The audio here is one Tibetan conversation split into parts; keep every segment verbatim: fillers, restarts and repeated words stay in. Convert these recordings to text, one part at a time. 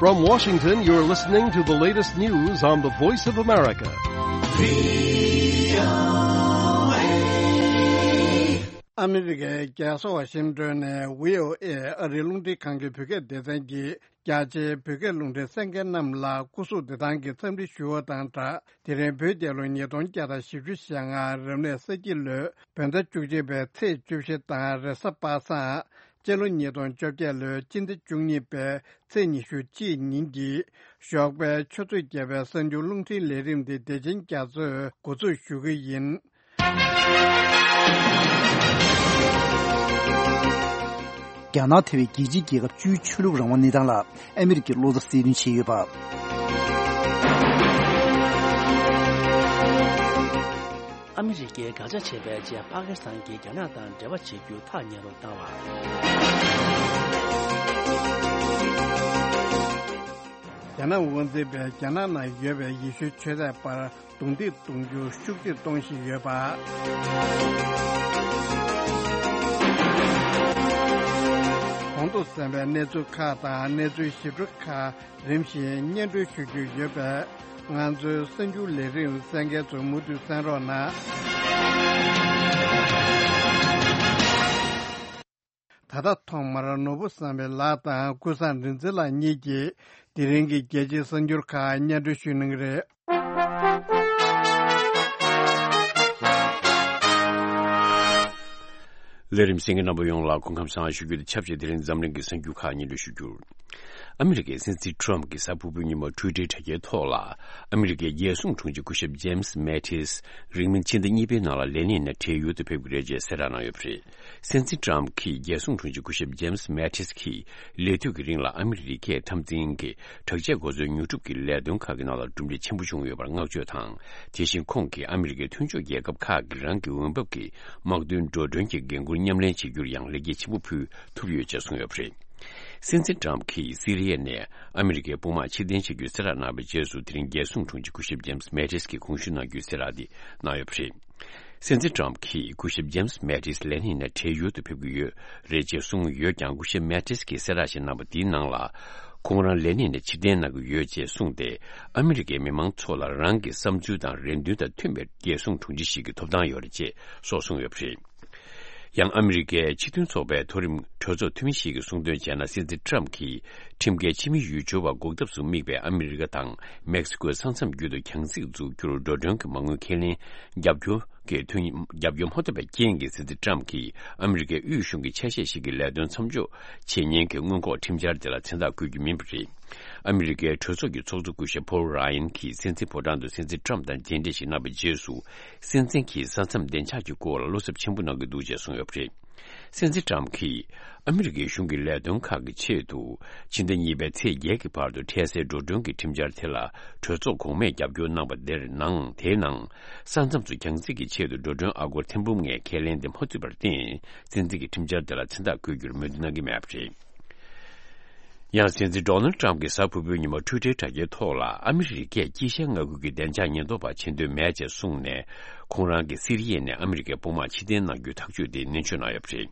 From Washington, you're listening to the latest news on the Voice of America. ཨ་མི་རི་ཀའི་རྒྱལ་ས་ཝ་ཤིང་ཏོན་ནས་བྷི་ཨོ་ཨེ་ཨ་རིའི་རླུང་འཕྲིན་ཁང་གི་བོད་སྐད་སྡེ་ཚན་གྱིས་རྒྱ་ཆེའི་བོད་སྐད་རླུང་འཕྲིན་གསན་མཁན་རྣམས་ལ་སྐུ་གཟུགས་བདེ་ཐང་གི་འཚམས་འདྲི་ཞུ་བ་དང་སྦྲགས། དེ་རིང་བོད་རྒྱལ་ལོ་ཉིས་སྟོང་བརྒྱ་དང་བཞི་བཅུ་ཞེ་ལྔ་རབ་གནས་ས་ཁྱི་ལོའི་བོད་ཟླ་བཅུ་གཅིག་པའི་ཚེས་བཅུ་བཞི་དང་རེས་གཟའ་པ་སངས། སྤྱི་ལོ་ཉིས་སྟོང་བཅོ་བརྒྱད་ལོའི་སྤྱི་ཟླ་བཅུ་གཉིས་པའི་ཚེས་ཉི་ཤུ་གཅིག་ཉིན་གྱི་ཞོགས་པའི་ཆུ་ཚོད་བརྒྱད་པའི་གསར་འགྱུར་རླུང་འཕྲིན་ལས་རིམ་འདི་བདེ་ཆེན་རྒྱ་མཚོས་འགོ་འཛུགས་ཞུ་གི་ཡིན། རྒྱ་ནག་ཐེ་བའི་རྒྱལ་སྤྱིའི་རྒྱལ་ཁབ་བཅུའི་ཆོས་ལུགས་རང་དབང་གནས་སྟངས་ལ་ཨ་མི་རི་ཀས་བློ་འཚབ་སེལ་འདུན་བྱས་ཡོད་པ། ཨ་མི་རི་ཀས་དགག་བྱ་བྱས་པའི་རྗེས་པ་ཀི་སི་ཐན་གྱིས་རྒྱ་ནག་དང་འབྲེལ་བ་བྱེད་རྒྱུ་ཐག་ཉེ་རུ་བཏང་བ། རྒྱ་ནག་དབང་འཛིན་པས་རྒྱ་ནག་ནང་ཡོད་པའི་ཡེ་ཤུའི་ཆོས་དད་པར་རྡུང་རྡེག་གཏོང་རྒྱུ་ཤུགས་ཆེར་གཏོང་བཞིན་ཡོད་པ། གོང་དུ་གསན་པའི་གནས་ཚུལ་ཁག་དང་གནས་ཚུལ་ཞིབ་ཕྲ་ཁག་རིམ་བཞིན་སྙན་སྒྲོན་ཞུ་རྒྱུ་ཡོད་པས། ང་ཚོའི་གསར་འགྱུར་ལས་རིམ་གསན་མཁན་ཚོས་མུ་མཐུད་གསན་རོགས་གནང་། ད་ལྟ་ཐོག་མར་ནོར་བུ་བསམ་འཕེལ་ལགས་དང་ཀུན་བཟང་རིག་འཛིན་ལགས་གཉིས་ཀྱིས་དེ་རིང་གི་རྒྱལ་སྤྱིའི་གསར་འགྱུར་ཁག་སྙན་སྒྲོན་ཞུ་གནང་གི་རེད། ལས་རིམ་གསན་མཁན་རྣམ་པ་ཡོངས་ལ་སྐུ་ཁམས་བཟང་ཞུ་རྒྱུ་དང་ཆབས་ཅིག་དེ་རིང་འཛམ་གླིང་གི་གསར་འགྱུར་ཁག་སྙན་སྒྲོན་ཞུ་རྒྱུར། ཨ་མི་རི་ཀའི་སྲིད་འཛིན་ཊམ་གྱིས་གཟའ་ཕུར་བུའི་ཉིན་མོ་ཊུའི་ཊར་དྲ་རྒྱའི་ཐོག་ལ། ཨ་མི་རི་ཀའི་རྒྱལ་སྲུང་དྲུང་ཆེ་སྐུ་ཞབས་ཇེམ་སི་མེ་ཏིས་རིང་མིན་ཕྱི་ཟླ་གཉིས་པའི་ནང་ལ་ལས་གནས་ནས་བྲེལ་ཡུལ་དུ་ཕེབས་ཀྱི་རེད་ཅེས་གསལ་བསྒྲགས་གནང་ཡོད་པ་རེད། སྲིད་འཛིན་ཊམ་གྱིས་རྒྱལ་སྲུང་དྲུང་ཆེ་སྐུ་ཞབས་ཇེམ་སི་མེ་ཏིས་ཀྱི་ལས་དུས་ཀྱི་རིང་ལ་ཨ་མི་རི་ཀའི་འཐབ་འཛིང་གི་དྲག་ཆས་འགོ་ཚུགས་ཉོ་སྒྲུབ་ཀྱི་ལས་དོན་ཁག་གི་ནང་ལ་གྲུབ་འབྲས་ཆེན་པོ་བྱུང་ཡོད་པར་བསྔགས་བརྗོད་དང་། དེ་བཞིན་ཁོང་གིས་ཨ་མི་རི་ཀའི་མཐུན་ཕྱོགས་རྒྱལ་ཁབ་ཁག་གིས་རང་གི་འོས་འབབ་ཀྱི་དམག་དོན་འགྲོ་གྲོན་གྱི་འགན་འཁུར་མཉམ་ལེན་བྱེད་རྒྱུར་ཡང་ལེགས་སྐྱེས་ཆེན་པོ་ཕུལ་ཐུབ་ཡོད་ཅེས་གསུངས་ཡོད་པ་རེད། སྲིད་འཛིན་ཊམ་གྱིས་སི་རི་ཡ་ནས་ཨ་མི་རི་ཀའི་དཔུང་དམག་ཕྱིར་འཐེན་བྱ་རྒྱུའི་གསལ་བསྒྲགས་གནང་བའི་རྗེས་སུ། དེ་རིང་རྒྱལ་སྲུང་དྲུང་ཆེ་སྐུ་ཞབས་ཇེམ་སི་མེ་ཏིས་ཀྱིས་གོང་ཞུས་གནང་རྒྱུའི་གསལ་བསྒྲགས་འདི་གནང་ཡོད་པ་རེད། སྲིད་འཛིན་ཊམ་གྱིས་སྐུ་ཞབས་ཇེམ་སི་མེ་ཏིས་ལས་གནས་ནས་བྲལ་ཡུལ་དུ་ཕེབས་ཀྱི་ཡོད་རེད་ཅེས་གསུངས་ཡོད་ཀྱང་། སྐུ་ཞབས་མེ་ཏིས་ཀྱིས་གསལ་བསྒྲགས་ཤིག་གནང་པ་འདིའི་ནང་ལ། ཁོང་རང་ལས་གནས་ནས་ཕྱིར་འཐེན་གནང་གི་ཡོད་ཅེས་གསུངས་ཏེ། ཨ་མི་རི་ཀའི་མི་མང་ཚོ་ལ་རང་གི་བསམ་ཚུལ་དང་རེ་འདུན་དང་མཐུན་པའི་རྒྱལ་སྲུང་དྲུང་ཆེ་ཞིག་གི་ཐོབ་ཐང་ཡོད་རེད་ཅེས་སོགས་གསུངས་ཡོད་པ་རེད། ཡང་ཨ་མི་རི་ཀའི་སྤྱི་མཐུན་ཚོགས་པའི་མཐོ་རིམ་གྲོས་ཚོགས་འཐུས་མི་ཞིག་གིས་གསུངས་དོན་བྱས་ན། སྲིད་འཛིན་ཊམ་གྱིས་ཁྲིམས་འགལ་ཕྱི་མི་ཡུལ་སྦྱོར་བ་འགོག་ཐབས་སུ་དམིགས་པའི་ཨ་མི་རི་ཀ་དང་མེག་སི་ཀོའི་ས་མཚམས་བརྒྱུད་དུ་གྱང་རྩིག་འཛུགས་རྒྱུར་འགྲོ་གྲོན་གྱི་མ་དངུལ་ཁས་ལེན་རྒྱབ་སྐྱོར་གྱི་དོན་རྒྱབ་སྐྱོར་མ་ཐོབ་པའི་རྐྱེན་གྱིས། སྲིད་འཛིན་ཊམ་གྱིས་ཨ་མི་རི་ཀའི་དབུས་གཞུང་གི་ཆ་ཤས་ཤིག་གི་ལས་དོན་མཚམས་འཇོག་བྱེད་ཉེན་གྱི་སྔོན་འགོག་ཁྲིམས་འཆར་དེ་ལ་མཚན་རྟགས་བཀོད་རྒྱུ་མིན་པ་རེད། ཨ་མི་རི་ཀའི་གྲོས་ཚོགས་ཀྱི་ཚོགས་གཙོ་སྐུ་ཞབས་ཕོལ་ར་ཡན་གྱིས་སྲིད་འཛིན་ཕོ་བྲང་དུ་སྲིད་འཛིན་ཊམ་དང་མཇལ་འཕྲད་ཞིག་གནང་བའི་རྗེས་སུ། སྲིད་འཛིན་གྱིས་ས་མཚམས་བདེ་འཇགས་ཀྱི་སྐོར་ལ་བློ་འཚབ་ཆེན་པོ་གནང་གི་འདུག་ཅེས་གསུངས་ཡོད་པ་རེད། སྲིད་འཛིན་ཊམ་གྱིས་ཨ་མི་རི་ཀའི་གཞུང་གི་ལས་དོན་ཁག་གི་ཆེད་དུ་ཕྱི་ཟླ་གཉིས་པའི་ཚེས་བརྒྱད་ཀྱི་བར་དུ་འཕྲལ་སེལ་འགྲོ་གྲོན་གྱི་ཁྲིམས་འཆར་དེ་ལ་གྲོས་ཚོགས་གོང་མས་རྒྱབ་སྐྱོར་གནང་པ་དེར་ནང་། དེའི་ནང་ས་མཚམས་སུ་གྱང་རྩིག་གི་ཆེད་དུ་འགྲོ་གྲོན་ཨ་སྒོར་ཐེར་འབུམ་ལྔའི་ཁས་ལེན་དེ་མ་ཚུད་པར་བརྟེན། སྲིད་འཛིན་གྱིས་ཁྲིམས་འཆར་དེ་ལ་མཚན་རྟགས་བཀོད་རྒྱུར་མོས་མཐུན་གནང་གི་མེད་པ་རེད། ཡང་སྲིད་འཛིན་ཌོ་ནལ་ཊམ་གྱིས་གཟའ་ཕུར་བུའི་ཉིན་མོ་ཊུའི་ཊར་དྲ་རྒྱའི་ཐོག་ལ། ཨ་མི་རི་ཀས་དཀྱིལ་ཤར་མངའ་ཁུལ་གྱི་བདེ་འཇགས་ཉེན་རྟོག་པ་བྱེད་འདོད་མེད་ཅེས་གསུངས་ནས། ཁོང་རང་གིས་སི་རི་ཡ་ནས་ཨ་མི་རི་ཀའི་དཔུང་དམག་ཕྱིར་འཐེན་གནང་རྒྱུའི་ཐག་གཅོད་དེ་ནན་བརྗོད་གནང་ཡོད་པ་རེད།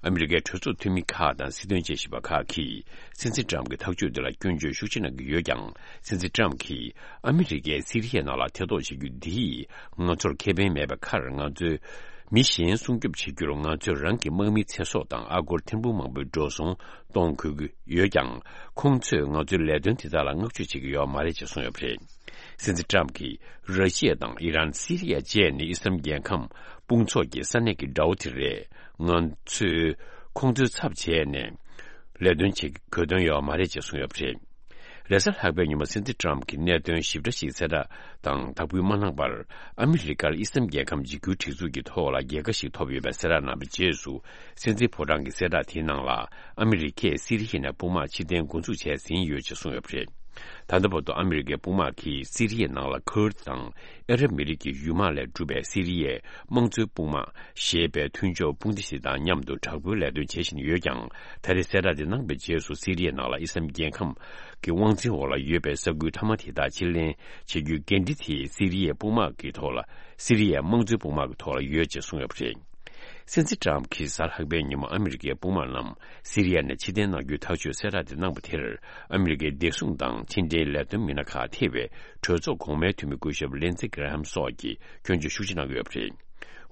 ཨ་མི་རི་ཀའི་གྲོས་ཚོགས་འཐུས་མི་ཁག་དང་སྲིད་དོན་དཔྱད་ཞིབ་པ་ཁག་གིས་སྲིད་འཛིན་ཊམ་གྱི་ཐག་གཅོད་འདི་ལ་སྐྱོན་བརྗོད་ཤུགས་ཆེ་གནང་གི་ཡོད་ཀྱང་། སྲིད་འཛིན་ཊམ་གྱིས་ཨ་མི་རི་ཀས་སི་རི་ཡའི་ནང་ལ་ཐེ་གཏོགས་བྱེད་རྒྱུ་འདིས་ང་ཚོར་ཁེ་ཕན་མེད་པའི་ཁར། ང་ཚོས་མི་གཞན་སྲུང་སྐྱོབ་བྱེད་རྒྱུར་ང་ཚོས་རང་གི་དམག་མིའི་ཚེ་སྲོག་དང་ཨ་སྒོར་ཐེར་འབུམ་མང་པོའི་འགྲོ་སོང་གཏོང་དགོས་ཀྱི་ཡོད་ཀྱང་། ཁོང་ཚོས་ང་ཚོའི་ལས་དོན་དེ་དག་ལ་བསྔགས་བརྗོད་བྱེད་ཀྱི་ཡོད་མ་རེད་ཅེས་གསུངས་ཡོད་པ་རེད། སྲིད་འཛིན་ཊམ་གྱིས། ར་ཤི་ཡ་དང་ཨི་རན། སི་རི་ཡ་བཅས་ནི་ཨི་སི་ལམ་རྒྱལ་ཁམས་དཔུང་ཚོགས་ཀྱི་ས་གནས་ཀྱི་དགྲ་བོ་དེ་རེད། ང་ཚོས་ཁོང་ཚོའི་ཚབ་བྱས་ནས་ལས་དོན་བྱེད་དགོས་དོན་ཡོད་མ་རེད་ཅེས་གསུངས་ཡོད་པ་རེད། རེས་གཟའ་ལྷག་པའི་ཉིན་མོ་སྲིད་འཛིན་ཊམ་གྱིས་གནད་དོན་ཞིབ་ཕྲ་ཞིག་གསལ་བསྒྲགས་དང་དག་འབུལ་མ་གནང་བར། ཨ་མི་རི་ཀར་ཨི་སི་ལམ་རྒྱལ་ཁམས་འཇིགས་སྐུལ་སྒྲིག་འཛུགས་ཀྱི་ཐོག་ལ་རྒྱལ་ཁ་ཞིག་ཐོབ་ཡོད་པའི་གསལ་བསྒྲགས་གནང་བའི་རྗེས་སུ། སྲིད་འཛིན་ཕོ་བྲང་གི་གསལ་བསྒྲགས་དེའི་ནང་ལ། ཨ་མི་རི་ཀས་སི་རི་ཡ་ནས་དཔུང་དམག་ཕྱིར་འཐེན་འགོ་འཛུགས་བྱས་ཟིན་ཡོད་ཅེས་གསུངས་ཡོད་པ་རེད། ད་ལྟ་བར་དུ་ཨ་མི་རི་ཀའི་དཔུང་དམག་གིས་སི་རི་ཡའི་ནང་ལ་ཁུར་དང་ཨ་རབ་མི་རིགས་ཀྱི་ཡུལ་དམག་ལས་གྲུབ་པའི་སི་རི་ཡའི་དམངས་གཙོའི་དཔུང་དམག་ཞེས་པའི་མཐུན་ཕྱོགས་དཔུང་སྡེ་ཞིག་དང་མཉམ་དུ་དྲག་པོའི་ལས་དོན་བྱེད་བཞིན་ཡོད་ཀྱང་། ད་རེས་གསལ་བསྒྲགས་དེ་གནང་བའི་རྗེས་སུ། སི་རི་ཡའི་ནང་ལ་ཨི་སི་ལམ་རྒྱལ་ཁམས་ཀྱི་དབང་འཛིན་འོག་ལ་ཡོད་པའི་ས་ཁུལ་མཐའ་མ་དེ་དག་ཕྱིར་ལེན་བྱེད་རྒྱུའི་འགན་འཁྲི་དེ་སི་རི་ཡའི་དཔུང་དམག་གི་ཐོག་ལ། སི་རི་ཡའི་དམངས་གཙོའི་དཔུང་དམག་གི་ཐོག་ལ་ཡོད་ཅེས་གསུངས་ཡོད་པ་རེད། སྲིད་འཛིན་ཏྲམ་གྱིས་གཟའ་ལྷག་པའི་ཉིན་མོ་ཨ་མི་རི་ཀའི་དཔུང་དམག་རྣམས་སི་རི་ཡ་ནས་ཕྱིར་འཐེན་གནང་རྒྱུའི་ཐག་གཅོད་གསལ་བསྒྲགས་དེ་གནང་པ་དེར། ཨ་མི་རི་ཀའི་བདེ་སྲུང་དང་ཕྱི་འབྲེལ་ལས་དོན་མི་སྣ་ཁག་ཐེ་བའི་གྲོས་ཚོགས་གོང་མའི་འཐུས་མི་སྐུ་ཞབས་ལིན་ཛི་གྷི་ར་ཧམ་སོགས་ཀྱིས་སྐྱོན་བརྗོད་ཤུགས་ཆེ་གནང་གི་ཡོད་པ་རེད།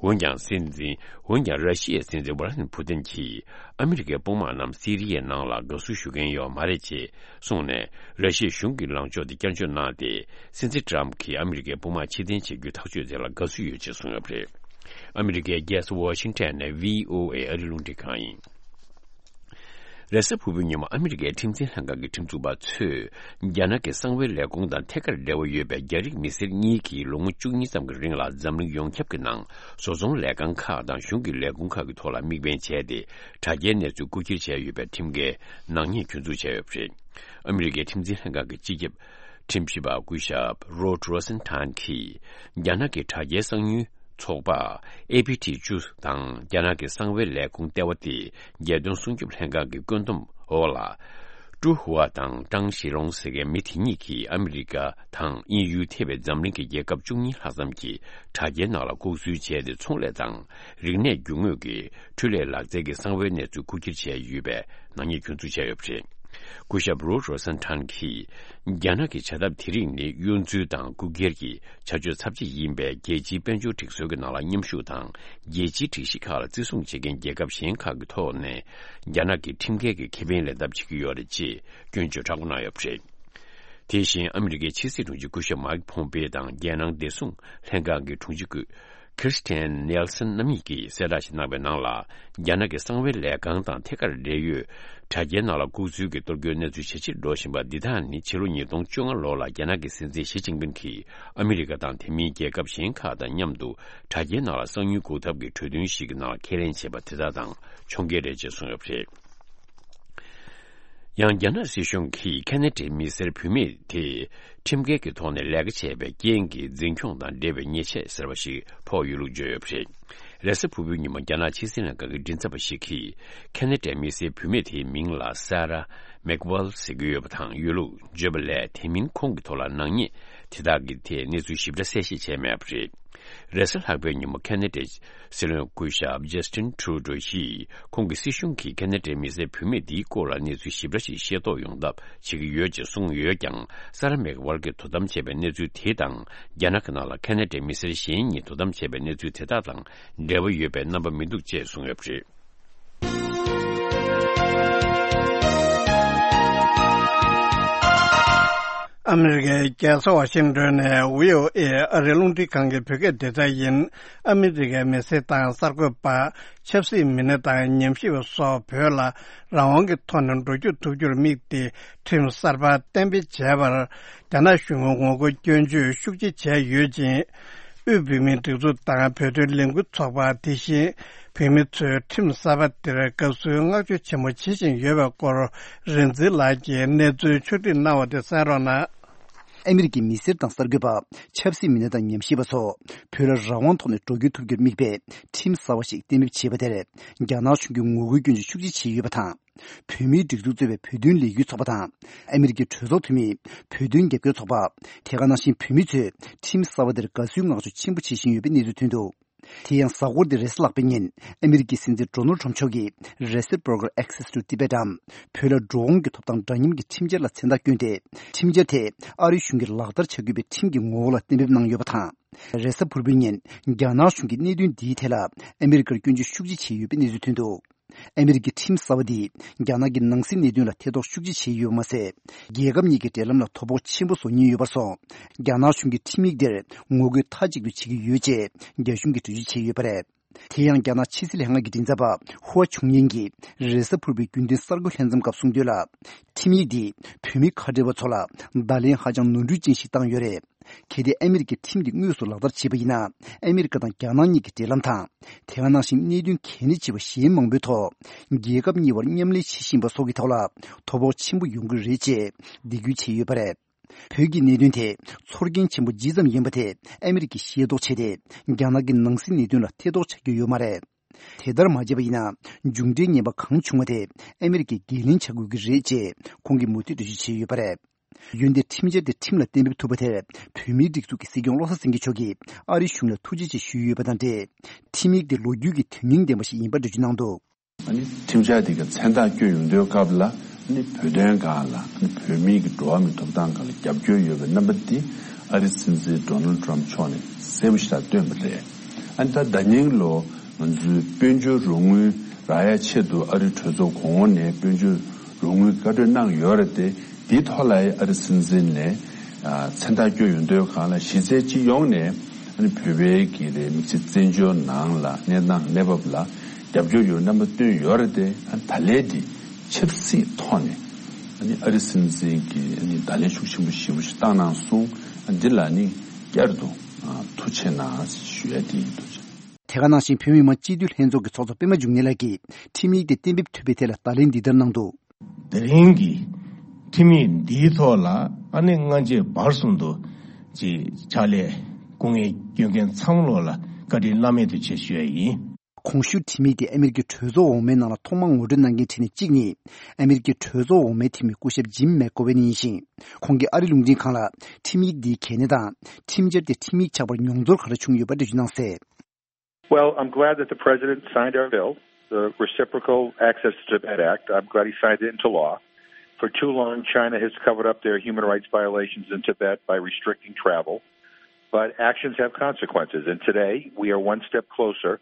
འོན་ཀྱང་སྲིད་འཛིན། འོན་ཀྱང་ར་ཤི་ཡའི་སྲིད་འཛིན་ཝ་ལ་ཏི་མིར་ཕུ་ཏིན་གྱིས་ཨ་མི་རི་ཀའི་དཔུང་དམག་རྣམས་སི་རི་ཡའི་ནང་ལ་དགའ་བསུ་ཞུ་མཁན་ཡོད་མ་རེད་ཅེས་གསུངས་ནས། ར་ཤི་ཡའི་གཞུང་གི་ལངས་ཕྱོགས་དེ་བསྐྱར་བཅོས་གནང་སྟེ། སྲིད་འཛིན་ཏྲམ་གྱིས་ཨ་མི་རི་ཀའི་དཔུང་དམག་ཕྱིར་འཐེན་བྱེད་རྒྱུའི་ཐག་གཅོད་དེ་ལ་དགའ་བསུ་ཡོད་ཅེས་གསུངས་ཡོད་པ་རེད། ཨ་མི་རི་ཀའི་རྒྱལ་ས་ཝ་ཤིང་ཊོན་ནས་བྷི་ཨོ་ཨེ་ཨ་རིའི་རླུང་འཕྲིན་ཁང་ཡིན། རེས་གཟའ་ཕུར་བུའི་ཉིན་མོ་ཨ་མི་རི་ཀའི་ཁྲིམས་འཛིན་ལྷན་ཁང་གི་ཁྲིམས་འཛུགས་པ་ཚོས། རྒྱ་ནག་གི་གསང་བའི་ལས་ཁུངས་དང་ཐད་ཀར་འབྲེལ་བ་ཡོད་པའི་རྒྱ་རིགས་མི་སེར་གཉིས་ཀྱིས་ལོ་ངོ་བཅུ་གཉིས་ཙམ་གྱི་རིང་ལ་འཛམ་གླིང་ཡོངས་ཁྱབ་ཀྱི་ནང་བཟོ་ཚོང་ལས་ཁང་ཁག་དང་གཞུང་གི་ལས་ཁུངས་ཁག་གི་ཐོག་ལ་དམིགས་འབེན་བྱས་ཏེ། དྲ་རྒྱའི་གནས་ཚུལ་རྐུ་འཁྱེར་བྱས་ཡོད་པའི་ཁྲིམས་འགལ་ནག་ཉེས་སྐྱོན་འཛུགས་བྱས་ཡོད་པ་རེད། ཨ་མི་རི་ཀའི་ཁྲིམས་འཛིན་ལྷན་ཁང་གི་སྤྱི་ཁྱབ་ཁྲིམས་ཞིབ་པ་སྐུ་ཞབས་Rod Rosenstein་གྱིས། རྒྱ་ནག་གི་དྲ་རྒྱའི་གསང་ཉུལ་ཚོགས་པ་ཨེ་ཕི་ཊི་བཅུ་དང་རྒྱ་ནག་གི་གསང་བའི་ལས་ཁུངས་ལྟེ་བ་སྟེ། རྒྱལ་དོན་སྲུང་སྐྱོབ་ལྷན་ཁང་གི་བཀོད་འདོམས་འོག་ལ། ཀྲུའུ་ཧུའ་དང་ཀྲང་ཞི་ལོང་ཟེར་མཁན་མི་དེ་གཉིས་ཀྱིས་ཨ་མི་རི་ཀ་དང་དབྱིན་ཡུལ་ཐེ་བའི་འཛམ་གླིང་གི་རྒྱལ་ཁབ་བཅུ་གཉིས་ལྷག་ཙམ་གྱི་དྲ་རྒྱའི་ནང་ལ་ལྐོག་འཛུལ་བྱས་ཏེ། ཚོང་ལས་དང་རིག་གནས་རྒྱུ་དངོས་ཀྱི་འཕྲུལ་ལས་ལག་རྩལ་གྱི་གསང་བའི་གནས་ཚུལ་རྐུ་འཁྱེར་བྱས་ཡོད་པའི་ནག་ཉེས་སྐྱོན་འཛུགས་བྱས་ཡོད་པ་རེད། སྐུ་ཞབས་Rod Rosenstein་གྱིས། རྒྱ་ནག་གི་བྱ་ཐབས་དེ་རིགས་ནི་གཡོ་འཛུལ་དང་རྐུ་འཁྱེར་གྱི་བྱ་སྤྱོད་ཚབས་ཆེ་ཡིན་པས། རྒྱལ་སྤྱིའི་དཔལ་འབྱོར་སྒྲིག་སྲོལ་གྱི་ནང་ལ་མཉམ་ཞུགས་དང་། རྒྱལ་སྤྱིའི་སྒྲིག་གཞི་ཁག་ལ་བརྩི་སྲུང་བྱེད་མཁན་རྒྱལ་ཁབ་གཞན་ཁག་གི་ཐོག་ནས། རྒྱ་ནག་གི་ཁྲིམས་འགལ་གྱི་ཁེ་ཕན་ལེན་ཐབས་བྱེད་ཀྱི་ཡོད་རེད་ཅེས་སྐྱོན་བརྗོད་དྲག་པོ་གནང་ཡོད་པ་རེད། དེ་བཞིན་ཨ་མི་རི་ཀའི་ཕྱི་སྲིད་དྲུང་ཆེ་སྐུ་ཞབས་མའིག་ཕོམ་པེ་དང་རྒྱལ་ནང་བདེ་སྲུང་ལྷན་ཁང་གི་དྲུང་ཆེ་སྐུ། Kirstjen Nielsen་རྣམ་གཉིས་ཀྱིས་གསལ་བསྒྲགས་ཤིག་གནང་བའི་ནང་ལ། རྒྱ་ནག་གི་གསང་བའི་ལས་ཁང་དང་ཐད་ཀར་འབྲེལ་ཡོད་དྲ་རྒྱའི་ནང་ལ་ལྐོག་འཛུལ་གྱི་གཏོར་སྐྱོན་གནས་ཚུལ་ཇེ་ཆེར་འགྲོ་བཞིན་པ་འདི་དག་ནི་ཕྱི་ལོ་ཉིས་སྟོང་བཅོ་ལྔ་ལོ་ལ་རྒྱ་ནག་གི་སྲིད་འཛིན་ཞི་ཅིན་ཕིན་གྱིས་ཨ་མི་རི་ཀ་དང་དེ་མིན་རྒྱལ་ཁབ་གཞན་ཁག་དང་མཉམ་དུ་དྲ་རྒྱའི་ནང་ལ་གསང་ཉུལ་འགོག་ཐབས་ཀྱི་གྲོས་མཐུན་ཞིག་གི་ནང་ཁས་ལེན་བྱས་པ་དེ་དག་དང་མཚུངས་རྒྱལ་རེད་ཅེས་གསུངས་ཡོད་པ་རེད། ཡང་རྒྱ་ནག་སྲིད་གཞུང་གིས་ཁ་ན་ཌའི་མི་སེར་བུད་མེད་དེ་ཁྲིམས་འགལ་གྱི་ཐོག་ནས་ལས་ཀ་བྱས་པའི་རྐྱེན་གྱིས་འཛིན་སྐྱོང་དང་འབྲེལ་བའི་ཉེས་ཆད་ཟེར་བ་ཞིག་ཕོག་ཡོད་ལུགས་བརྗོད་ཡོད་པ་རེད། རེས་གཟའ་ཕུར་བུའི་ཉིན་མོ་རྒྱ་ནག་ཕྱི་སྲིད་ལྷན་ཁང་གི་མགྲིན་ཚབ་པ་ཞིག་གིས་ཁ་ན་ཌའི་མི་སེར་བུད་མེད་དེའི་མིང་ལ་Sarah Macdonald་ཟེར་གྱི་ཡོད་པ་དང་ཡོད་ལུགས་བརྗོད་པ་ལས། དེ་མིན་ཁོང་གི་ཐོག་ལ་ནག་ཉེས་དེ་དག་གི་ཐད་གནས་ཚུལ་ཞིབ་ཕྲ་གསལ་བཤད་བྱས་མེད་པ་རེད། རེས་གཟའ་ལྷག་པའི་ཉིན་མོ་ཁ་ན་ཌའི་སྲིད་བློན་སྐུ་ཞབས་Justin Trudeau་ཡིས། ཁོང་གི་སྲིད་གཞུང་གིས་ཁ་ན་ཌའི་མི་སེར་བུད་མེད་འདིའི་སྐོར་ལ་གནས་ཚུལ་ཞིབ་ཕྲ་ཞིག་ཤེས་རྟོགས་ཡོང་ཐབས་བྱེད་ཀྱི་ཡོད་ཅེས་གསུངས་ཡོད་ཀྱང་། Sarah Macdonald་གྱིས་དོ་དམ་བྱས་པའི་གནས་ཚུལ་དེ་དང་། རྒྱ་ནག་གི་ནང་ལ་ཁ་ན་ཌའི་མི་སེར་གཞན་གཉིས་དོ་དམ་བྱས་པའི་གནས་ཚུལ་དེ་དག་དང་འབྲེལ་བ་ཡོད་པའི་རྣམ་པ་མི་འདུག་ཅེས་གསུངས་ཡོད་པ་རེད། ཨ་མི་རི་ཀའི་རྒྱལ་ས་ཝ་ཤིང་ཏོན་ནས་བྷི་ཨོ་ཨེ་ཨ་རིའི་རླུང་འཕྲིན་ཁང་གི་བོད་སྐད་སྡེ་ཚན་ཡིན། ཨ་མི་རི་ཀའི་མི་སེར་དང་གསར་འགོད་པ། ཆབ་སྲིད་མི་སྣ་དང་ཉམས་ཞིབ་པ་སོགས་བོད་ལ་རང་དབང་གི་ཐོག་ནས་འགྲོ་སྐྱོད་ཐུབ་རྒྱུར་དམིགས་ཏེ་ཁྲིམས་གསར་པ་གཏན་འབེབས་བྱས་པར། རྒྱ་ནག་གཞུང་གིས་ངོ་རྒོལ་སྐྱོན་བརྗོད་ཤུགས་ཆེ་བྱས་ཡོད་ཅིང་། དབུས་བོད་མིའི་སྒྲིག་འཛུགས་དང་བོད་དོན་ལས་འགུལ་ཚོགས་པ། དེ་བཞིན་བོད་མི་ཚོས་ཁྲིམས་གསར་པ་དེར་དགའ་བསུའི་བསྔགས་བརྗོད་ཆེན་པོ་བྱེད་བཞིན་ཡོད་པའི་སྐོར། རིག་འཛིན་ལགས་ཀྱིས་གནས་ཚུལ་ཕྱོགས་སྒྲིག་གནང་བ་དེ་གསན་རོགས་གནང་། ཨ་མི་རི་ཀའི་མི་སེར་དང་གསར་འགོད་པ། ཆབ་སྲིད་མི་སྣ་དང་ཉམས་ཞིབ་པ་ཚོ། བོད་ལ་རང་དབང་ཐོག་ནས་འགྲོ་སྐྱོད་ཐུབ་རྒྱུར་དམིགས་པའི་ཁྲིམས་གསར་བ་ཞིག་གཏན་འབེབས་བྱས་པ་དེར། རྒྱ་ནག་གཞུང་གིས་ངོ་རྒོལ་སྐྱོན་བརྗོད་ཤུགས་ཆེ་བྱས་ཡོད་པ་དང་། བོད་མིའི་སྒྲིག་འཛུགས་གཙོས་པའི་བོད་དོན་ལས་འགུལ་ཚོགས་པ་དང་། ཨ་མི་རི་ཀའི་གྲོས་ཚོགས་འཐུས་མི། བོད་དོན་རྒྱབ་སྐྱོར་ཚོགས་པ། དེ་ག་ནང་བཞིན་བོད་མི་ཚོས་ཁྲིམས་གསར་བ་དེར་དགའ་བསུའི་བསྔགས་བརྗོད་ཆེན་པོ་བྱེད་བཞིན་ཡོད་པའི་གནས་ཚུལ་ཐོན་འདུག་དེ་ཡང་གཟའ་འཁོར་འདིར་རེས་གཟའ་ལྷག་པའི་ཉིན། ཨ་མི་རི་ཀའི་སྲིད་འཛིན་ཌོ་ནལ་ཊམ་མཆོག་གིས། རེས་གཟའ་Broker Access to Tibet་འམ། བོད་ལ་འགྲོ་འོང་གི་ཐོབ་ཐང་འདྲ་མཉམ་གྱི་ཁྲིམས་འཆར་ལ་མཚན་རྟགས་བསྐྱོན་ཏེ། ཁྲིམས་འཆར་དེ་ཨ་རིའི་གཞུང་གིས་ལག་བསྟར་བྱ་དགོས་པའི་ཁྲིམས་ཀྱི་ངོ་བོ་ལ་གཏན་འབེབས་གནང་ཡོད་པ་དང་། རེས་གཟའ་ཕུར་བུའི་ཉིན། རྒྱ་ནག་གཞུང་གིས་གནད་དོན་འདིའི་ཐད་ལ། ཨ་མི་རི་ཀར་སྐྱོན་བརྗོད་ཤུགས་ཆེ་བྱས་ཡོད་པའི་གནས་ཚུལ་ཐོན་འདུག་ཨ་མི་རི་ཀའི་ཁྲིམས་གསར་བ་འདིས། རྒྱ་ནག་གི་ནང་སྲིད་གནད་དོན་ལ་ཐེ་གཏོགས་ཤུགས་ཆེ་བྱས་ཡོད་པ་མ་ཟད། རྒྱལ་ཁབ་གཉིས་ཀྱི་འབྲེལ་ལམ་ལ་དོ་ཕོག་ཆེན་པོ་བཟོ་ཉེན་ཡོད་པར་སོང་། རྒྱ་ནག་གཞུང་གིས་ཁྲིམས་ཡིག་འདིར་ངོ་རྒོལ་མཐའ་གཅིག་ཏུ་བྱེད་ཀྱི་ཡོད་ཅེས་རྒྱ་གཞུང་གིས་འགྲེལ་བརྗོད་བྱས་ཡོད་པ་རེད། དེ་ཡང་རྒྱ་ནག་ཕྱི་སྲིད་ལྷན་ཁང་གི་མགྲིན་ཚབ་པ་ཧུའ་ཆུང་ཡན་གྱིས་རེས་གཟའ་ཕུར་བུའི་རྒྱུན་ལྡན་གསར་འགོད་ལྷན་འཛོམས་སྐབས་གསུངས་དོན་ལ། ཁྲིམས་ཡིག་འདིས་བོད་མི་ཁ་བྲལ་བ་ཚོ་ལ་བརྡ་ལན་ཧ་ཅང་ནོར་འཁྲུལ་ཅན་ཞིག་བཏང་ཡོད་རེད། གལ་ཏེ་ཨ་མི་རི་ཀས་ཁྲིམས་འདི་དངོས་སུ་ལག་བསྟར་བྱས་པ་ཡིན་ན། ཨ་མི་རི་ཀ་དང་རྒྱ་ནག་གཉིས་ཀྱི་འབྲེལ་ལམ་དང་། དེ་ག་ནང་བཞིན་གནད་དོན་གལ་གནད་ཆེ་བ་གཞན་མང་པོའི་ཐོག་རྒྱལ་ཁབ་གཉིས་བར་མཉམ་ལས་བྱེད་བཞིན་པ་སོགས་ཀྱི་ཐོག་ལ་དོ་ཕོག་ཆེན་པོ་ཡོང་གི་རེད་ཅེས་འདེད་སྐུལ་བྱས་ཡོད་པ་རེད། བོད་ཀྱི་གནད་དོན་དེ་ཚོར་སྐྱེན་ཆེན་པོ་ཇི་ཙམ་ཡིན་པ་དེ་ཨ་མི་རི་ཀས་ཤེས་རྟོགས་བྱས་ཏེ། རྒྱ་ནག་གི་ནང་སྲིད་གནད་དོན་ལ་ཐེ་གཏོགས་བྱ་རྒྱུ་ཡོད་མ་རེད། དེ་ལྟར་མ་བྱས་པ་ཡིན་ན། མཇུག་འབྲས་ངན་པ་གང་བྱུང་བ་དེ་ཨ་མི་རི་ཀས་འགན་ལེན་བྱ་དགོས་ཀྱི་རེད་ཅེས་ཁོང་གིས་མུ་མཐུད་འགྲེལ་བརྗོད་བྱས་ཡོད་པ་རེད། ཡོན་ཏན་ཁྲིམས་འཆར་དེ་ཁྲིམས་ལ་གཏན་འབེབས་ཐུབ་པ་དེར་བོད་མིའི་སྒྲིག་འཛུགས་ཀྱི་སྲིད་སྐྱོང་བློ་བཟང་སེང་གེ་མཆོག་གིས་ཨ་རིའི་གཞུང་ལ་ཐུགས་རྗེ་ཆེ་ཞུས་ཡོད་པ་དང་འབྲེལ། ཁྲིམས་ཡིག་དེ་ལོ་རྒྱུས་ཀྱི་དོན་སྙིང་ལྡན་པ་ཞིག་ཡིན་པ་འགྲེལ་བརྗོད་གནང་འདུག་ཨ་ནི་ཁྲིམས་འཆར་དེ་གའི་མཚན་རྟགས་བསྐྱོན་ཡོང་དུས་སྐབས་ལ་ཨ་ནི་བོད་དོན་སྒང་ལ་ཨ་ནི་བོད་མིའི་གི་འགྲོ་བ་མིའི་ཐོབ་ཐང་སྒང་ལ་རྒྱབ་སྐྱོར་ཡོད་པའི་རྣམ་པ་འདི་ཨ་རིའི་སྲིད་འཛིན་ཌོ་ནལ་ཌི་ཊརམ་ཕི་མཆོག་ནས་གསལ་པོ་ཞིག་ལ་བཏོན་པ་རེད། ཨ་ནི་ད་ཟླ་ཉིན་ལོ་ང་ཚོའི་དཔལ་འབྱོར་རོགས་དངུལ་རག་ཡ་ཆེད་དུ་ཨ་རིའི་གྲོས་ཚོགས་གོང་འོག་ནས་དཔལ་འབྱོར་རོགས་དངུལ་བཀའ་འཁྲོལ་གནང་ཡོད་རེད་དེ། དེའི་ཐོག་ལ་ཨ་རི་སྲིད་འཛིན་ནས་ཨ་མཚན་རྟགས་བསྐྱོན་ཡོང་དུས་སྒང་ལ་གཞི་རྩའི་སྤྱི་ཡོངས་ནས་ཨ་ནི་བོད་པའི་གི་རེད་དམིགས་བསལ་བཙན་བྱོལ་ནང་ལ་གནས་སྟངས་གནས་བབ་ལ་རྒྱབ་སྐྱོར་ཡོད་རྣམ་པ་བཏོན་ཡོད་རེད་དེ། ཨ་ནི་ད་ལན་འདི་ཆབ་སྲིད་ཐོག་ནས་ཨ་ནི་ཨ་རི་སྲིད་འཛིན་གྱིས་ཨ་ནི་བརྡ་ལན་ཤུགས་ཆེན་པོ་ཞེ་པོ་ཞིག་བཏང་གནང་སོང་། ཨ་འདི་ལ་ནི་བསྐྱར་དུ་ཨ་ཐུགས་རྗེ་གནང་ཞུ་ཡ་དེ་ཡིན། ཐུགས་རྗེ་ཆེ། དེ་ག་ནང་བཞིན་བོད་མི་མང་སྤྱི་འཐུས་ལྷན་ཚོགས་ཀྱི་ཚོགས་གཙོ་པད་མ་འབྱུང་གནས་ལགས་ཀྱིས་ཁྲིམས་ཡིག་དེ་གཏན་འབེབས་ཐུབ་པའི་ཐད་ལ་བརྡ་ལན་འདི་ལྟར་གནང་འདུག་དེ་རིང་གི་ཁྲིམས་ཡིག་འདིའི་ཐོག་ལ་ཨ་ནི་སྔ་རྗེས་བར་གསུམ་དུ་ཅིག་ཕྱག་ལས་སྐུ་ངལ་སྐྱོན་མཁན་ཚང་མ་ལོག་ལ་བཀའ་དྲིན་བླ་མེད་དུ་ཆེ་ཞུ་ཡ་ཡིན། གོང་ཞུས་ཁྲིམས་ཡིག་དེ་ཨ་མེ་རི་ཀའི་གྲོས་ཚོགས་འོག་མའི་ནང་ལ་ཐོག་མར་ངོ་སྤྲོད་གནང་མཁན་ཁྲིམས་ནི་གཅིག་ནི་ཨ་མེ་རི་ཀའི་གྲོས་ཚོགས་འོག་མའི་འཐུས་མི་སྐུ་ཞབས་ཇིམ་མེག་གོ་ཝེན་ཡིན་ཞིང་། ཁོང་གིས་ཨ་རི་རླུང་འཕྲིན་ཁང་ལ་ཁྲིམས་ཡིག་འདིའི་གལ་གནད་དང་ཁྲིམས་འཆར་དེ་ཁྲིམས་ཡིག་ཆགས་པར་མྱོང་ཚོར་ག་རེ་བྱུང་ཡོད་པ་འགྲེལ་བརྗོད་གནང་གསལ། Well, I'm glad that the president signed our bill, the Reciprocal Access to Tibet Act. I'm glad he signed it into law. For too long, China has covered up their human rights violations in Tibet by restricting travel. But actions have consequences, and today we are one step closer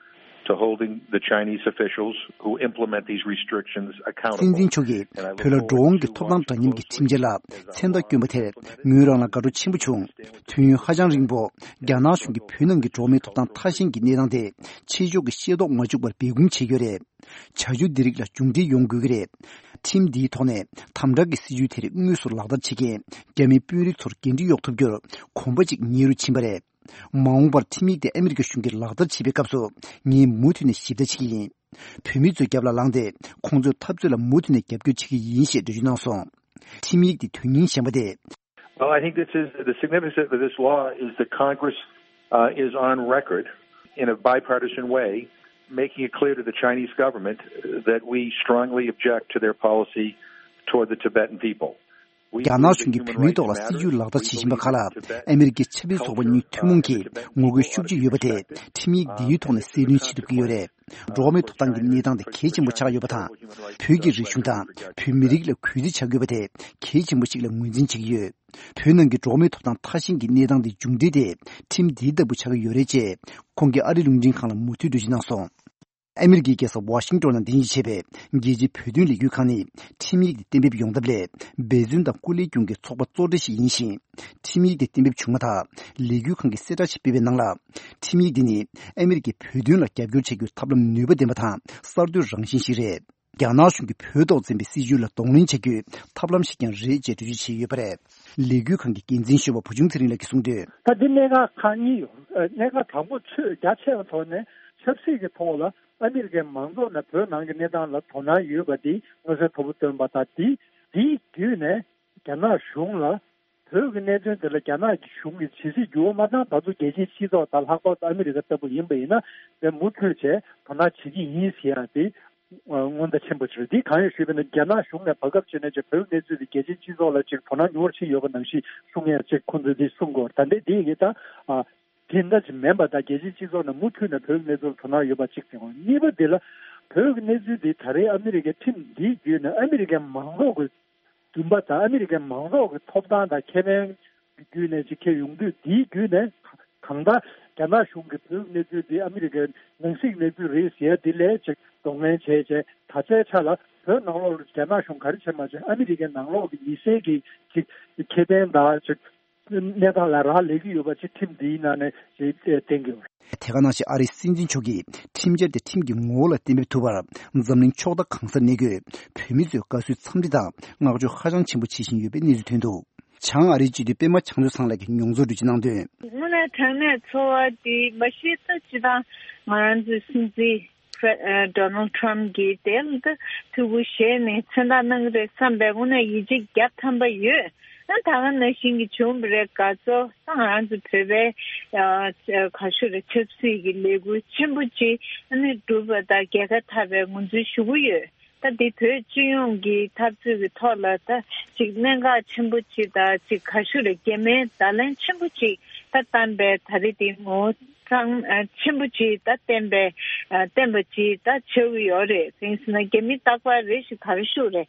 to holding the Chinese officials who implement these restrictions accountable. སྲིད་འཛིན་མཆོག་གིས་བོད་ལ་འགྲོ་འོང་གི་ཐོབ་ཐང་འདྲ་མཉམ་གྱི་ཁྲིམས་འཆར་ལ་མཚན་རྟགས་བསྐྱོན་པ་དེར་ངོས་རང་ལ་དགའ་སྤྲོ་ཆེན་པོ་བྱུང་། དུས་ཡུན་ཧ་ཅང་རིང་པོ་རྒྱ་ནག་གཞུང་གིས་བོད་ནང་གི་འགྲོ་བ་མིའི་ཐོབ་ཐང་ཐ་ཞན་གྱི་གནས་སྟངས་དེ་ཕྱི་ཕྱོགས་ཀྱིས་ཤེས་རྟོགས་མ་བཅུག་པར་སྦས་སྐུང་བྱེད་ཀྱི་ཡོད་རེད། བྱ་སྤྱོད་འདི་རིགས་ལ་མཇུག་འབྲས་ཡོང་དགོས་ཀྱི་རེད། ཁྲིམས་འདིའི་ཐོག་ནས་དམ་དྲག་གི་སྲིད་ཇུས་དེ་རིགས་དངོས་སུ་ལག་བསྟར་བྱེད་མཁན་རྒྱ་མིའི་དཔོན་རིགས་ཚོར་འགན་འཁྲི་གཡོག་ཐུབ་རྒྱུར་གོམ་པ་གཅིག་ཉེ་རུ་ཕྱིན་པ་རེད། མ་འོངས་པར་ཁྲིམས་ཡིག་དེ་ཨ་མི་རི་ཀ་གཞུང་གིས་ལག་བསྟར་བྱེད་པའི་སྐབས་སུ་ངས་མུ་མཐུད་ནས་ཞིབ་ལྟ་བྱེད་ཀྱི་ཡིན། བོད་མི་ཚོའི་རྒྱབ་ལ་ལངས་ཏེ་ཁོང་ཚོའི་འཐབ་རྩོད་ལ་མུ་མཐུད་ནས་རྒྱབ་སྐྱོར་བྱེད་ཀྱི་ཡིན་ཞེས་འགྲེལ་བརྗོད་གནང་སོང་། ཁྲིམས་ཡིག་དེ་དོན་སྙིང་ཞན་པ་དེ། Well, I think this is the significance of this law is that Congress uh, is on record in a bipartisan way making it clear to the Chinese government that we strongly object to their policy toward the Tibetan people. We རྒྱ་ནག་གཞུང་གིས་བོད་མིའི་ཐོག་ལ་སྲིད་ཇུས་ལག་བསྟར་བྱེད་བཞིན་པ་ཁག་ལ་ཨ་མི་རི་ཀའི་ཆབ་སྲིད་ཚོགས་པ་གཉིས་ཐུན་མོང་གིས་ངོ་རྒོལ་ཤུགས་ཆེ་ཡོད་པ་དེ་ཁྲིམས་ཡིག་འདིའི་ཐོག་ནས་གསལ་སྟོན་བྱེད་ཐུབ་ཀྱི་ཡོད་རེད། འགྲོ་བ་མིའི་ཐོབ་ཐང་གི་གནས་སྟངས་དེ་གལ་ཆེན་པོ་ཆགས་ཡོད་པ་དང་། བོད་ཀྱི་རིག་གཞུང་དང་བོད་མི་རིགས་ལ་གུས་བརྩི་བྱ་དགོས་པ་དེ་གལ་ཆེན་པོ་ཞིག་ལ་ངོས་འཛིན་བྱེད་ཀྱི་ཡོད། བོད་ནང་གི་འགྲོ་བ་མིའི་ཐོབ་ཐང་ཐ་ཞན་གྱི་གནས་སྟངས་དེ་མཇུག་འབྲས་དེ་ཁྲིམས་འདིའི་ལྟ་བུ་ཆགས་ཀྱི་ཡོད་རེད་ཅེས་ཁོང་གིས་ཨ་རི་རླུང་འཕྲིན་ཁང་ལ་མུ་མཐུད་འགྲེལ་བརྗོད་གནང་སོང་། ཨ་མི་རི་ཀའི་རྒྱལ་ས་ཝ་ཤིང་ཏོན་ནང་རྟེན་གཞི་བྱས་པའི་རྒྱལ་སྤྱིའི་བོད་དོན་ལས་འགུལ་ཁང་ནི་ཁྲིམས་ཡིག་དེ་གཏན་འབེབས་ཡོང་ཐབས་སླད་འབད་བརྩོན་དང་སྐུ་ལས་བསྐྱོན་གྱི་ཚོགས་པ་གཙོ་གྲས་ཤིག་ཡིན་ཞིང་། ཁྲིམས་ཡིག་དེ་གཏན་འབེབས་བྱུང་མ་ཐག་ལས་འགུལ་ཁང་གིས་གསལ་བསྒྲགས་ཤིག་སྤེལ་བའི་ནང་ལ། ཁྲིམས་ཡིག་འདི་ནི་ཨ་མི་རི་ཀས་བོད་དོན་ལ་རྒྱབ་སྐྱོར་བྱེད་རྒྱུའི་ཐབས་ལམ་ནུས་པ་ལྡན་པ་དང་གསར་གཏོད་རང་བཞིན་ཞིག་རེད། རྒྱ་ནག་གཞུང་གིས་བོད་ཐོག་འཛིན་པའི་སྲིད་ཇུས་ལ་གདོང་ལེན་བྱ་རྒྱུའི་ཐབས་ལམ་ཞིག་ཀྱང་རེད་ཅེས་འགྲེལ་བརྗོད་བྱས་ཡོད་པ་རེད། ལས་འགུལ་ཁང་གི་འགན་འཛིན་གཞོན་པ་བུ་ཆུང་ཚེ་རིང་ལགས་ཀྱིས་གསུངས་དོན། ད་འདི་གནད་འགག་ཁག་གཉིས་ཡོད། ཨ་གནད་འགག་དང་པོ་ཆོས་རྒྱ་ཆེ་བའི་ཐོག་ནས་ཆབ་སྲིད་ཀྱི་ཐོག་ལ་ཨ་མི་རི་ཀའི་མང་ཚོགས་ནས་བོད་ནང་གི་གནས་སྟངས་ལ་དོ་སྣང་ཡོད་པ་འདི་མངོན་གསལ་དོད་པོ་བཏོན་པ་དང་། འདི་འདིའི་བརྒྱུད་ནས་རྒྱ་ནག་གཞུང་ལ་བོད་ཀྱི་གནད་དོན་དེ་ལ་རྒྱ་ནག་གཞུང་གིས་ཇི་སྲིད་འགྱུར་བ་མ་བཏང་ད་དུང་རྒྱལ་སྤྱིའི་སྤྱི་ཚོགས་དང་ལྷག་པར་དུ་ཨ་མི་རི་ཀ་ལྟ་བུ་ཡིན་པ་ཡིན་ན་དེ་མུ་མཐུད་བྱས་དོ་སྣང་བྱེད་ཀྱི་ཡིན་ཟེར་ཡ་དེ་སྔོན་བརྡ་ཆེན་པོ་ཅིག་རེད། འདི་གང་ཡིན་ཞུས་པ་ཡིན་ན་རྒྱ་ནག་གཞུང་ནས་བར་སྐབས་ཅིག་ནས་ཅིག་བོད་ཀྱི་གནས་ཚུལ་དེ་རྒྱལ་སྤྱིའི་སྤྱི་ཚོགས་ལ་ཅིག་དོ་སྣང་ཉུང་བར་ཕྱིན་ཡོད་པ་ནང་བཞིན་གསུང་ཡ་ཅིག་ཁོང་ཚོས་འདི་གསུང་གི་ཡོད་རེད། ད་ལྟའི་འདི་ཡི་ད་ཨ། དེ་འདྲ་ཅིག་མིན་པ་དང་རྒྱལ་སྤྱིའི་སྤྱི་ཚོགས་ནས་མུ་མཐུད་ནས་བོད་ཀྱི་གནས་ཚུལ་ལ་དོ་སྣང་ཡོད་པ་གཅིག་དང་། གཉིས་པ་འདི་ལ་བོད་ཀྱི་གནས་ཚུལ་འདི་ད་རེས་ཨ་མི་རི་ཀའི་ཁྲིམས་འདིའི་བརྒྱུད་ནས་ཨ་མི་རི་ཀའི་མང་ཚོགས་ཀྱི་འདུན་པ་དང་ཨ་མི་རི་ཀའི་མང་ཚོགས་ཀྱི་ཐོབ་ཐང་དང་ཁེ་ཕན་གྱི་བརྒྱུད་ནས་ཅིག་འཁྱེར་ཡོང་དུས། འདིའི་བརྒྱུད་ནས་གང་ལྟར་རྒྱ་ནག་གཞུང་གིས་བོད་ཀྱི་གནས་ཚུལ་འདི་ཨ་མི་རི་ཀའི་ནང་སྲིད་གནས་ཚུལ་རེད་ཟེར་ཡ་འདི་ལས་ཅིག་གདོང་ལེན་བྱས་བྱས་ད་ཆའི་ཆ་ལ་བོད་ནང་ལོགས་ལ་རྒྱ་ནག་གཞུང་ག་རེ་བྱས་མ་བྱས་ཨ་མི་རི་ཀའི་ནང་ལོགས་ཀྱི་མི་སེར་གྱི་ཅིག་ཁེ་ཕན་དང་ཅིག་གནས་སྟངས་ལ་རག་ལས་ཀྱི་ཡོད་པ་ཅིག་ཁྲིམས་འདིའི་ནང་ནས་ཅིག་བསྟན་གྱི་ཡོད། དེ་ག་ནང་བཞིན་ཨ་རིའི་སྲིད་འཛིན་མཆོག་གིས་ཁྲིམས་འཆར་དེ་ཁྲིམས་ཀྱི་ངོ་བོ་ལ་གཏན་འབེབས་ཐུབ་པར་འཛམ་གླིང་ཕྱོགས་མཐའ་གང་སར་གནས་འཁོད་བོད་མི་ཚོས་དགའ་བསུའི་འཚམས་འདྲི་དང་བསྔགས་བརྗོད་ཧ་ཅང་ཆེན་པོ་བྱེད་བཞིན་ཡོད་པའི་གནས་ཚུལ་ཐོན་འདུག་བྱང་ཨ་རིའི་སྤྱི་འཐུས་པད་མ་བྱང་ཆུབ་ཚང་ལགས་ཀྱིས་མྱོང་ཚོར་འགྲེལ་བརྗོད་གནང་དོན། དངོས་གནས་དྲང་གནས་ཚོར་བ་འདི་མ་གཞི་ད་སྤྱིར་བཏང་ང་རང་ཚོའི་སྲིད་འཛིན་ཨ་ཌོ་ནལ་ཊམ་གྱིས་དེ་ལ་ད་ཐུགས་ཁུར་བཞེས་ནས་མཚན་རྟགས་གནང་གི་རེད་བསམ་པའི་དངོས་གནས་ཡིད་ཆེས་རྒྱ་ཐམ་པ་ཡོད། ཨ་ད་ག་ནང་བཞིན་གྱི་བྱུང་བ་རེད། དགའ་ཚོར་ད་ང་རང་ཚོ་བོད་པའི་ཨ་ག་ཞུ་རེད། ཆབ་སྲིད་ཀྱི་ལས་འགུལ་ཆེན་པོ་ཅིག་ཨ་ནི་གྲུབ་པ་དང་རྒྱལ་ཁ་ཐོབ་པའི་ངོས་འཛིན་ཞུ་གི་ཡོད། ད་འདི་བོད་སྤྱི་ཡོངས་ཀྱི་འཐབ་རྩོད་ཀྱི་ཐོག་ལ་ད་ཅིག་གནད་འགག་ཆེན་པོ་ཅིག་དང་ཅིག་ག་ཞུ་རེད། གལ་གནད་བརྡ་ལན་ཆེན་པོ་ཅིག་ད་བཏང་པའི་ད་རེས་འདི་ངོ་གཙང་ཆེན་པོ་ཅིག་ད་བསྟན་པའི་བསྟན་པ་ཅིག་ད་ཆགས་ཀྱི་ཡོད་རེད། དེ་ཡིན་ཟེར་ན་རྒྱ་མི་རྟག་པར་རེ་ཞིག་ག་རེ་ཞུ་རེད།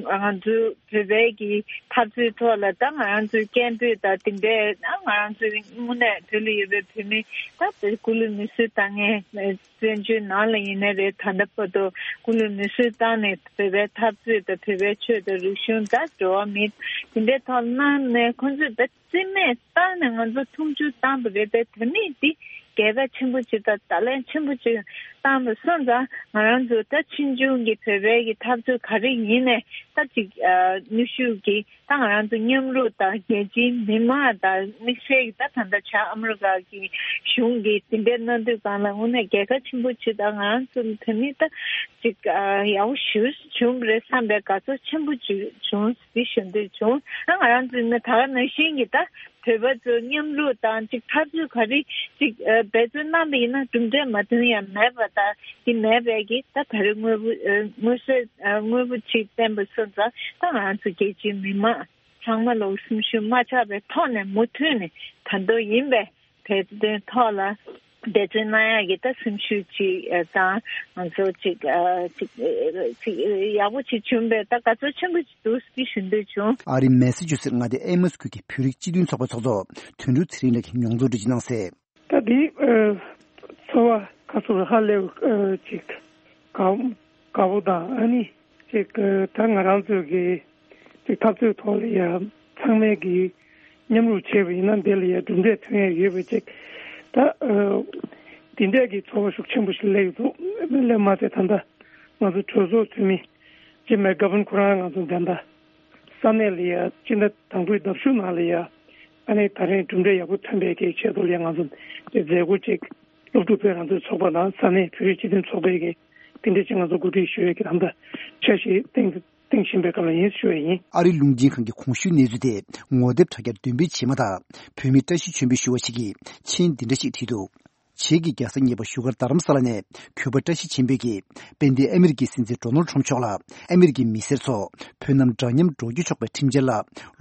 ང་ཚོ་བོད་པའི་གི་འཐབ་རྩོད་ཐོག་ལ་ད་ང་རང་ཚོའི་སྐད་འབོད་དང་དེ་འདྲའི་ད་ང་རང་ཚོའི་དངོས་གནས་བོད་ལ་ཡོད་པའི་བོད་མི་ད་དེ་སྐུ་ལུས་མེར་སྲེག་བཏང་མཁན། བཙན་བྱོལ་ནང་ལ་ཡིན་ནའི་རེད། ད་ལྟ་བར་དུ་སྐུ་ལུས་མེར་སྲེག་བཏང་ནས་བོད་པའི་འཐབ་རྩོད་དང་བོད་པའི་ཆོས་དང་རིག་གཞུང་དང་འགྲོ་བ་མི་དེ་འདྲའི་ཐོག་གནང་ནས་ཁོང་ཚོས་ད་རྩིས་མེད་བཏང་ནས་ང་ཚོ་མཐོང་ཆུང་བཏང་པ་རེད། དེ་དེ་ནས་འདི་རྒྱལ་ཁ་ཆེན་པོ་ཅིག་དང་བརྡ་ལན་ཆེན་པོ་ཅིག་བཏང་པ་སོང་ཙང་ང་རང་ཚོ་ད་ཕྱི་འབྱུང་གི་བོད་པའི་གི་འཐབ་རྩོད་ག་རེ་ཡིན་ནའི་ད་ཅིག་ནུས་ཤུགས་ཀྱིས། ད་ང་རང་ཚོ་མཉམ་རུབ་དང་རྒྱལ་སྤྱིའི་མི་མང་དང་དམིགས་བསལ་གྱི་ད་ད་ལྟ་བྱ་ཨ་མི་རི་ཀ་གི་གཞུང་གིས་དེ་འདྲའི་གནང་དུས་གང་ལ་དངོས་གནས་རྒྱལ་ཁ་ཆེན་པོ་ཅིག་དང་ང་རང་ཚོ་ནི་དེ་ནི་ད་ཅིག་ཡག་པོ་ཞེ་པོ་བྱུང་བ་རེད་བསམ་པའི་དགའ་ཚོར་ཆེན་པོ་ཅིག་བྱུང་ཟེར་ཞུ་འདོད་བྱུང་། ད་ང་རང་ཚོ་ནི་ད་ག་ནང་བཞིན་གྱི་ད་བོད་པ་ཚོ་མཉམ་རུབ་དང་ཅིག་འཐབ་རྩོད་ག་རེ་ཅིག་འབད་རྩོལ་གནང་པ་ཡིན་ན་གྲུབ་འབྲས་མ་ཐོན་ཡ་མེད་པ་དང་དེ་མེད་པའི་གི་ད་ད་རེས་དངོས་པོ་དངོས་སུ་དངོས་པོ་ཅིག་བསྟན་པ་སོང་ཙང་ད་ང་རང་ཚོ་རྒྱལ་སྤྱིའི་མི་མང་ཚང་མ་ལོག་སེམས་ཤུགས་མ་ཆག་པའི་ཐོག་ནས་མུ་མཐུད་ནས་ད་དུང་ཡིན་པའི་བོད་དོན་ཐོག་ལ་འབད་བརྩོན་གནང་ཡག་གི་ད་སེམས་ཤུགས་ཅིག་དང་ང་ཚོ་ཅིག་ཅིག་ཅིག་ཡག་པོ་ཅིག་བྱུང་བས་ད་དགའ་ཚོར་ཆེན་པོ་ཅིག་འདུག་ཟེར་ཞུ་འདོད་བྱུང་། ཨ་རིའི་མེ་སི་ཅུ་སེ་མངའ་སྡེ་ཨེ་མོ་སི་ཁུལ་གྱི་བོད་རིགས་སྤྱི་མཐུན་ཚོགས་པའི་ཚོགས་གཙོ་དོན་གྲུབ་ཚེ་རིང་ལགས་ཀྱིས་མྱོང་ཚོར་འགྲེལ་བརྗོད་གནང་གསལ། ད་འདི་ཚོར་བ་ཁ་ཚུར་ཧ་ལས་ཅིག་དགའ་དགའ་པོ་དང་ཨ་ནི་ཅིག་ད་ང་རང་ཚོའི་གི་ཅིག་འཐབ་རྩོད་ཐོག་ལ་ཡ་ཚང་མས་གི་མཉམ་རུབ་བྱས་པ་ཡིན་ན་འདི་ལ་ཡ་གྲུབ་འབྲས་ཐོན་ཡ་ཡོད་པ་ཅིག་ད་འདི་འདྲས་གི་ཚོར་བ་ཤུགས་ཆེན་པོ་ཞིག་སླེབས་འདུག་སླེབས་མ་ཚད་ད་ལྟ་ང་ཚོ་གྲོས་ཚོགས་འཐུས་མི་ཇིམ་མེག་གྷ་ཝན་ཁོ་རང་ང་ཚོ་འདི་འདྲ་ས་གནས་ལ་ཡ་སྤྱི་ཟླ་དང་པོའི་ཟླ་བཞུགས་ནང་ལ་ཡ་ཨ་ནི་ད་རིང་གྲུབ་འབྲས་ཡག་པོ་ཐོན་པའི་གི་ཆེད་དུ་ལ་ཡ་ང་ཚོ་དེ་མཛད་སྒོ་ཅིག་སློབ་ཕྲུག་བོད་རང་བཙན་ཚོགས་པ་དང་ས་གནས་བོད་རིགས་སྤྱི་མཐུན་ཚོགས་པའི་གི་དེ་འདྲ་ཅིག་ང་ཚོ་གོ་སྒྲིག་ཞུ་ཡས་ཀྱི་ད་ལྟ་འཆར་གཞི་བཏིང་བཏིང་བཞིན་པའི་སྐབས་ལ་ཡིན་ཞུ་ཡས་ཡིན། ཨ་རིའི་རླུང་འཕྲིན་ཁང་གི་གོང་ཞུས་གནས་ཚུལ་དེ་ངོ་དེབ་དྲ་རྒྱར་འདོན་སྤེལ་བྱས་མ་ཐག་བོད་མི་བཀྲ་ཤིས་ཆོས་འཕེལ་ཞུ་བ་ཞིག་གིས་མཆན་འདི་འདྲ་ཞིག་བྲིས་འདུག་བྱེས་ཀྱི་རྒྱལ་ས་གཉིས་པ་བཞུགས་སྒར་རྡ་རམ་ས་ལ་ནས་གུས་པ་བཀྲ་ཤིས་ཆོས་འཕེལ་གྱིས་དཔལ་ལྡན་ཨ་མི་རི་ཀའི་སྲིད་འཛིན་ཌོ་ནལ་ཊམ་མཆོག་ལ་ཨ་མི་རི་ཀའི་མི་སེར་ཚོ་བོད་རྣམས་འདྲ་མཉམ་འགྲོ་སྐྱོད་ཆོག་པའི་ཁྲིམས་འཆར་ལ་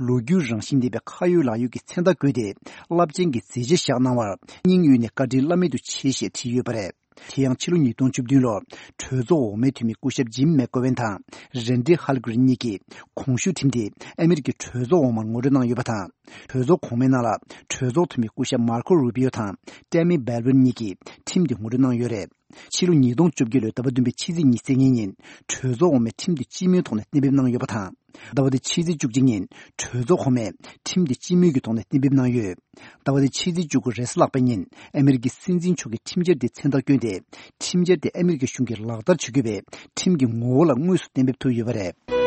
ལོ་རྒྱུས་རང་བཞིན་ལྡན་པའི་ཁ་ཡོད་ལག་ཡོད་ཀྱི་མཚན་རྟགས་བཀོད་དེ་རླབས་ཆེན་གྱི་མཛད་རྗེས་བཞག་གནང་བར་སྙིང་དབུས་ནས་བཀའ་དྲིན་བླ་མེད་དུ་ཆེ་ཞེས་བྲིས་ཡོད་པ་རེད། དེ་ཡང་ཕྱི་ལོ་ཉིས་སྟོང་བཅུ་བདུན་ལོར་གྲོས་ཚོགས་འོག་མའི་འཐུས་མི་སྐུ་ཞབས་ཇིམ་མེག་གོ་ཝན་དང་རན་ཌི་ཧལ་གྷི་རིན་གཉིས་ཀྱིས་གོང་ཞུས་ཁྲིམས་དེ་ཨ་མི་རི་ཀའི་གྲོས་ཚོགས་འོག་མར་ངོ་སྤྲོད་གནང་ཡོད་པ་དང་། གྲོས་ཚོགས་གོང་མའི་ནང་ལ་གྲོས་ཚོགས་འཐུས་མི་སྐུ་ཞབས་མར་ཁོ་རུ་པི་ཡོ་དང་ཏེ་མི་སྦལ་ཝིན་གཉིས་ཀྱིས་ཁྲིམས་དེ་ངོ་སྤྲོད་གནང་ཡོད་རེད། ཕྱི་ལོ་ཉིས་སྟོང་བཅོ་བརྒྱད་ལོའི་ཟླ་བ་བདུན་པའི་ཕྱི་ཚེས་ཉེར་གཉིས་ཉིན་གྲོས་ཚོགས་འོག་མས་ཁྲིམས་དེ་སྤྱི་མོས་ཐོག་ནས་གཏན་འབེབས་གནང་ཡོད་པ་དང་། ཟླ་བ་འདིའི་ཕྱི་ཚེས་བཅུ་གཅིག་ཉིན་གྲོས་ཚོགས་གོང་མས་ཁྲིམས་དེ་སྤྱི་མོས་ཀྱི་ཐོག་ནས་གཏན་འབེབས་གནང་ཡོད། ཟླ་བ་འདིའི་ཕྱི་ཚེས་བཅུ་དགུ་རེས་གཟའ་ལྷག་པའི་ཉིན་ཨ་མི་རི་ཀའི་སྲིད་འཛིན་མཆོག་གིས་ཁྲིམས་འཆར་དེ་མཚན་རྟགས་བསྐྱོན་ཏེ་ཁྲིམས་འཆར་དེ་ཨ་མི་རི་ཀའི་གཞུང་གིས་ལག་བསྟར་བྱེད་དགོས་པའི་ཁྲིམས་ཀྱི་ངོ་བོ་ལ་དངོས་སུ་གཏན་འབེབས་ཐུབ་ཡོད་པ་རེད།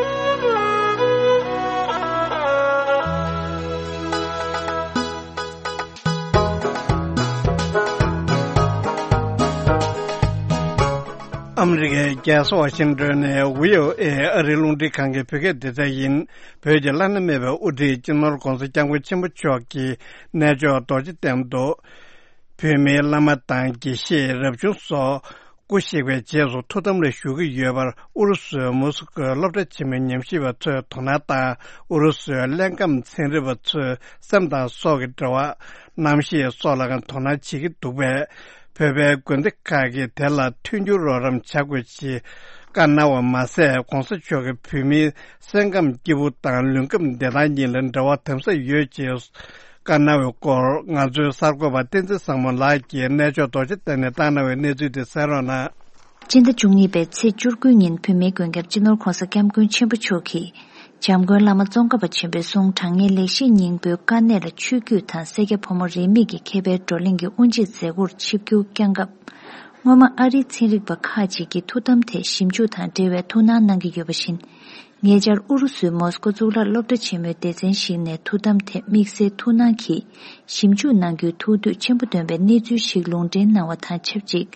ཨ་མི་རི་ཀའི་རྒྱལ་ས་ཝ་ཤིང་ཏོན་ནས་བྷི་ཨོ་ཨེ་ཨ་རིའི་རླུང་འཕྲིན་ཁང་གི་བོད་སྐད་སྡེ་ཚན་ཡིན། བོད་ཀྱི་བླ་ན་མེད་པའི་དབུ་ཁྲིད་སྤྱི་ནོར་༧གོང་ས་༧སྐྱབས་མགོན་ཆེན་པོ་མཆོག་གི་གནས་མཆོག་རྡོ་རྗེ་གདན་དུ། བོད་མིའི་བླ་མ་དང་དགེ་བཤེས་རབ་བྱུང་སོགས་སྐུ་གཤེགས་པའི་རྗེས་སུ་ཐུགས་དམ་ལ་བཞུགས་ཀྱི་ཡོད་པར་ཨུ་རུ་སུའི་མོ་སི་ཀོའི་སློབ་གྲྭ་ཆེན་མོའི་ཉམས་ཞིབ་པ་ཚོས་དོ་སྣང་དང་ཨུ་རུ་སུའི་ཀླད་སྐམ་ཚན་རིག་པ་ཚོས་སེམས་དང་སྲོག་གི་འབྲེལ་བ། གནམ་གཤིས་སོགས་ལ་དོ་སྣང་བྱེད་ཀྱི་འདུག་པས། བོད་པའི་དགོན་སྡེ་ཁག་གིས་དེ་ལ་མཐུན་འགྱུར་རོགས་རམ་བྱ་དགོས་ཞེས་བཀའ་གནང་བ་མ་ཟད། ༧གོང་ས་མཆོག་གིས་བོད་མིའི་སེམས་ཁམས་སྐྱིད་པོ་དང་ལུས་ཁམས་བདེ་ཐང་གཉིས་ལ་འབྲེལ་བ་དམ་ཟབ་ཡོད་ཅེས་བཀའ་གནང་བའི་སྐོར། ང་ཚོའི་གསར་འགོད་པ་བསྟན་འཛིན་བཟང་མོ་ལགས་ཀྱིས་གནས་མཆོག་རྡོ་རྗེ་གདན་ནས་བཏང་གནང་བའི་གནས་ཚུལ་དེ་གསན་རོགས་གནང་། སྤྱི་ཟླ་བཅུ་གཉིས་པའི་ཚེས་བཅུ་དགུ་ཉིན་བོད་མིའི་མགོན་སྐྱབས་སྤྱི་ནོར་༧གོང་ས་༧སྐྱབས་མགོན་ཆེན་པོ་མཆོག་གིས་༧འཇམ་མགོན་བླ་མ་ཙོང་ཁ་པ་ཆེན་པོའི་གསུང་དྲང་ངེས་ལེགས་བཤད་སྙིང་པོའི་དཀའ་གནད་ལ་ཆོས་བརྒྱུད་དང་སེར་སྐྱ་ཕོ་མོ་རིས་མེད་ཀྱི་མཁས་པའི་བགྲོ་གླེང་གི་དབུ་འབྱེད་མཛད་སྒོར་ཆིབས་བསྒྱུར་བསྐྱངས་སྐབས། སྔོན་མ་ཨ་རིའི་ཚན་རིག་པ་ཁག་ཅིག་གིས་ཐུགས་དམ་ཐད་ཞིབ་འཇུག་དང་འབྲེལ་བའི་ཐུགས་སྣང་གནང་གི་ཡོད་པ་བཞིན། ཉེ་ཆར་ཨུ་རུ་སུའི་མོ་སི་ཀོ་གཙུག་ལག་སློབ་གྲྭ་ཆེན་མོའི་སྡེ་ཚན་ཞིག་ནས་ཐུགས་དམ་ཐད་དམིགས་བསལ་ཐུགས་སྣང་གིས་ཞིབ་འཇུག་གནང་རྒྱུའི་ཐུགས་འདོད་ཆེན་པོ་བཏོན་པའི་གནས་ཚུལ་ཞིག་ལུང་འདྲེན་གནང་བ་དང་ཆབས་ཅིག།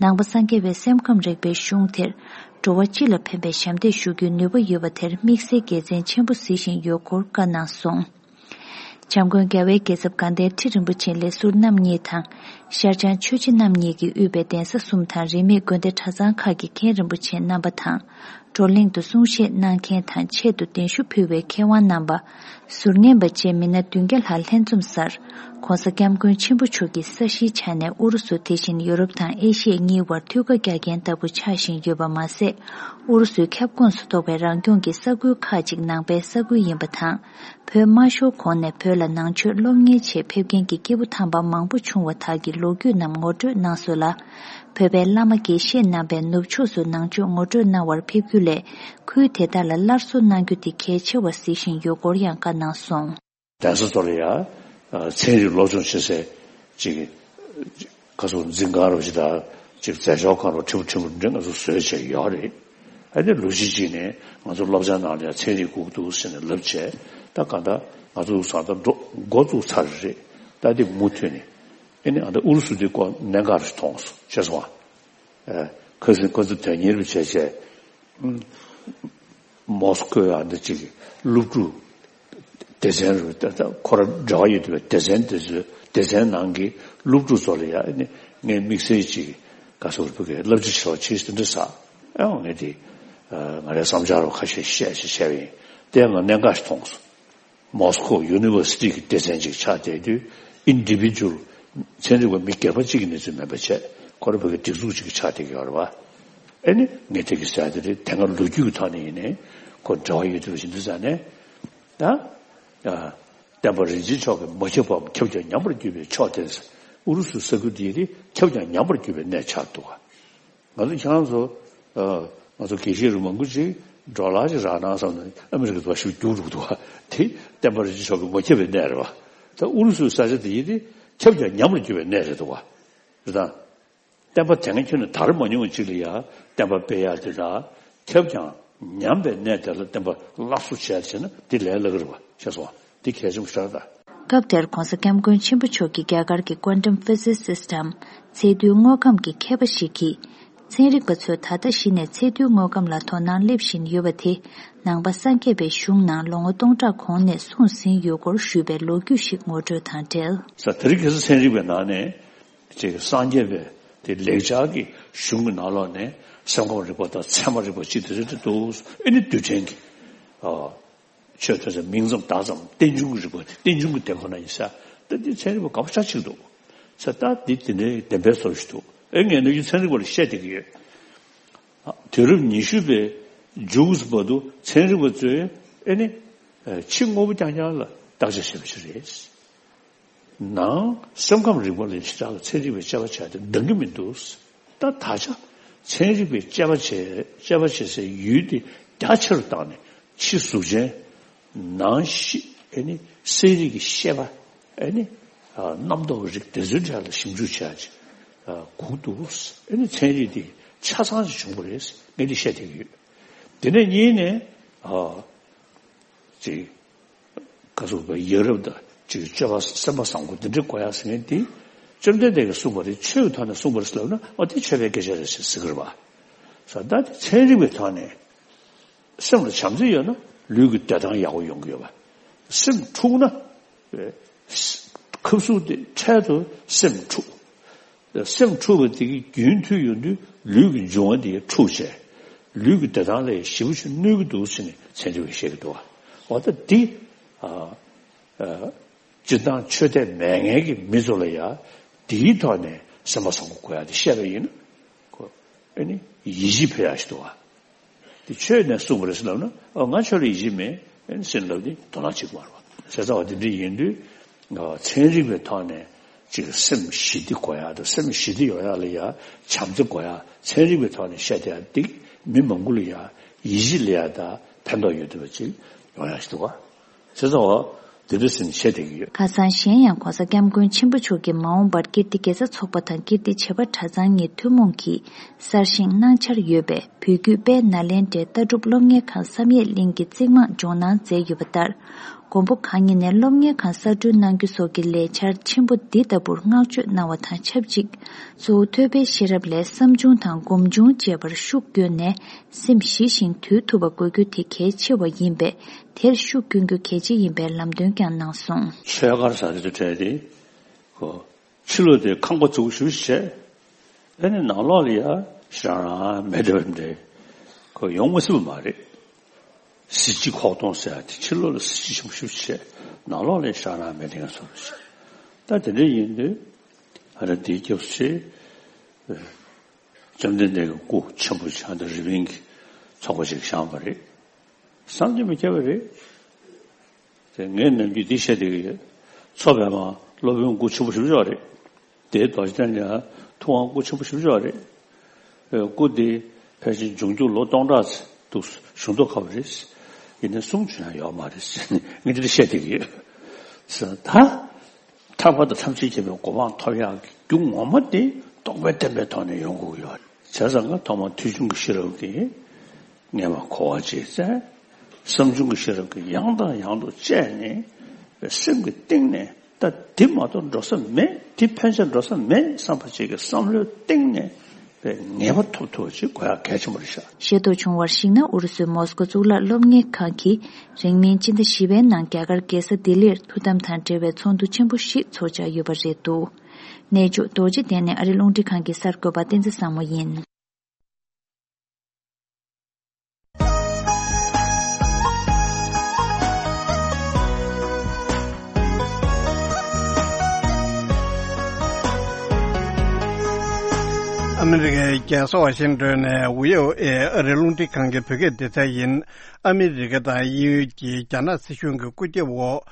ནང་པ་སངས་རྒྱས་པའི་སེམས་ཁམས་རིག་པའི་གཞུང་དེར་འགྲོ་བ་སྤྱི་ལ་ཕན་པའི་ཞབས་འདེགས་ཞུ་རྒྱུའི་ནུས་པ་ཡོད་པ་དེར་དམིགས་བསལ་དགེ་མཚན་ཆེན་པོ་གཟིགས་བཞིན་ཡོད་སྐོར་བཀའ་གནང་སོང་། བྱམས་མགོན་རྒྱལ་བའི་རྒྱལ་ཚབ་དགའ་ལྡན་ཁྲི་རིན་པོ་ཆེ་ལས་ཟུར་རྣམ་གཉིས་དང་། ཤར་བྱང་ཆོས་རྗེ་རྣམ་གཉིས་ཀྱིས་དབུས་པའི་གདན་ས་གསུམ་དང་རིས་མེད་དགོན་སྡེ་གྲྭ་ཚང་ཁག་གི་མཁན་རིན་པོ་ཆེ་རྣམ་པ་དང་། བགྲོ་གླེང་དུ་གསུང་བཤད་གནང་མཁན་དང་ཆེད་དུ་གདན་ཞུ་ཕུལ་བའི་མཁས་དབང་རྣམ་པ། ཟུར་ཉན་པ་བཅས་མི་སྣ་བདུན་བརྒྱ་ལྷག་ལྷན་འཛོམས་སར། ྋགོང་ས་ྋསྐྱབས་མགོན་ཆེན་པོ་མཆོག་གིས་ས་གཞིའི་ཆ་ནས་ཨུ་རུ་སུ་དེ་བཞིན་ཡོ་རོབ་དང་ཨེ་ཤི་ཡ་གཉིས་བར་མཐུད་ཁ་རྒྱག་མཁན་ལྟ་བུ་ཆགས་བཞིན་ཡོད་པ་མ་ཟད། ཨུ་རུ་སུའི་ཁྱབ་ཁོངས་སུ་གཏོགས་པའི་རང་སྐྱོང་གི་ས་ཁུལ་ཁག་ཅིག་ནང་པའི་ས་ཁུལ་ཡིན་པ་དང་། བོད་དམར་ཤོག་གོང་ནས་བོད་ལ་ནང་ཆོས་སློབ་གཉེར་ཆེད་ཕེབས་མཁན་གྱི་སྐྱེས་བུ་དམ་པ་མང་པོ་བྱུང་བ་དག་གི་ལོ་རྒྱུས་རྣམས་ངོ་སྤྲོད་གནང་སོང་ལ། བོད་པའི་བླ་མ་དགེ་བཤེས་རྣམ་པས་ནུབ་ཕྱོགས་སུ་ནང་ཆོས་ངོ་སྤྲོད་གནང་བར་ཕེབས་རྒྱུ་ལས། ཁུལ་དེ་དག་ལ་སླར་གསོ་གནང་རྒྱུ་དེ་གལ་ཆེ་བར་གཟིགས་བཞིན་ཡོད་སྐོར་ཡང་བཀའ་གནང་སོང་། གདན་ས་ཚོ་ལ་ཡང་ཚན་རིག་སློབ་སྦྱོང་བྱེད་སའི་ཅིག་ཁ་སོགས་འཛིན་ཁང་རོ་ཅིག་དང་ཅིག་མཛད་ཆོག་ཁང་རོ་ཕྲན་བུ་ཕྲན་བུ་འདྲ་ང་ཚོ་བཟོས་བྱས་ཡོད་རེད། ཨ་ནི་ལོ་གཅིག་ཅིག་ནས་ང་ཚོ་སློབ་ཚན་ནང་ལ་ཡང་ཚན་རིག་དགོས་འདུག་ཟེར་ནས་ལབ་བྱས། ད་གང་ལྟར་ང་ཚོ་ཚང་ད་འགྲོ་འགོ་བཙུགས་ཚར་རེད། ད་དེ་མུ་མཐུད་ནས་ཨ་ནི་ཨ་ད་ཨུ་རུ་སུ་དེ་སྐོར་གནད་འགག་རེ་མཐོང་སོང་ཤེས་སོང་ཨ། ཁ་སང་ཁོ་ཚོ་དོན་གཉེར་བྱས་བྱས། མོ་སི་ཁོའི་ཨ་འདི་ཅིག་སློབ་ཕྲུག་སྡེ་ཚན་རུ་ད་ལྟ་ཁོ་ར་འབྲེལ་བ་ཡོད་པའི་སྡེ་ཚན་དེ་ཚོའི་སྡེ་ཚན་ནང་གི་སློབ་ཕྲུག་ཚོ་ལ་ཡ་ཨ་ནི་ངས་དམིགས་བསལ་ཅིག་ག་ཟེར་བུ་གི་བསླབ་བྱ་ཞེ་དྲག་བྱེད་དེ་འདྲ་ས་ཨེ་འོང་ངས་དེ་ང་རའི་བསམ་འཆར་རུ་ཁ་ཤས་བཤད་ཞེས་བཤད་པ་ཡིན། དེ་ཡང་ང་གནད་འགག་ཞིག་མཐོང་སོང་། མོ་སི་ཁོ་ཡུ་ནི་ཝར་སི་ཊི་གི་སྡེ་ཚན་ཅིག་ཆགས་བསྡད་དུས་ཨིན་ཌི་བི་ཇུ་ཨལ་ཚན་རིག་པ་མི་སྒེར་པ་གཅིག་གི་གནས་ཚུལ་མིན་པ་བྱས་ཁོ་ར་བོད་ཀྱི་སྒྲིག་འཛུགས་ཅིག་ཆགས་བསྡད་ཀྱི་ཡོད་རེད་བ། ཨེ་ནི་ངས་དེ་གི་ཟེར་དེ་རེད། དེ་སྔ་ལོ་རྒྱུས་ཀྱི་ཐོག་ནས་ཡིན་ནའི་ཁོ་འབྲེལ་བ་ཡོད་དུས་ཞིག་འདུག་ཟེར་ནས་ད་ཨ་བསྟན་པ་རིན་ཆེན་མཆོག་གི་མ་ཁྱབ་པའམ་ཁྱབ་ཀྱང་ཉམས་པར་གྱུར་པའི་ཕྱོགས་དེ་ཨུ་རུ་སུའི་ས་ཁུལ་འདིའི་རིགས་ཁྱབ་ཀྱང་ཉམས་པར་གྱུར་པའི་གནས་ཆགས་འདུག་བ། ང་ཚོ་ཁྱེད་རང་ཚོ་ཨ་ང་ཚོ་དགེ་བཤེས་རུ་མང་པོ་ཅིག་ཌོ་ལར་ཅིག་རག་ན་བསམ་ནས་ཨ་མི་རི་ཀ་ཚོ་ཞིག་རྒྱུགས་འགྲོ་གི་འདུག་བ། དེ་བསྟན་པ་རིན་ཆེན་མཆོག་གི་མ་ཁྱབ་པའི་གནས་རེད་བ། ད་ཨུ་རུ་སུའི་ས་ཆ་དེ་ཡིན་ཏེ་ཁྱབ་ཀྱང་ཉམས་པར་གྱུར་པའི་གནས་རེད་འདུག་བ། རེད་དང་། བསྟན་པ་དེ་སྔ་ཁྱོན་ནས་དར་མ་མྱོང་བ་ཅིག་ལ་ཡང་བསྟན་པ་སྤེལ་ཡག་དེ་དག་ཁྱབ་ཀྱང་ཉམས་པའི་གནས་དེ་ལ་བསྟན་པ་སླར་གསོ་བྱས་བྱས་ན་དེ་ལས་སླ་གི་རེད་བ་ཤེས་སོང་བ། དེ་གལ་ཆེན་པོ་ཤར་ད། སྐབས་དེར་ྋགོང་ས་ྋསྐྱབས་མགོན་ཆེན་པོ་མཆོག་གིས་རྒྱ་གར་གྱི་Quantum Physicist་འམ་ཚད་རྡུལ་དངོས་ཁམས་ཀྱི་མཁས་པ་ཞིག་གིས། ཚན་རིག་པ་ཚོས་ད་ལྟ་གཞི་ནས་ཚད་རྡུལ་དངོས་ཁམས་ལ་དོ་སྣང་སླེབས་བཞིན་ཡོད་པ་དེ། ནང་པ་སངས་རྒྱས་པའི་གཞུང་ནང་ལོ་ངོ་སྟོང་ཕྲག་གོང་ནས་གསུངས་ཟིན་ཡོད་སྐོར་ཞུས་པའི་ལོ་རྒྱུས་ཤིག་ངོ་སྤྲོད་དང་འབྲེལ། ས་དེ་རིང་ཁ་སང་ཚན་རིག་པའི་ནང་ནས་ཅིག་སངས་རྒྱས་པའི་དེ་ལེགས་སྦྱར་གྱི་གཞུང་གི་ནང་ལོགས་ནས་སེམས་ཁམས་རིག་པ་དང་ཚད་མ་རིག་པ་ཅིག་དེ་རེད་འདུག་ཨེ་ནི་རྡུལ་ཕྲན་གྱི་ཨ། ཆོས་ཐོས་ཚེ་མིང་ཙམ་བརྡ་ཙམ་རྟེན་འབྱུང་གི་རིག་པ་རྟེན་འབྱུང་གི་དེ་ཁོ་ན་ཡིན་ས། ད་འདི་ཚན་རིག་པ་དགའ་པོ་ཆགས་ཅིག་འདུག་ས། ད་འདི་དེ་འདྲའི་བདེན་པའི་ཚོར་ཞིག་འདུག་ཨེ་ངས་ནུས་རྒྱུ་ཚན་རིག་པ་ལ་བཤད་བསྡད་ཀྱི་ཡོད། དུས་རབས་ཉི་ཤུ་པའི་མཇུག་བར་དུ་ཚན་རིག་པ་ཚོས་ཨེ་ནི་ཕྱི་དངོས་པོ་རྐྱང་རྐྱང་ལ་བརྟག་དཔྱད་བྱེད་པ་ཞིག་རེད། ནང་སེམས་ཁམས་རིག་པ་ལ་ཞེ་དྲག་ལ་ཚན་རིག་པའི་དཔྱད་པ་བྱས་ཏེ་འདང་གི་མི་འདུག་ད་ད་ཆ་ཚན་རིག་པའི་དཔྱད་པ་བྱས་དཔྱད་པ་བྱེད་སའི་ཡུལ་དེ་རྒྱ་ཆེ་རུ་བཏང་ནས་ཕྱི་གཟུགས་ཅན་ནང་ཤི་ཨེ་ནི་གསལ་རིག་གི་ཤེས་པ་ཨེ་ནི་རྣམ་རྟོག་རིག་དེ་ཚོའི་གྲས་ལ་ཞིབ་འཇུག་བྱས་ཅིག་དགོས་འདུག་ཨེ་ནི་ཚན་རིག་དེ་ཆ་ཚང་ཞིག་བྱུང་བ་རེད་ངས་འདི་བཤད་བསྡད་ཀྱི་ཡོད། དེ་ནས་གཉིས་ནས་ཅིག་ཁ་སོག་པའི་ཡ་རབས་དང་ཅིག་སྤྱོད་པ་སེམས་པ་བཟང་པོ་འདི་འདྲའི་གོ་ཡག་ཟེར་མཁན་དེ་བཅོམ་ལྡན་འདས་ཀྱིས་གསུངས་པ་རེད། ཆོས་ཀྱི་ཐོག་ནས་གསུངས་པ་རེད་ཟེར་ལབ་ན་ཨོ་དེ་ཆོས་པའི་སྐད་ཆ་རེད་ཟེར་ཟེར་གི་རེད་བ། ས་ད་དེ་ཚན་རིག་པའི་ཐོག་ནས་སེམས་ལ་བྱམས་བརྩེ་ཡོད་ན་ལུས་ཀྱི་བདེ་ཐང་ཡག་པོ་ཡོང་གི་ཡོད་པ། སེམས་འཁྲུགས་ན་ཁབ་སུབ་དེ་འཕྲལ་དུ་སེམས་འཁྲུགས། སེམས་འཁྲུགས་པ་དེ་གི་རྒྱུན་མཐུད་ཡོང་དུས་ལུས་ཀྱི་འབྱུང་བ་དེ་འཁྲུགས་བྱས། ལུས་ཀྱི་བདེ་ཐང་ལ་ཞེ་པོ་ཅིག་གནོད་ཀྱི་འདུག་ཟེར་ནས་ཚན་རིག་པས་བཤད་ཀྱི་འདུག་བ། འོ་ད་འདི་ཨ་ཨ་སྤྱིར་བཏང་ཆོས་དད་མེད་མཁན་གྱི་མི་ཚོ་ལ་ཡང་འདིའི་ཐོག་ནས་སེམས་པ་བཟང་པོ་དགོས་ཡག་དེ་བཤད་པ་ཡིན་ན་ཁོ་ཨ་ནི་ཡིད་ཆེས་འཕེར་ཡག་ཞིག་འདུག་བ། དེ་ཆོས་ནས་གསུངས་པ་རེད་ཟེར་ལབ་ན་ཨ་ང་ཆོས་ལ་ཡིད་ཆེས་མེད་ཟེར་ལབ་དེ་དོ་སྣང་བྱེད་ཀྱི་མ་རེད་བ། བྱས་ཙང་བ་དེ་འདྲ་ཡིན་དུས་ཚན་རིག་པའི་ཐོག་ནས་ཅིག་སེམས་ཞི་བདེ་དགོས་ཡག་དང་སེམས་ཞི་བདེ་ཡོང་ཡག་ལ་ཡ་བྱམས་བརྩེ་དགོས་ཡག་ཚན་རིག་པའི་ཐོག་ནས་བཤད་བསྡད་ཡག་འདི་མི་མང་པོ་ལ་ཡ་ཡིད་ཆེས་སླེབས་ཡག་དང་ཕན་ཐོགས་ཡོད་བསྡད་པ་ཅིག་ཡོང་ཡག་ཞིག་འདུག་བ། བྱས་ཙང་བ་དེ་འདྲ་ཟེར་ནས་བཤད་བསྡད་ཀྱི་ཡོད། ཁ་སང་གཞན་ཡང་ྋགོང་ས་ྋསྐྱབས་མགོན་ཆེན་པོ་མཆོག་གིས་མ་འོངས་པར་ཀིརྟི་དགེ་རྩ་ཚོགས་པ་དང་ཀིརྟི་བྱེས་པ་གྲྭ་ཚང་གཉིས་ཐུན་མོང་གིས་གསར་བཞེངས་གནང་འཆར་ཡོད་པས། བོད་བརྒྱུད་དཔལ་ནཱ་ལེནྡྲའི་ལྟ་གྲུབ་སློབ་གཉེར་ཁང་བསམ་ཡས་གླིང་གི་རྩིག་རྨང་འཇོག་གནང་མཛད་ཡོད་པ་ལྟར། མགོན་པོ་གང་ཉིད་ནས་སློབ་གཉེར་ཁང་གསར་སྐྲུན་གནང་རྒྱུ་སོགས་ཀྱི་ལས་འཆར་ཆེན་པོ་འདི་ལྟ་བུར་བསྔགས་བརྗོད་གནང་བ་དང་ཆབས་ཅིག་གཙོ་བོ་ཐོས་པའི་ཤེས་རབ་ལས་བསམ་བྱུང་དང་སྒོམ་བྱུང་བཅས་པར་ཤུགས་བསྐྱོན་ནས་སེམས་ཞི་ཞིང་དུལ་ཐུབ་པ་དགོས་རྒྱུ་དེ་གལ་ཆེ་བ་ཡིན་པས། དེར་ཤུགས་བསྐྱོན་རྒྱུ་གལ་ཆེ་ཡིན་པའི་ལམ་སྟོན་ བསྐྱངས་གནང་སོང་། ཆོས་སྒར་ཟེར་དེ་ཚོ་གྲས་དེ་ཁོ་ཕྱི་ལོགས་དེ་ཁང་པ་རྫིག་པོ་ཞེ་པོ་ཅིག་བྱས། ཨ་ནི་ནང་ལོགས་ལ་ཡ་ཞེ་དྲག་རང་མེད་བསྡད་པ་འདྲ། ཁོ་ཡོང་མ་སྲིད་པ་མ་རེད། གཟི་བརྗིད་ཁོག་སྟོང་ཟེར་ཡ་དེ་ཕྱི་ལོགས་ལ་གཟི་བརྗིད་ཆེན་པོ་ཞེ་པོ་ཅིག་བྱས། ནང་ལོགས་ལ་ཡ་ཞེ་དྲག་རང་མེད་བསྡད་མཁན་བཟོ་འདྲ་ཅིག་ད་དེ་འདྲ་ཡིན་དུས་ཨ་ར་འདིའི་སྐབས་སུ་བྱས། བཅོམ་ལྡན་འདས་ཀྱི་སྐུ་ཆེན་པོ་ཆགས་འདི་རི་བིང་གི་ཚོགས་པ་ཞིག་བཞེངས་པ་རེད། བསམ་གྱིས་མི་ཁྱབ་པ་རེད། དེ་ངས་ནམ་རྒྱུན་འདི་བཤད་བསྡད་ཀྱི་ཡོད། མཚོ་པདྨ་སློབ་དཔོན་སྐུ་ཆེན་པོ་ཞེ་པོ་ཅིག་རེད། དེའི་རྡོ་རྗེ་གདན་ལ་ཐུབ་དབང་སྐུ་ཆེན་པོ་ཞེ་པོ་ཅིག་རེད། སྐུ་དེ་ཕལ་ཆེར་འབྱུང་འགྱུར་ལོ་སྟོང་ཕྲག་ཙམ་འདུག་བཞུགས་མདོག་ཁ་པོ་རེད། ཡིན་ནའི་གསུང་རྒྱུ་ཡང་ཡོད་མ་རེད་ཟེར་ནས་ངས་འདི་འདྲ་བཤད་བསྡད་ཀྱི་ཡོད། ད། ཐར་པ་དང་ཐམས་ཅད་མཁྱེན་པའི་གོ་འཕང་ཐོབ་ཡག་གི་རྒྱུ་ངོ་མ་དེ་རྟོགས་པའི་བརྟན་པའི་ཐོག་ནས་ཡོང་དགོས་ཀྱི་ཡོད། བྱས་ཙང་ང་ཐོག་མར་ཐོས་བྱུང་གི་ཤེས་རབ་ཀྱིས་ངེས་པར་གོ་བ་བྱས་ཙང་། བསམ་བྱུང་གི་ཤེས་རབ་ཀྱིས་ཡང་དང་ཡང་དུ་དཔྱད་ནས་སེམས་ཀྱི་གཏིང་ནས་ད་འདི་མ་གཏོགས་འགྲོ་ས་མེད། འདི་ཕན་ཆད་འགྲོ་ས་མེད་བསམ་པ་ཅིག་གི་བསམ་བློའི་གཏིང་ནས་པའི་ངེས་པ་ཐོབ་ཐུབ་པ་ཅིག་དགོས་ཡག་གལ་ཆེན་པོ་རེད་ཤག་ཤེས་རྟོགས་བྱུང་བར་གཞིགས་ན། ཨུ་རུ་སུའི་མོ་སི་ཀོ་གཙུག་ལག་སློབ་གཉེར་ཁང་གིས་རིང་མིན་སྤྱི་ཟླ་བཞི་པའི་ནང་རྒྱ་གར་རྒྱལ་ས་ལྡི་ལིར་ཐུགས་དམ་དང་འབྲེལ་བའི་ཚོགས་འདུ་ཆེན་པོ་ཞིག་ཚོགས་འཆར་ཡོད་པ་རེད་འདུག་གནས་མཆོག་རྡོ་རྗེ་གདན་ནས་ཨ་རི་རླུང་འཕྲིན་ཁང་གི་གསར་འགོད་པ་བསྟན་འཛིན་བཟང་མོ་ཡིན། ཨ་མི་རི་ཀའི་རྒྱལ་ས་ཝ་ཤིང་ཏོན་ནས་བྷི་ཨོ་ཨེ་ཨ་རི་རླུང་འཕྲིན་ཁང་གི་བོད་སྐད་སྡེ་ཚན་ཡིན། ཨ་མི་རི་ཀ་དང་དབྱིན་ཡུལ་གྱིས་རྒྱ་ནག་སྲིད་གཞུང་གི་སྐུ་རྒྱབ་འོག་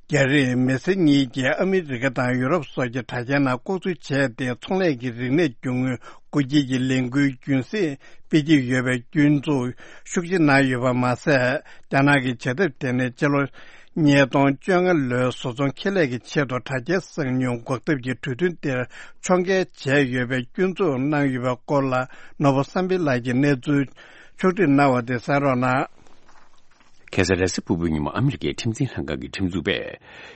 རྒྱ་རིགས་མི་སེར་གཉིས་ཀྱིས་ཨ་མི་རི་ཀ་དང་ཡུ་རོབ་སོགས་ཀྱི་དྲ་རྒྱའི་ནང་ལྐོག་འཛུལ་བྱས་ཏེ། ཚོང་ལས་ཀྱི་རིག་གནས་རྒྱུ་དངོས་བགོ་སྐྱིལ་གྱི་ལས་འགུལ་རྒྱུན་སྲིང་སྤེལ་གྱི་ཡོད་པའི་སྐྱོན་འཛུགས་ཤུགས་ཆེ་གནང་ཡོད་པ་མ་ཟད། རྒྱ་ནག་གི་བྱེད་ཐབས་དེ་ནི་ཕྱི་ལོ་ཉིས་སྟོང་བཅོ་ལྔ་ལོའི་བཟོ་ཚོང་ཁེ་ལས་ཀྱི་ཆེད་དུ་དྲ་རྒྱའི་གསང་མྱུལ་འགོག་ཐབས་ཀྱི་གྲོས་མཐུན་དེར་ཕྱོགས་འགལ་བྱས་ཡོད་པའི་སྐྱོན་འཛུགས་གནང་ཡོད་པའི་སྐོར་ལ། ནོར་བུ་བསམ་འཕེལ་ལགས་ཀྱིས་གནས་ཚུལ་ཕྱོགས་སྒྲིག་གནང་བ་དེ་གསན་རོགས་གནང་། ཁ་སང་རེས་གཟའ་ཕུར་བུའི་ཉིན་མོ་ཨ་མི་རི་ཀའི་ཁྲིམས་འཛིན་ལྷན་ཁང་གི་ཁྲིམས་འཛུགས་པས།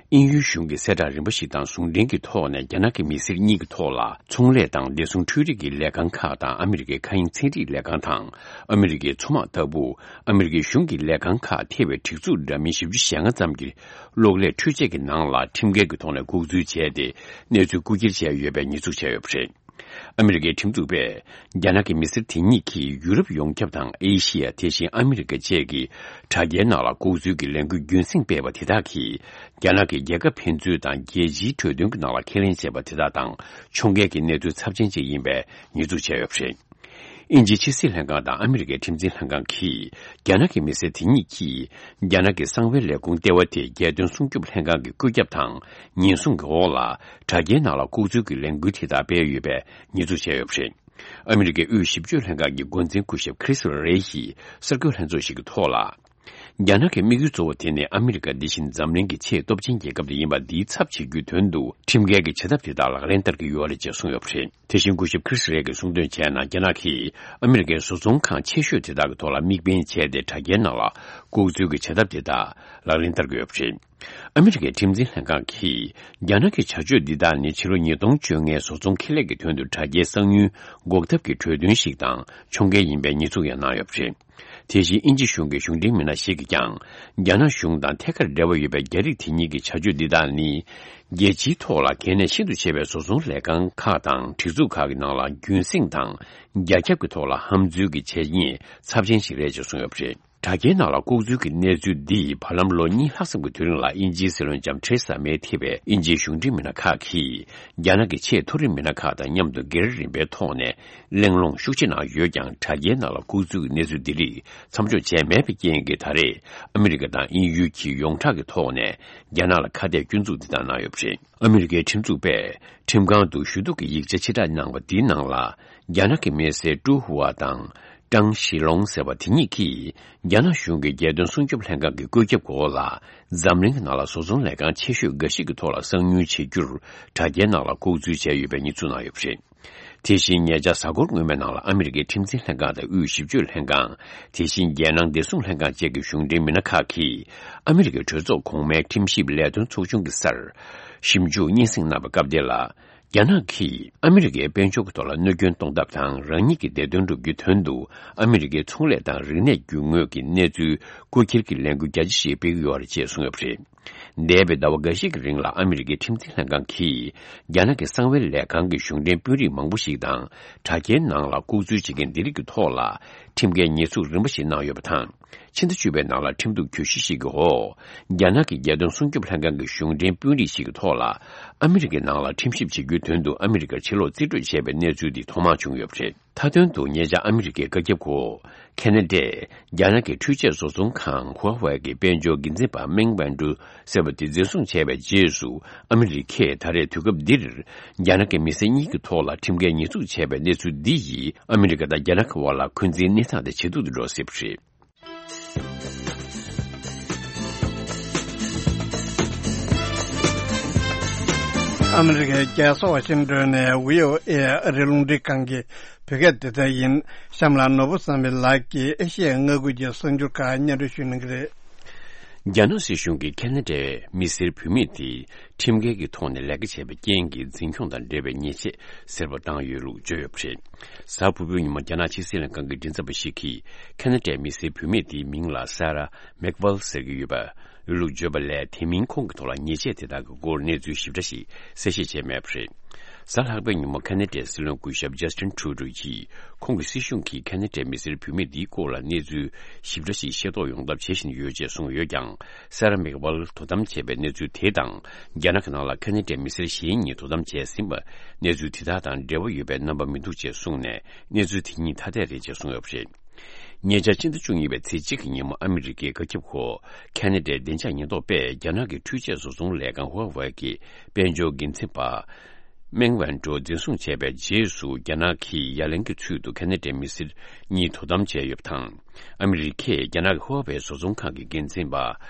དབྱིན་ཡུལ་གཞུང་གི་གསལ་བསྒྲགས་རིམ་པ་ཞིག་དང་ཟུང་འབྲེལ་གྱི་ཐོག་ནས། རྒྱ་ནག་གི་མི་སེར་གཉིས་ཀྱི་ཐོག་ལ། ཚོང་ལས་དང་བདེ་སྲུང་འཕྲུལ་རིག་གི་ལས་ཁང་ཁག་དང་། ཨ་མི་རི་ཀའི་མཁའ་དབྱིངས་ཚན་རིག་ལས་ཁང་དང་། ཨ་མི་རི་ཀའི་མཚོ་དམག་ལྟ་བུ། ཨ་མི་རི་ཀའི་གཞུང་གི་ལས་ཁང་ཁག་ཐེ་བའི་སྒྲིག་འཛུགས་འདྲ་མིན་བཞི་བཅུ་ཞེ་ལྔ་ཙམ་གྱི་གློག་ཀླད་འཕྲུལ་ཆས་ཀྱི་ནང་ལ་ཁྲིམས་འགལ་གྱི་ཐོག་ནས་ལྐོག་འཛུལ་བྱས་ཏེ། གནས་ཚུལ་རྐུ་འཁྱེར་བྱས་ཡོད་པའི་ཉེས་འཛུགས་བྱས་ཡོད་པ་རེད། ཨ་མི་རི་ཀའི་ཁྲིམས་འཛུགས་པས། རྒྱ་ནག་གི་མི་སེར་དེ་གཉིས་ཀྱིས་ཡུ་རོབ་ཡོངས་ཁྱབ་དང་ཨེ་ཤི་ཡ། དེ་བཞིན་ཨ་མི་རི་ཀ་བཅས་ཀྱི་དྲ་རྒྱའི་ནང་ལ་ལྐོག་འཛུལ་གྱི་ལས་འགུལ་རྒྱུན་སྲིང་སྤེལ་བ་དེ་དག་གིས། རྒྱ་ནག་གི་རྒྱལ་ཁབ་ཕན་ཚུན་དང་རྒྱལ་སྤྱིའི་གྲོས་མཐུན་གྱི་ནང་ལ་ཁས་ལེན་བྱས་པ་དེ་དག་དང་ཕྱོགས་འགལ་གྱི་གནས་ཚུལ་ཚབས་ཆེན་ཅིག་ཡིན་པའི་ཉེས་འཛུགས་བྱས་ཡོད་པ་རེད། དབྱིན་ཇིའི་ཕྱི་སྲིད་ལྷན་ཁང་དང་ཨ་མི་རི་ཀའི་ཁྲིམས་འཛིན་ལྷན་ཁང་གིས། རྒྱ་ནག་གི་མི་སེར་དེ་གཉིས་ཀྱིས། རྒྱ་ནག་གི་གསང་བའི་ལས་ཁུངས་ལྟེ་བ་དེ་རྒྱལ་དོན་སྲུང་སྐྱོབ་ལྷན་ཁང་གི་བཀོད་ཁྱབ་དང་ཉེན་སྲུང་གི་འོག་ལ། དྲ་རྒྱའི་ནང་ལ་ལྐོག་འཛུལ་གྱི་ལས་འགུལ་དེ་དག་སྤེལ་ཡོད་པའི་ཉེས་འཛུགས་བྱས་ཡོད་པ་རེད། ཨ་མི་རི་ཀའི་དབུས་ཞིབ་དཔྱོད་ལྷན་ཁང་གི་འགོ་འཛིན་སྐུ་ཞབས་ཁྲིས་རེ་ཡིས་གསར་འགོད་ལྷན་ཚོགས་ཤིག་གི་ཐོག་ལ། རྒྱ་ནག་གི་དམིགས་ཡུལ་གཙོ་བོ་དེ་ནི་ཨ་མི་རི་ཀ་འདི་བཞིན་འཛམ་གླིང་གི་ཆེས་སྟོབས་ཆེན་རྒྱལ་ཁབ་དེ་ཡིན་པ་འདིའི་ཚབ་བྱེད་རྒྱུའི་དོན་དུ། ཁྲིམས་འགལ་གྱི་བྱེད་ཐབས་དེ་དག་ལག་ལེན་བསྟར་གྱི་ཡོད་རེད་ཅེས་གསུངས་ཡོད་པ་རེད། དེ་བཞིན་སྐུ་ཞབས་ཁྲིས་རེ་གིས་གསུངས་དོན་བྱས་ན། རྒྱ་ནག་གིས་ཨ་མི་རི་ཀའི་བཟོ་ཚོང་ཁང་ཆེ་ཤོས་དེ་དག་གི་ཐོག་ལ་དམིགས་འབེན་བྱས་ཏེ། དྲ་རྒྱའི་ནང་ལ་ལྐོག་འཛུལ་གྱི་བྱེད་ཐབས་དེ་དག་ལག་ལེན་བསྟར་གྱི་ཡོད་པ་རེད། ཨ་མི་རི་ཀའི་ཁྲིམས་འཛིན་ལྷན་ཁང་གིས། རྒྱ་ནག་གི་བྱ་སྤྱོད་འདི་དག་ནི་ཕྱི་ལོ་ཉིས་སྟོང་བཅོ་ལྔའི་བཟོ་ཚོང་ཁེ་ལས་ཀྱི་དོན་དུ་དྲ་རྒྱའི་གསང་མྱུལ་འགོག་ཐབས་ཀྱི་གྲོས་མཐུན་ཞིག་དང་ཕྱོགས་འགལ་ཡིན་པའི་ཉེས་འཛུགས་ཡང་གནང་ཡོད་པ་རེད། དེ་བཞིན་དབྱིན་ཇི་གཞུང་གི་གཞུང་འབྲེལ་མི་སྣ་ཞིག་གིས་ཀྱང་། རྒྱ་ནག་གཞུང་དང་ཐད་ཀར་འབྲེལ་བ་ཡོད་པའི་རྒྱ་རིགས་དེ་གཉིས་ཀྱི་བྱ་སྤྱོད་འདི་དག་ནི། རྒྱལ་སྤྱིའི་ཐོག་ལ་གལ་གནད་ཤིན་ཏུ་ཆེ་བའི་བཟོ་ཚོང་ལས་ཁང་ཁག་དང་སྒྲིག་འཛུགས་ཁག་གི་ནང་ལ་རྒྱུན་སྲིང་དང་རྒྱ་ཁྱབ་ཀྱི་ཐོག་ལ་ཧམ་འཛུལ་གྱི་བྱས་ཉེས་ཚབས་ཆེན་ཞིག་རེད་ཅེས་གསུངས་ཡོད་པ་རེད། དྲ་རྒྱའི་ནང་ལ་ལྐོག་འཛུལ་གྱི་གནས་ཚུལ་འདིས་བར་ལམ་ལོ་གཉིས་ལྷག་ཙམ་གྱི་དུས་རིང་ལ་དབྱིན་ཇིའི་སྲིད་བློན་ལྕམ་ཐེ་རེ་ས་མེ་ཐེ་བའི་དབྱིན་ཇིའི་གཞུང་འབྲེལ་མི་སྣ་ཁག་གིས། རྒྱ་ནག་གི་ཆེས་མཐོ་རིམ་མི་སྣ་ཁག་དང་མཉམ་དུ་སྒེར་རིམ་པའི་ཐོག་ནས་གླེང་སློང་ཤུགས་ཆེ་གནང་ཡོད་ཀྱང་། དྲ་རྒྱའི་ནང་ལ་ལྐོག་འཛུལ་གྱི་གནས་ཚུལ་འདི་རིགས་མཚམས་འཇོག་བྱས་མེད་པའི་རྐྱེན་གྱིས། ད་རེས་ཨ་མི་རི་ཀ་དང་དབྱིན་ཡུལ་གྱིས་ཡོངས་གྲགས་ཀྱི་ཐོག་ནས་རྒྱ་ནག་ལ་ཁ་གཏད་སྐྱོན་འཛུགས་འདི་དག་གནང་ཡོད་པ་རེད། ཨ་མི་རི་ཀའི་ཁྲིམས་འཛུགས་པས་ཁྲིམས་ཁང་དུ་ཞུ་གཏུག་གི་ཡིག་ཆ་ཕྱིར་བསྒྲགས་གནང་བ་འདིའི་ནང་ལ། རྒྱ་ནག་གི་མི་སེར་ཀྲུའུ་ཧུའ་དང་ཀྲང་ཞི་ལོང་ཟེར་བ་དེ་གཉིས་ཀྱིས། རྒྱ་ནག་གཞུང་གི་རྒྱལ་དོན་སྲུང་སྐྱོབ་ལྷན་ཁང་གི་བཀོད་ཁྱབ་འོག་ལ། འཛམ་གླིང་གི་ནང་ལ་བཟོ་ཚོང་ལས་ཁང་ཆེ་ཤོས་འགའ་ཞིག་གི་ཐོག་ལ་གསང་མྱུལ་བྱེད་རྒྱུར། དྲ་རྒྱའི་ནང་ལ་ལྐོག་འཛུལ་བྱས་ཡོད་པའི་ཉེས་འཛུགས་གནང་ཡོད་པ་རེད། དེ་བཞིན་ཉེ་ཆར་གཟའ་འཁོར་སྔོན་མའི་ནང་ལ་ཨ་མི་རི་ཀའི་ཁྲིམས་འཛིན་ལྷན་ཁང་དང་དབུས་ཞིབ་དཔྱོད་ལྷན་ཁང་། དེ་བཞིན་རྒྱལ་ནང་བདེ་སྲུང་ལྷན་ཁང་བཅས་ཀྱི་གཞུང་འབྲེལ་མི་སྣ་ཁག་གིས། ཨ་མི་རི་ཀའི་གྲོས་ཚོགས་གོང་མའི་ཁྲིམས་ཞིབ་ལས་དོན་ཚོགས་ཆུང་གི་སར་ཞིབ་འཇུག་སྙན་སེང་གནང་བའི་སྐབས་དེ་ལ། རྒྱ་ནག་གིས་ཨ་མི་རི་ཀའི་དཔལ་འབྱོར་གྱི་ཐོག་ལ་གནོད་སྐྱོན་གཏོང་ཐབས་དང་། རང་ཉིད་ཀྱི་བདེ་དོན་སྒྲུབ་རྒྱུའི་དོན་དུ། ཨ་མི་རི་ཀའི་ཚོང་ལས་དང་རིག་གནས་རྒྱུ་དངོས་ཀྱི་གནས་ཚུལ་རྐུ་འཁྱེར་གྱི་ལས་འགུལ་རྒྱ་ཆེ་ཞིག་སྤེལ་གྱི་ཡོད་རེད་ཅེས་གསུངས་ཡོད་པ་རེད། འདས་པའི་ཟླ་བ་འགའ་ཤས་ཀྱི་རིང་ལ་ཨ་མི་རི་ཀའི་ཁྲིམས་འཛིན་ལྷན་ཁང་གིས་རྒྱ་ནག་གི་གསང་བའི་ལས་ཁང་གི་གཞུང་འབྲེལ་དཔོན་རིགས་མང་པོ་ཞིག་དང་དྲ་རྒྱའི་ནང་ལ་ལྐོག་འཛུལ་བྱེད་མཁན་འདི་རིགས་ཀྱི་ཐོག་ལ་ཁྲིམས་འགལ་ཉེས་འཛུགས་རིམ་པ་ཞིག་གནང་ཡོད་པ་དང་། ཕྱི་ཟླ་བཅུ་པའི་ནང་ལ་ཁྲིམས་གཏུག་གྱོད་གཞི་ཞིག་གི་འོག་རྒྱ་ནག་གི་རྒྱལ་དོན་སྲུང་སྐྱོབ་ལྷན་ཁང་གི་གཞུང་འབྲེལ་དཔོན་རིགས་ཤིག་གི་ཐོག་ལ་ཨ་མི་རི་ཀའི་ནང་ལ་ཁྲིམས་ཞིབ་བྱེད་རྒྱུའི་དོན་དུ་ཨ་མི་རི་ཀར་ཕྱིར་ལོག་རྩིས་སྤྲོད་བྱས་པའི་གནས་ཚུལ་འདི་ཐོག་མར་བྱུང་ཡོད་པ་རེད། མཐའ་དོན་དུ་ཉེ་ཆར་ཨ་མི་རི་ཀའི་བཀའ་ཁྱབ་འོག་ཁེ་ན་ཌས་རྒྱ་ནག་གི་འཕྲུལ་ཆས་བཟོ་ཚོང་ཁང་ཧྭ་ཝེ་གི་དཔལ་འབྱོར་འགན་འཛིན་པ་མེང་ཝན་ཀྲུའུ་ཟེར་བ་དེ་འཛིན་བཟུང་བྱས་པའི་རྗེས་སུ། ཨ་མི་རི་ཀས་ད་རེས་དུས་སྐབས་འདིར་རྒྱ་ནག་གི་མི་སེར་གཉིས་ཀྱི་ཐོག་ལ་ཁྲིམས་འགལ་ཉེས་འཛུགས་བྱས་པའི་གནས་ཚུལ་འདི་ཡིས་ཨ་མི་རི་ཀ་དང་རྒྱ་ནག་གི་དབར་ལ་འཁོན་འཛིན་གནས་སྟངས་དེ་ཇེ་སྡུག་ཏུ་འགྲོ་སྲིད་པ་རེད། ཨ་མི་རི་ཀའི་རྒྱལ་ས་ཝ་ཤིང་ཏོན་ནས་བྷི་ཨོ་ཨེ་ཨ་རིའི་རླུང་འཕྲིན་ཁང་གི་བོད་སྐད་སྡེ་ཚན་ཡིན། གཤམ་ལ་ནོར་བུ་བསམ་འཕེལ་ལགས་ཀྱིས་ཨེ་ཤི་ཡའི་མངའ་ཁུལ་གྱི་གསར་འགྱུར་ཁག་སྙན་སྒྲོན་ཞུ་གནང་གི་རེད། རྒྱ་ནག་སྲིད་གཞུང་གིས་ཁེ་ན་ཌའི་མི་སེར་བུད་མེད་དེ་ཁྲིམས་འགལ་གྱི་ཐོག་ནས་ལས་ཀ་བྱས་པའི་རྐྱེན་གྱིས་འཛིན་སྐྱོང་དང་འབྲེལ་བའི་ཉེས་ཆད་ཟེར་བ་བཏང་ཡོད་ལུགས་བརྗོད་ཡོད་པ་རེད། གཟའ་ཕུར་བུའི་ཉིན་མོ་རྒྱ་ནག་ཕྱི་སྲིད་ལྷན་ཁང་གི་མགྲིན་ཚབ་པ་ཞིག་གིས་ཁེ་ན་ཌའི་མི་སེར་བུད་མེད་དེའི་མིང་ལ་ས་ར་མེག་ཝལ་ཟེར་གྱི་ཡོད་པ་ལུགས་བརྗོད་པ་ལས། དེ་མིན་ཁོང་གི་ཐོག་ལ་ཉེས་ཆད་དེ་དག་གི་སྐོར་གནས་ཚུལ་ཞིབ་ཕྲ་ཞིག་གསལ་བཤད་བྱས་མེད་པ་རེད། གཟའ་ལྷག་པའི་ཉིན་མོ་ཁེ་ན་ཌའི་སྲིད་བློན་སྐུ་ཞབས་ཇཱ་སི་ཊིན་ཁྲུ་ཌོ་ཡིས། ཁོང་གི་སྲིད་གཞུང་གིས་ཁེ་ན་ཌའི་མི་སེར་བུད་མེད་འདིའི་སྐོར་ལ་གནས་ཚུལ་ཞིབ་ཕྲ་ཞིག་ཤེས་རྟོགས་ཡོང་ཐབས་བྱེད་བཞིན་ཡོད་ཅེས་གསུངས་ཡོད་ཀྱང་། ས་ར་མེག་ཝལ་དོ་དམ་བྱས་པའི་གནས་ཚུལ་དེ་དང་། རྒྱ་ནག་གི་ནང་ལ་ཁེ་ན་ཌའི་མི་སེར་གཞན་གཉིས་དོ་དམ་བྱས་ཟིན་པ། གནས་ཚུལ་དེ་དག་དང་འབྲེལ་བ་ཡོད་པའི་རྣམ་པ་མི་འདུག་ཅེས་གསུངས་ནས། གནས་ཚུལ་དེ་གཉིས་ཐ་དད་རེད་ཅེས་གསུངས་ཡོད་པ་རེད། ཉེ་ཆར་ཕྱི་ཟླ་བཅུ་གཉིས་པའི་ཚེས་གཅིག་གི་ཉིན་མོ་ཨ་མི་རི་ཀའི་བཀའ་ཁྱབ་འོག་ཁེ་ན་ཌའི་བདེ་འཇགས་ཉེན་རྟོག་པས་རྒྱ་ནག་གི་འཕྲུལ་ཆས་བཟོ་ཚོང་ལས་ཁང་ཧྭ་ཝེ་གི་དཔལ་འབྱོར་འགན་འཛིན་པ་མེང་ཝན་ཀྲོ་འཛིན་བཟུང་བྱས་པའི་རྗེས་སུ། རྒྱ་ནག་གིས་ཡ་ལན་གྱི་ཚུལ་དུ་ཁེ་ན་ཌའི་མི་སེར་གཉིས་དོ་དམ་བྱས་ཡོད་པ་དང་། ཨ་མི་རི་ཀས་རྒྱ་ནག་གི་ཧྭ་ཝེ་བཟོ་ཚོང་ཁང་གི་འགན་འཛིན་པ་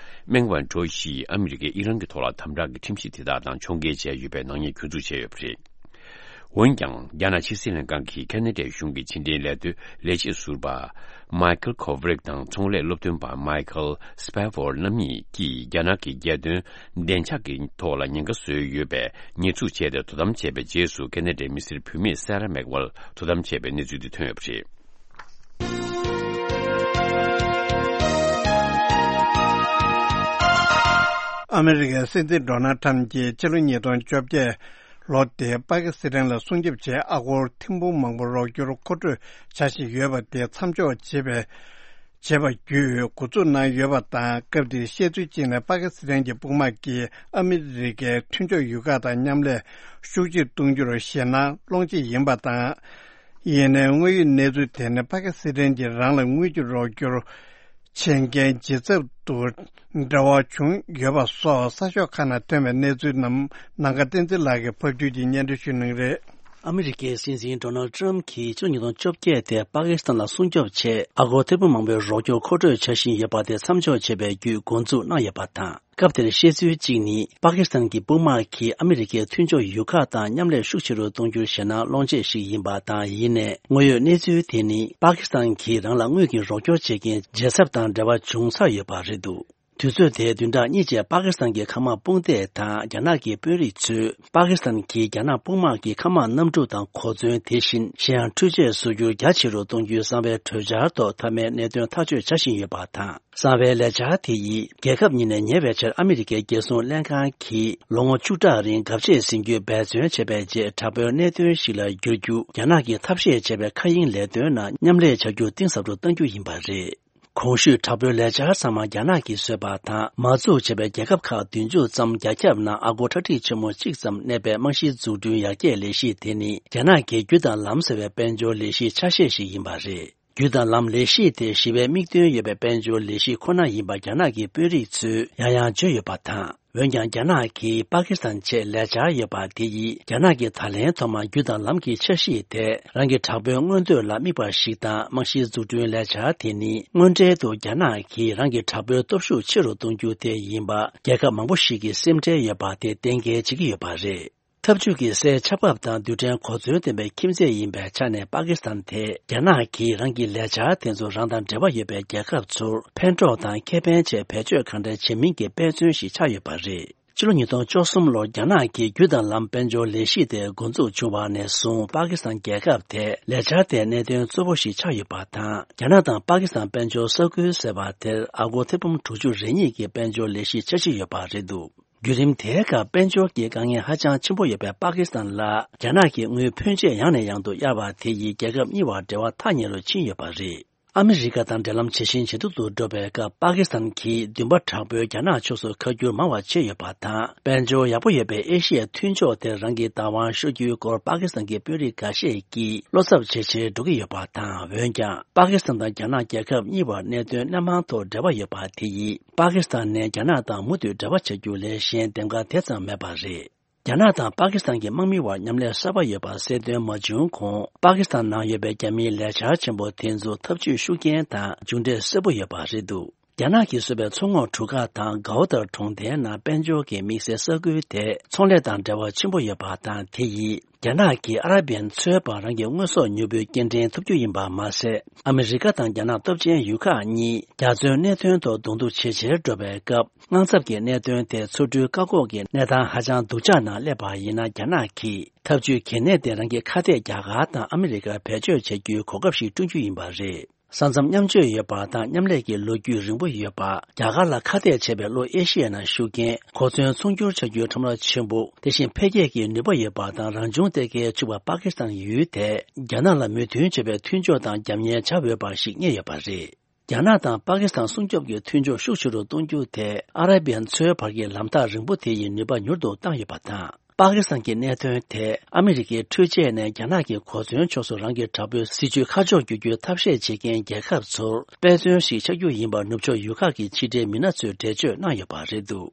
མེང་ཝན་ཀྲོ་ཞིག་ཨ་མི་རི་ཀས་ཨི་རན་གྱི་ཐོག་ལ་དམ་དྲག་གི་ཁྲིམས་གཞི་དེ་དག་དང་ཕྱོགས་འགལ་བྱས་ཡོད་པའི་ནག་ཉེས་གྱོད་འཛུགས་བྱས་ཡོད་པ་རེད། འོན་ཀྱང་། རྒྱ་ནག་ཕྱི་སྲིད་ལྷན་ཁང་གི་ཁེ་ན་ཌའི་གཞུང་གི་ཕྱི་འབྲེལ་ལས་དོན་ལས་བྱེད་ཟུར་པ་མའི་ཁལ་ཁོ་ཝི་རིག་དང་ཚོང་ལས་སློབ་སྟོན་པ་མའི་ཁལ་སི་པེ་ཧྥོར་རྣམ་གཉིས་ཀྱིས་རྒྱ་ནག་གི་རྒྱལ་དོན་བདེ་འཇགས་ཀྱི་ཐོག་ལ་ཉེན་ཁ་བཟོས་ཡོད་པའི་ཉེས་འཛུགས་བྱས་ཏེ་དོ་དམ་བྱས་པའི་རྗེས་སུ། ཁེ་ན་ཌའི་མི་སེར་བུད་མེད་སེ་ར་མེག་ཝལ་དོ་དམ་བྱས་པའི་གནས་ཚུལ་འདི་ཐོན་ཡོད་པ་རེད། ཨ་མི་རི་ཀའི་སྲིད་འཛིན་ཌོ་ནལ་ཁྲམ་གྱིས་ཕྱི་ལོ་ཉིས་སྟོང་བཅོ་བརྒྱད་ལོ་དེར་པ་ཀི་སི་ཐན་ལ་སྲུང་སྐྱོབ་ཆེད་ཨ་སྒོར་ཐེར་འབུམ་མང་པོ་རོགས་སྐྱོར་མཁོ་སྤྲོད་བྱ་བཞིན་ཡོད་པ་དེ་མཚམས་འཇོག་བྱེད་པའི་བྱེད་པ་བརྒྱུད་འགོ་འཛུགས་གནང་ཡོད་པ་དང་། སྐབས་དེར་བཤད་ཚུལ་གཅིག་ནས་པ་ཀི་སི་ཐན་གྱི་དཔུང་དམག་གིས་ཨ་མི་རི་ཀའི་མཐུན་ཕྱོགས་ཡུལ་ཁག་དང་མཉམ་ལས་ཤུགས་ཆེར་གཏོང་རྒྱུར་ཞེད་སྣང་སློང་ཆེད་ཡིན་པ་དང་། ཡིན་ནའི་དངོས་ཡོད་གནས་ཚུལ་དེ་ནི་པ་ཀི་སི་ཐན་གྱིས་རང་ལ་དངུལ་གྱི་རོགས་སྐྱོར་བྱེད་མཁན་ཇེ་ཚབ་ཏུ་འབྲེལ་བ་བྱུང་ཡོད་པ་སོགས་གསར་ཤོག་ཁག་ནང་ཐོན་པའི་གནས་ཚུལ་རྣམས་ནམ་མཁའ་བསྟན་འཛིན་ལགས་ཀྱིས་ཕབ་སྒྱུར་གྱིས་སྙན་སྒྲོན་ཞུ་གནང་གི་རེད། ཨ་མི་རི་ཀའི་སྲིད་འཛིན་ཌོ་ནལ་ཌི་ཊརམ་གྱིས་ཕྱི་ལོ་ཉིས་སྟོང་བཅོ་བརྒྱད་དེ་པ་ཀི་སི་ཐན་ལ་སྲུང་སྐྱོབ་ཆེད་ཨ་སྒོར་ཐེར་འབུམ་མང་པོའི་རོགས་སྐྱོར་མཁོ་སྤྲོད་བྱ་བཞིན་ཡོད་པ་དེ་མཚམས་འཇོག་བྱེད་པའི་བརྒྱུད་འགོ་འཛུགས་གནང་ཡོད་པ་དང་། སྐབས་དེར་བཤད་ཚུལ་གཅིག་ནི། པ་ཀི་སི་ཐན་གྱི་དཔུང་དམག་གིས་ཨ་མི་རི་ཀའི་མཐུན་ཕྱོགས་ཡུལ་ཁག་དང་མཉམ་ལས་ཤུགས་ཆེ་རུ་གཏོང་རྒྱུར་ཞེད་སྣང་སློང་ཆེད་ཞིག་ཡིན་པ་དང་། ཡིན་ནའི་དངོས་ཡོད་གནས་ཚུལ་དེ་ནི། པ་ཀི་སི་ཐན་གྱིས་རང་ལ་དངུལ་གྱི་རོགས་སྐྱོར་བྱེད་མཁན་ཇེ་ཚབ་དང་འབྲེལ་བ་བྱུང་ཚར་ཡོད་པ་རེད་འདུག་དུས་ཚོད་དེའི་བདུན་ཕྲག་གཉིས་རྗེས་པ་ཀི་སི་ཐན་གྱི་མཁའ་དམག་དཔུང་སྡེ་དང་རྒྱ་ནག་གི་དཔོན་རིགས་ཚོས། པ་ཀི་སི་ཐན་གྱིས་རྒྱ་ནག་དཔུང་དམག་གི་མཁའ་དམག་གནམ་གྲུ་དང་གོ་མཚོན། དེ་བཞིན་གཞན་ཡང་འཕྲུལ་ཆས་བཟོ་རྒྱུ་རྒྱ་ཆེ་རུ་གཏོང་རྒྱུའི་གསང་བའི་གྲོས་འཆར་ཐོག་མཐའ་མའི་གནད་དོན་ཐག་གཅོད་བྱ་བཞིན་ཡོད་པ་དང་། གསང་བའི་ལས་འཆར་དེ་ཡིས་རྒྱལ་ཁབ་གཉིས་ནས་ཉེ་བའི་ཆར་ཨ་མི་རི་ཀའི་རྒྱལ་སྲུང་ལྷན་ཁང་གིས་ལོ་ངོ་བཅུ་ཕྲག་རིང་དགའ་བྱེད་ཟིན་རྒྱུའི་འབད་བརྩོན་བྱས་པའི་རྗེས། དྲག་པོའི་གནད་དོན་ཞིག་ལ་བསྒྱུར་རྒྱུ་རྒྱ་ནག་གིས་ཐབས་ཤེས་བྱས་པའི་མཁའ་དབྱིངས་ལས་དོན་ནང་མཉམ་ལས་བྱ་རྒྱུ་གཏིང་ཟབ་ཏུ་གཏང་རྒྱུ་ཡིན་པ་རེད། གོང་ཞུས་དྲག་པོའི་ལས་འཆར་ཚང་མ་རྒྱ་ནག་གིས་བཟོས་པ་དང་། མ་འཛུགས་བྱས་པའི་རྒྱལ་ཁབ་ཁག་བདུན་ཅུ་ཙམ་རྒྱ་ཁྱབ་ནང་ཨ་སྒོར་ཁྲག་ཁྲིག་ཆེན་མོ་གཅིག་ཙམ་གནས་པའི་རྨང་གཞིའི་འཛུགས་སྐྲུན་ཡར་རྒྱས་ལས་གཞི་དེ་ནི། རྒྱ་ནག་གི་རྒྱུ་དང་ལམ་ཟེར་བའི་དཔལ་འབྱོར་ལས་གཞིའི་ཆ་ཤས་ཤིག་ཡིན་པ་རེད། རྒྱུ་དང་ལམ་ལས་གཞི་དེ་ཞི་བའི་དམིགས་དོན་ཡོད་པའི་དཔལ་འབྱོར་ལས་གཞི་ཁོ་ན་ཡིན་པ་རྒྱ་ནག་གི་དཔོན་རིགས་ཚོས་ཡང་ཡང་བརྗོད་ཡོད་པ་དང་། འོན་ཀྱང་། རྒྱ་ནག་གིས་པ་ཀི་སི་ཐན་ཆེད་ལས་འཆར་ཡོད་པ་དེ་ཡིས། རྒྱ་ནག་གིས་ད་ལན་ཐོག་མར་རྒྱུ་དང་ལམ་གྱི་འཆར་གཞི་དེ་རང་གི་དྲག་པོའི་མངོན་འདོད་ལ་དམིགས་པ་ཞིག་དང་། རྨང་གཞིའི་འཛུགས་སྐྲུན་ལས་འཆར་དེ་ནི། དངོས་འབྲེལ་དུ་རྒྱ་ནག་གིས་རང་གི་དྲག་པོའི་སྟོབས་ཤུགས་ཆེ་རུ་གཏོང་རྒྱུ་དེ་ཡིན་པ། རྒྱལ་ཁབ་མང་པོ་ཞིག་གིས་སེམས་ཁྲལ་ཡོད་པ་དེ་གཏན་འཁེལ་བྱེད་ཀྱི་ཡོད་པ་རེད། འཐབ་ཇུས་ཀྱི་སའི་ཆར་འབབ་དང་རྡུལ་ཕྲན་གོ་མཚོན་ལྡན་པའི་ཁྱིམ་མཚེས་ཡིན་པའི་ཆ་ནས། པ་ཀི་སི་ཐན་དེ་རྒྱ་ནག་གིས་རང་གི་ལས་འཆར་དེ་ཚོ་རང་དང་འབྲེལ་བ་ཡོད་པའི་རྒྱལ་ཁབ་ཚོར་ཕན་གྲོགས་དང་ཁེ་ཕན་ཆེད་བེད་སྤྱོད་གང་འདྲ་བྱེད་མིན་གྱི་དཔེ་མཚོན་ཞིག་ཆགས་ཡོད་པ་རེད། ཕྱི་ལོ་ཉིས་སྟོང་བཅུ་གསུམ་ལོར་རྒྱ་ནག་གིས་རྒྱུ་དང་ལམ་དཔལ་འབྱོར་ལས་གཞི་དེ་འགོ་འཛུགས་བྱུང་བ་ནས་བཟུང་། པ་ཀི་སི་ཐན་རྒྱལ་ཁབ་དེ་ལས་འཆར་དེའི་གནད་དོན་གཙོ་བོ་ཞིག་ཆགས་ཡོད་པ་དང་། རྒྱ་ནག་དང་པ་ཀི་སི་ཐན་དཔལ་འབྱོར་ས་ཁུལ་ཟེར་བ་དེར་ཨ་སྒོར་ཐེར་འབུམ་དྲུག་ཅུ་རེ་གཉིས་ཀྱི་དཔལ་འབྱོར་ལས་གཞི་འཆར་གཞི་ཡོད་པ་རེད་འདུག་བརྒྱུད་རིམ་དེའི་སྐབས་དཔལ་འབྱོར་གྱི་དཀའ་ངལ་ཧ་ཅང་ཆེན་པོ་ཡོད་པའི་པ་ཀི་སི་ཐན་ལ་རྒྱ་ནག་གིས་དངུལ་ཕོན་ཆེ་ཡང་ནས་ཡང་དུ་གཡར་བ་དེ་ཡིས་རྒྱལ་ཁབ་གཉིས་བར་འབྲེལ་བ་ཐག་ཉེ་རུ་ཕྱིན་ཡོད་པ་རེད། ཨ་མི་རི་ཀ་དང་འབྲེལ་ལམ་ཇེ་ཞན་ཇེ་སྡུག་ཏུ་འགྲོ་བའི་སྐབས་པ་ཀི་སི་ཐན་གྱིས་འདུན་པ་དྲག་པོས་རྒྱ་ནག་ཕྱོགས་སུ་ཁ་བསྒྱུར་མང་བ་བྱས་ཡོད་པ་དང་། དཔལ་འབྱོར་ཡག་པོ་ཡོད་པའི་ཨེ་ཤི་ཡའི་མཐུན་ཕྱོགས་དེར་རང་གི་བདག་དབང་ཤོར་རྒྱུའི་སྐོར་པ་ཀི་སི་ཐན་གྱི་དཔོན་རིགས་འགའ་ཤས་ཀྱིས་བློ་འཚབ་ཇེ་ཆེར་འགྲོ་གི་ཡོད་པ་དང་། འོན་ཀྱང་པ་ཀི་སི་ཐན་དང་རྒྱ་ནག་རྒྱལ་ཁབ་གཉིས་བར་གནད་དོན་སྣེ་མང་ཐོག་འབྲེལ་བ་ཡོད་པ་དེ་ཡིས་པ་ཀི་སི་ཐན་ནས་རྒྱ་ནག་དང་མུ་མཐུད་འབྲེལ་བ་བྱ་རྒྱུ་ལས་གཞན་འདེམས་ཀ་དེ་ཙམ་མེད་པ་རེད། རྒྱ་ནག་དང་པ་ཀི་སི་ཐན་གྱི་དམག་མིའི་བར་མཉམ་ལས་གསར་པ་ཡོད་པ་གསལ་སྟོན་མ་བྱུང་གོང་། པ་ཀི་སི་ཐན་ནང་ཡོད་པའི་རྒྱ་མིའི་ལས་འཆར་ཆེན་པོ་དེ་ཚོ་ཐབས་ཇུས་ཤུགས་རྐྱེན་དང་མཇུག་འབྲས་གསལ་པོ་ཡོད་པ་རེད་འདུག་རྒྱ་ནག་གིས་བཟོས་པའི་མཚོ་ངོགས་གྲུ་ཁ་དང་གའོ་ཏར་གྲོང་རྡལ་ནང་དཔལ་འབྱོར་གྱི་དམིགས་བསལ་ས་ཁུལ་དེ་ཚོང་ལས་དང་འབྲེལ་བ་ཆེན་པོ་ཡོད་པ་དང་། དེ་ཡིས་རྒྱ་ནག་གིས་ཨ་ར་བི་ཡན་མཚོའི་བར་རང་གི་དངོས་ཟོག་མྱུར་པོའི་སྐྱེལ་འདྲེན་ཐུབ་རྒྱུ་ཡིན་པ་མ་ཟད། ཨ་མི་རི་ཀ་དང་རྒྱ་ནག་སྟོབས་ཆེན་ཡུལ་ཁག་གཉིས་རྒྱ་མཚོའི་གནད་དོན་ཐོག་གདོང་ཐུག་ཇེ་ཆེར་འགྲོ་བའི་སྐབས། དངངས་འཚབ་ཀྱི་གནད་དོན་དེ་མཚོ་གྲུའི་བཀག་འགོག་གི་གནས་སྟངས་ཧ་ཅང་སྡུག་ཅག་ནང་སླེབས་པ་ཡིན་ན། རྒྱ་ནག་གིས་ཐབས་ཇུས་གལ་གནད་དེ་རང་གི་ཁ་གཏད་རྒྱ་གར་དང་ཨ་མི་རི་ཀར་བེད་སྤྱོད་བྱ་རྒྱུའི་གོ་སྐབས་ཤིག་བསྐྲུན་རྒྱུ་ཡིན་པ་རེད། ས་མཚམས་མཉམ་སྤྱོད་ཡོད་པ་དང་མཉམ་ལས་ཀྱི་ལོ་རྒྱུས་རིང་པོ་ཡོད་པ། རྒྱ་གར་ལ་ཁ་གཏད་བྱས་པའི་གློ་ཨེ་ཤི་ཡའི་ནང་ཤུགས་རྐྱེན། གོ་མཚོན་ཚོང་སྒྱུར་བྱ་རྒྱུའི་ཁྲོམ་ར་ཆེན་པོ། དེ་བཞིན་འཕེལ་རྒྱས་ཀྱི་ནུས་པ་ཡོད་པ་དང་རང་བྱུང་གཏེར་ཁའི་ཕྱུག་པ་པ་ཀི་སི་ཐན་ཡུལ་དེ་རྒྱ་ནག་ལ་མོས་མཐུན་བྱེད་པའི་མཐུན་ཕྱོགས་དང་རྒྱབ་གཉེར་བྱ་འོས་པ་ཞིག་རྙེད་ཡོད་པ་རེད། རྒྱ་ནག་དང་པ་ཀི་སི་ཐན་སྲུང་སྐྱོབ་ཀྱི་མཐུན་ཕྱོགས་ཤུགས་ཆེ་རུ་གཏོང་རྒྱུ་དེ་ཨ་ར་བི་ཡན་མཚོའི་བར་གྱི་ལམ་ཐག་རིང་པོ་དེ་ཡི་ནུས་པ་མྱུར་དུ་བཏང་ཡོད་པ་དང་། པ་ཀི་སི་ཐན་གྱི་གནད་དོན་དེ་ཨ་མི་རི་ཀའི་འཕྲུལ་ཆས་ནས་རྒྱ་ནག་གི་གོ་མཚོན་ཕྱོགས་སུ་རང་གི་དྲག་པོའི་སྲིད་ཇུས་ཁ་ཕྱོགས་བསྒྱུར་རྒྱུའི་ཐབས་ཤེས་བྱེད་མཁན་རྒྱལ་ཁབ་ཚོར་དཔེ་མཚོན་ཞིག་ཆགས་རྒྱུ་ཡིན་པར་ནུབ་ཕྱོགས་ཡུལ་ཁག་གི་ཕྱི་འབྲེལ་མི་སྣ་ཚོས་འགྲེལ་བརྗོད་གནང་ཡོད་པ་རེད་འདུག་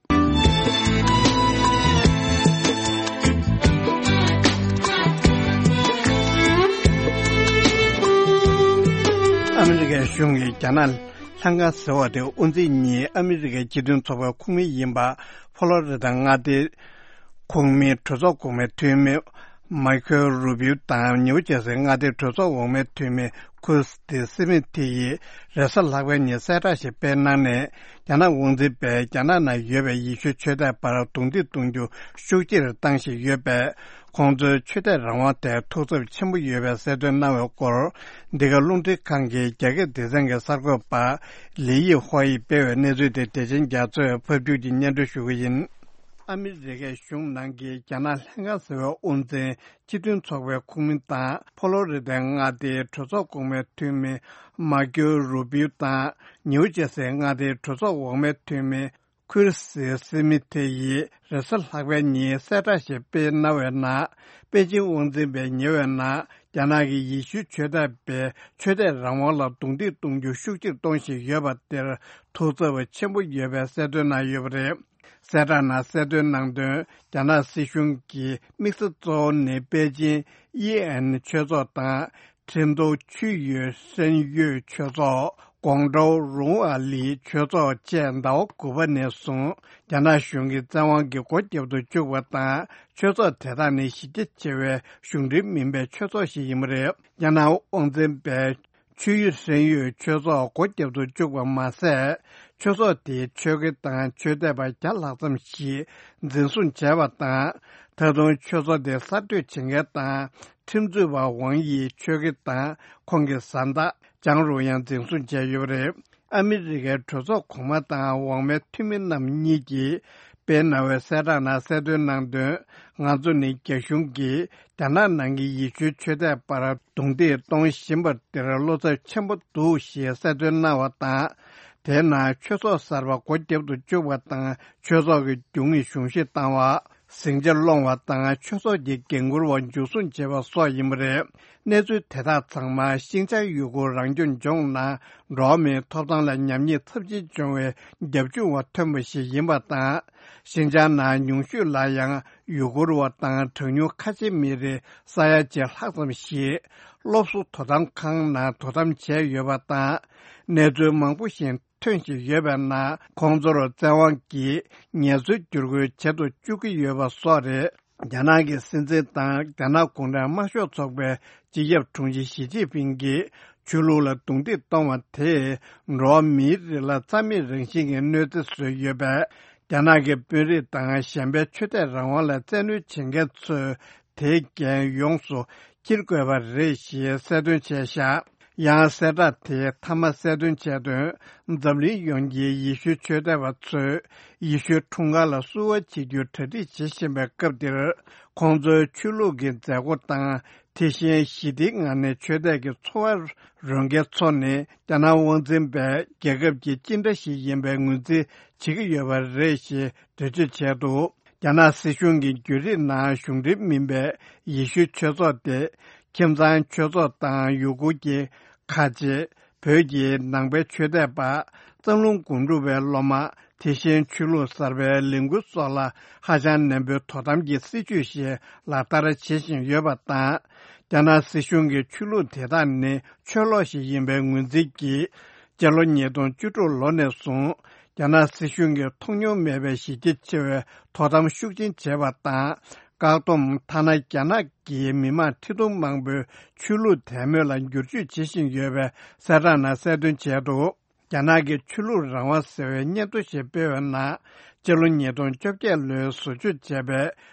ཨ་མི་རི་ཀའི་གཞུང་གིས་རྒྱ་ནག་ལྷན་ཁང་ཟེར་བ་དེ་དབུ་འཛིན་གཉིས་ཨ་མི་རི་ཀའི་སྤྱི་མཐུན་ཚོགས་པའི་ཁོངས་མི་ཡིན་པ་ཕོ་ལོ་རི་དང་མངའ་སྡེའི་ཁོངས་མི་གྲོས་ཚོགས་གོང་མའི་འཐུས་མི་མཱི་ཁེལ་རུ་བིའུ་དང་ནིའུ་ཇར་སི་མངའ་སྡེའི་གྲོས་ཚོགས་འོག་མའི་འཐུས་མི་ཁུར་སི་སི་མི་ཐི་ཡིས་རེས་གཟའ་ལྷག་པའི་ཉིན་གསལ་བསྒྲགས་ཤིག་སྤེལ་གནང་ནས། རྒྱ་ནག་དབང་འཛིན་པས་རྒྱ་ནག་ནང་ཡོད་པའི་ཡེ་ཤུའི་ཆོས་དད་པར་རྡུང་རྡེག་གཏོང་རྒྱུ་ཤུགས་ཆེར་བཏང་བཞིན་ཡོད་པས། ཁོང་ཚོའི་ཆོས་དད་རང་དབང་དེར་ཐུགས་འཚབ་ཆེན་པོ་ཡོད་པའི་གསལ་སྟོན་གནང་བའི་སྐོར། འདི་ག་རླུང་འཕྲིན་ཁང་གི་རྒྱ་སྐད་སྡེ་ཚན་གྱི་གསར་འགོད་པ་ལི་ཡི་ཧོ་ཡིས་སྤེལ་བའི་གནས་ཚུལ་དེ་བདེ་ཆེན་རྒྱ་མཚོས་ཕབ་སྒྱུར་གྱིས་སྙན་སྒྲོན་ཞུ་གི་ཡིན། ཨ་མི་རི་ཀའི་གཞུང་ནང་གི་རྒྱ་ནག་ལྷན་ཁང་ཟེར་བའི་དབུ་འཛིན། སྤྱི་མཐུན་ཚོགས་པའི་ཁོངས་མི་དང་ཕོ་ལོ་རི་ཐའི་མངའ་སྡེའི་གྲོས་ཚོགས་གོང་མའི་འཐུས་མི་མཱ་ཀེའོ་རུ་བིའུ་དང་ནིའུ་ཇར་སིའི་མངའ་སྡེའི་གྲོས་ཚོགས་འོག་མའི་འཐུས་མི་ཁུར་སི་སི་མི་ཐེ་ཡིས་རེས་གཟའ་ལྷག་པའི་ཉིན་གསལ་བསྒྲགས་ཤིག་སྤེལ་གནང་བའི་ནང་། པེ་ཅིང་དབང་འཛིན་པས་ཉེ་བའི་ནང་རྒྱ་ནག་གིས་ཡེ་ཤུའི་ཆོས་དད་པའི་ཆོས་དད་རང་དབང་ལ་རྡུང་རྡེག་གཏོང་རྒྱུ་ཤུགས་ཆེར་གཏོང་བཞིན་ཡོད་པ་དེར་ཐུགས་འཚབ་ཆེན་པོ་ཡོད་པའི་གསལ་སྟོན་གནང་ཡོད་པ་རེད། གསལ་བསྒྲགས་ནང་གསལ་སྟོན་གནང་དོན། རྒྱ་ནག་སྲིད་གཞུང་གི་དམིགས་ས་གཙོ་བོ་ནི་པེ་ཅིན་ཨི་ཨན་ཆོས་ཚོགས་དང་། ཁྲིན་ཏུའུ་ཆུས་ཡུས་ཧྲན་ཡུས་ཆོས་ཚོགས། ཀོང་ཀྲོའུ་རུང་ཨ་ལི་ཆོས་ཚོགས་བཅས་ཟླ་བ་དགུ་པ་ནས་བཟུང་རྒྱ་ནག་གཞུང་གི་བཙན་དབང་གིས་སྒོ་བརྒྱབ་ཏུ་བཅུག་པ་དང་། ཆོས་ཚོགས་དེ་དག་ནི་གཞི་རྒྱ་ཆེ་བའི་གཞུང་འབྲེལ་མིན་པའི་ཆོས་ཚོགས་ཤིག་ཡིན་པ་རེད། རྒྱ་ནག་དབང་འཛིན་པས། ཆུས་ཡུས་ཧྲན་ཡུས་ཆོས་ཚོགས་སྒོ་བརྒྱབ་ཏུ་བཅུག་པ་མ་ཟད། ཆོས་ཚོགས་དེའི་ཆོས་དགེ་དང་ཆོས་དད་པ་བརྒྱ་ལྷག་ཙམ་ཞིག་འཛིན་བཟུང་བྱས་པ་དང་། ད་དུང་ཆོས་ཚོགས་དེ་གསར་གཏོད་བྱེད་མཁན་དང་ཁྲིམས་རྩོད་པ་ཝང་ཡིས་ཆོས་དགེ་དང་ཁོང་གི་བཟའ་ཟླ་ཅང་རུང་ཡང་འཛིན་བཟུང་བྱས་ཡོད་པ་རེད། ཨ་མི་རི་ཀའི་གྲོས་ཚོགས་གོང་མ་དང་འོག་མའི་འཐུས་མི་རྣམ་གཉིས་ཀྱིས་སྤེལ་གནང་བའི་གསལ་བསྒྲགས་ནང་གསལ་སྟོན་གནང་དོན། ང་ཚོ་ནི་རྒྱ་གཞུང་གིས་རྒྱ་ནག་ནང་གི་ཡེ་ཤུའི་ཆོས་དད་པར་རྡུང་རྡེག་གཏོང་བཞིན་པ་དེར་བློ་འཚབ་ཆེན་པོ་འདུག་ཞེས་གསལ་སྟོན་གནང་བ་དང་། དེའི་ནང་ཆོས་ཚོགས་གསར་པ་སྒོ་བརྒྱབ་ཏུ་བཅུག་པ་དང་ཆོས་ཚོགས་ཀྱི་རྒྱུ་དངོས་གཞུང་བཞེས་བཏང་བ། ཟིང་ཆ་སློང་བ་དང་ཆོས་ཚོགས་ཀྱི་འགན་འཁུར་བ་འཇུ་བཟུང་བྱས་པ་སོགས་ཡིན་པ་རེད། གནས་ཚུལ་དེ་དག་ཚང་མ་ཤིན་ཅང་ཡུ་གུར་རང་སྐྱོང་ལྗོངས་ནང་འགྲོ་བ་མིའི་ཐོབ་ཐང་ལ་ཉམས་ཉེས་ཚབས་ཆེན་བྱུང་བའི་རྒྱབ་ལྗོངས་འོག་ཐོན་པ་ཞིག་ཡིན་པ་དང་། ཤིན་ཅང་ནང་ཉུང་ཤོས་ལ་ཡང་ཡུ་གུར་བ་དང་གྲངས་ཉུང་ཁ་ཆེ་མི་རིགས་ས་ཡ་གཅིག་ལྷག་ཙམ་ཞིག་སློབ་གསོ་དོ་དམ་ཁང་ནང་དོ་དམ་བྱས་ཡོད་པ་དང་། གནས་ཚུལ་མང་པོ་ཞིག་ཐོན་བཞིན་ཡོད་པའི་ནང་ཁོང་ཚོར་བཙན་དབང་གིས་ངལ་རྩོལ་བསྒྱུར་བཀོལ་བྱེད་དུ་བཅུག་གི་ཡོད་པ་སོགས་རེད། རྒྱ་ནག་གི་སྲིད་འཛིན་དང་རྒྱ་ནག་གུང་ཁྲན་དམར་ཤོག་ཚོགས་པའི་སྤྱི་ཁྱབ་དྲུང་ཆེ་ཞི་ཅིན་ཕིང་གིས་ཆོས་ལུགས་ལ་རྡུང་རྡེག་གཏོང་བ་དེས་འགྲོ་བ་མིའི་རིགས་ལ་རྩ་མེད་རང་བཞིན་གྱི་གནོད་འཚེ་བཟོས་ཡོད་པས། རྒྱ་ནག་གི་དཔོན་རིགས་དང་གཞན་པའི་ཆོས་དད་རང་དབང་ལ་བཙན་གནོན་བྱེད་མཁན་ཚོས་དེའི་འགན་ཡོངས་སུ་འཁྱེར་དགོས་པ་རེད་ཞེས་གསལ་སྟོན་བྱས་བཞག་ཡང་གསལ་བསྒྲགས་དེའི་མཐའ་མ་གསལ་སྟོན་བྱས་དོན། འཛམ་གླིང་ཡོངས་ཀྱི་ཡེ་ཤུའི་ཆོས་དད་པ་ཚོས་ཡེ་ཤུའི་འཁྲུངས་སྐར་ལ་བསུ་བ་བྱེད་རྒྱུའི་གྲ་སྒྲིག་བྱེད་བཞིན་པའི་སྐབས་འདིར། ཁོང་ཚོའི་ཆོས་ལུགས་ཀྱི་མཛད་སྒོ་དང་། དེ་བཞིན་ཞི་བདེའི་ངང་ནས་ཆོས་དད་ཀྱི་འཚོ་བ་རོལ་མཁན་ཚོ་ནི། རྒྱ་ནག་དབང་འཛིན་པས་རྒྱལ་ཁབ་ཀྱི་ཅི་འདྲ་ཞིག་ཡིན་པའི་ངོས་འཛིན་བྱེད་ཀྱི་ཡོད་པ་རེད་ཞེས་འགྲེལ་བརྗོད་བྱས་འདུག་རྒྱ་ནག་སྲིད་གཞུང་གི་བརྒྱུད་རིམ་ནང་གཞུང་འབྲེལ་མིན་པའི་ཡེ་ཤུའི་ཆོས་ཚོགས་ཏེ། ཁྱིམ་ཚང་ཆོས་ཚོགས་དང་ཡུ་གུར་གྱི་ཁ་ཆེ། བོད་ཀྱི་ནང་པའི་ཆོས་དད་པ། རྩ་རླུང་དགོན་སྒྲུབ་པའི་སློབ་མ། དེ་བཞིན་ཆོས་ལུགས་གསར་པའི་ལས་འགུལ་སོགས་ལ་ཧ་ཅང་ནན་པོའི་དོ་དམ་གྱི་སྲིད་ཇུས་ཤིག་ལག་བསྟར་བྱེད་བཞིན་ཡོད་པ་དང་། རྒྱ་ནག་སྲིད་གཞུང་གིས་ཆོས་ལུགས་དེ་དག་ནི་ཆོས་ལོག་ཞིག་ཡིན་པའི་ངོས་འཛིན་གྱིས། སྤྱི་ལོ་ཉིས་སྟོང་བཅུ་དྲུག་ལོ་ནས་བཟུང་། རྒྱ་ནག་སྲིད་གཞུང་གིས་མཐོང་མྱོང་མེད་པའི་གཞི་རྒྱ་ཆེ་བའི་དོ་དམ་ཤུགས་ཆེན་བྱས་པ་དང་། བཀག་སྡོམ། ཐ་ན་རྒྱ་ནག་གི་མི་མང་ཁྲི་སྟོང་མང་པོའི་ཆོས་ལུགས་དད་མོས་ལ་བསྒྱུར་བཅོས་བྱེད་བཞིན་ཡོད་པའི་གསལ་བསྒྲགས་ནང་གསལ་སྟོན་བྱས་འདུག་རྒྱ་ནག་གི་ཆོས་ལུགས་རང་དབང་ཟེར་བའི་སྙན་ཐོ་ཞིག་སྤེལ་བའི་ནང་། སྤྱི་ལོ་ཉིས་སྟོང་བཅོ་བརྒྱད་ལོའི་བཟོ་བཅོས་བྱས་པའི་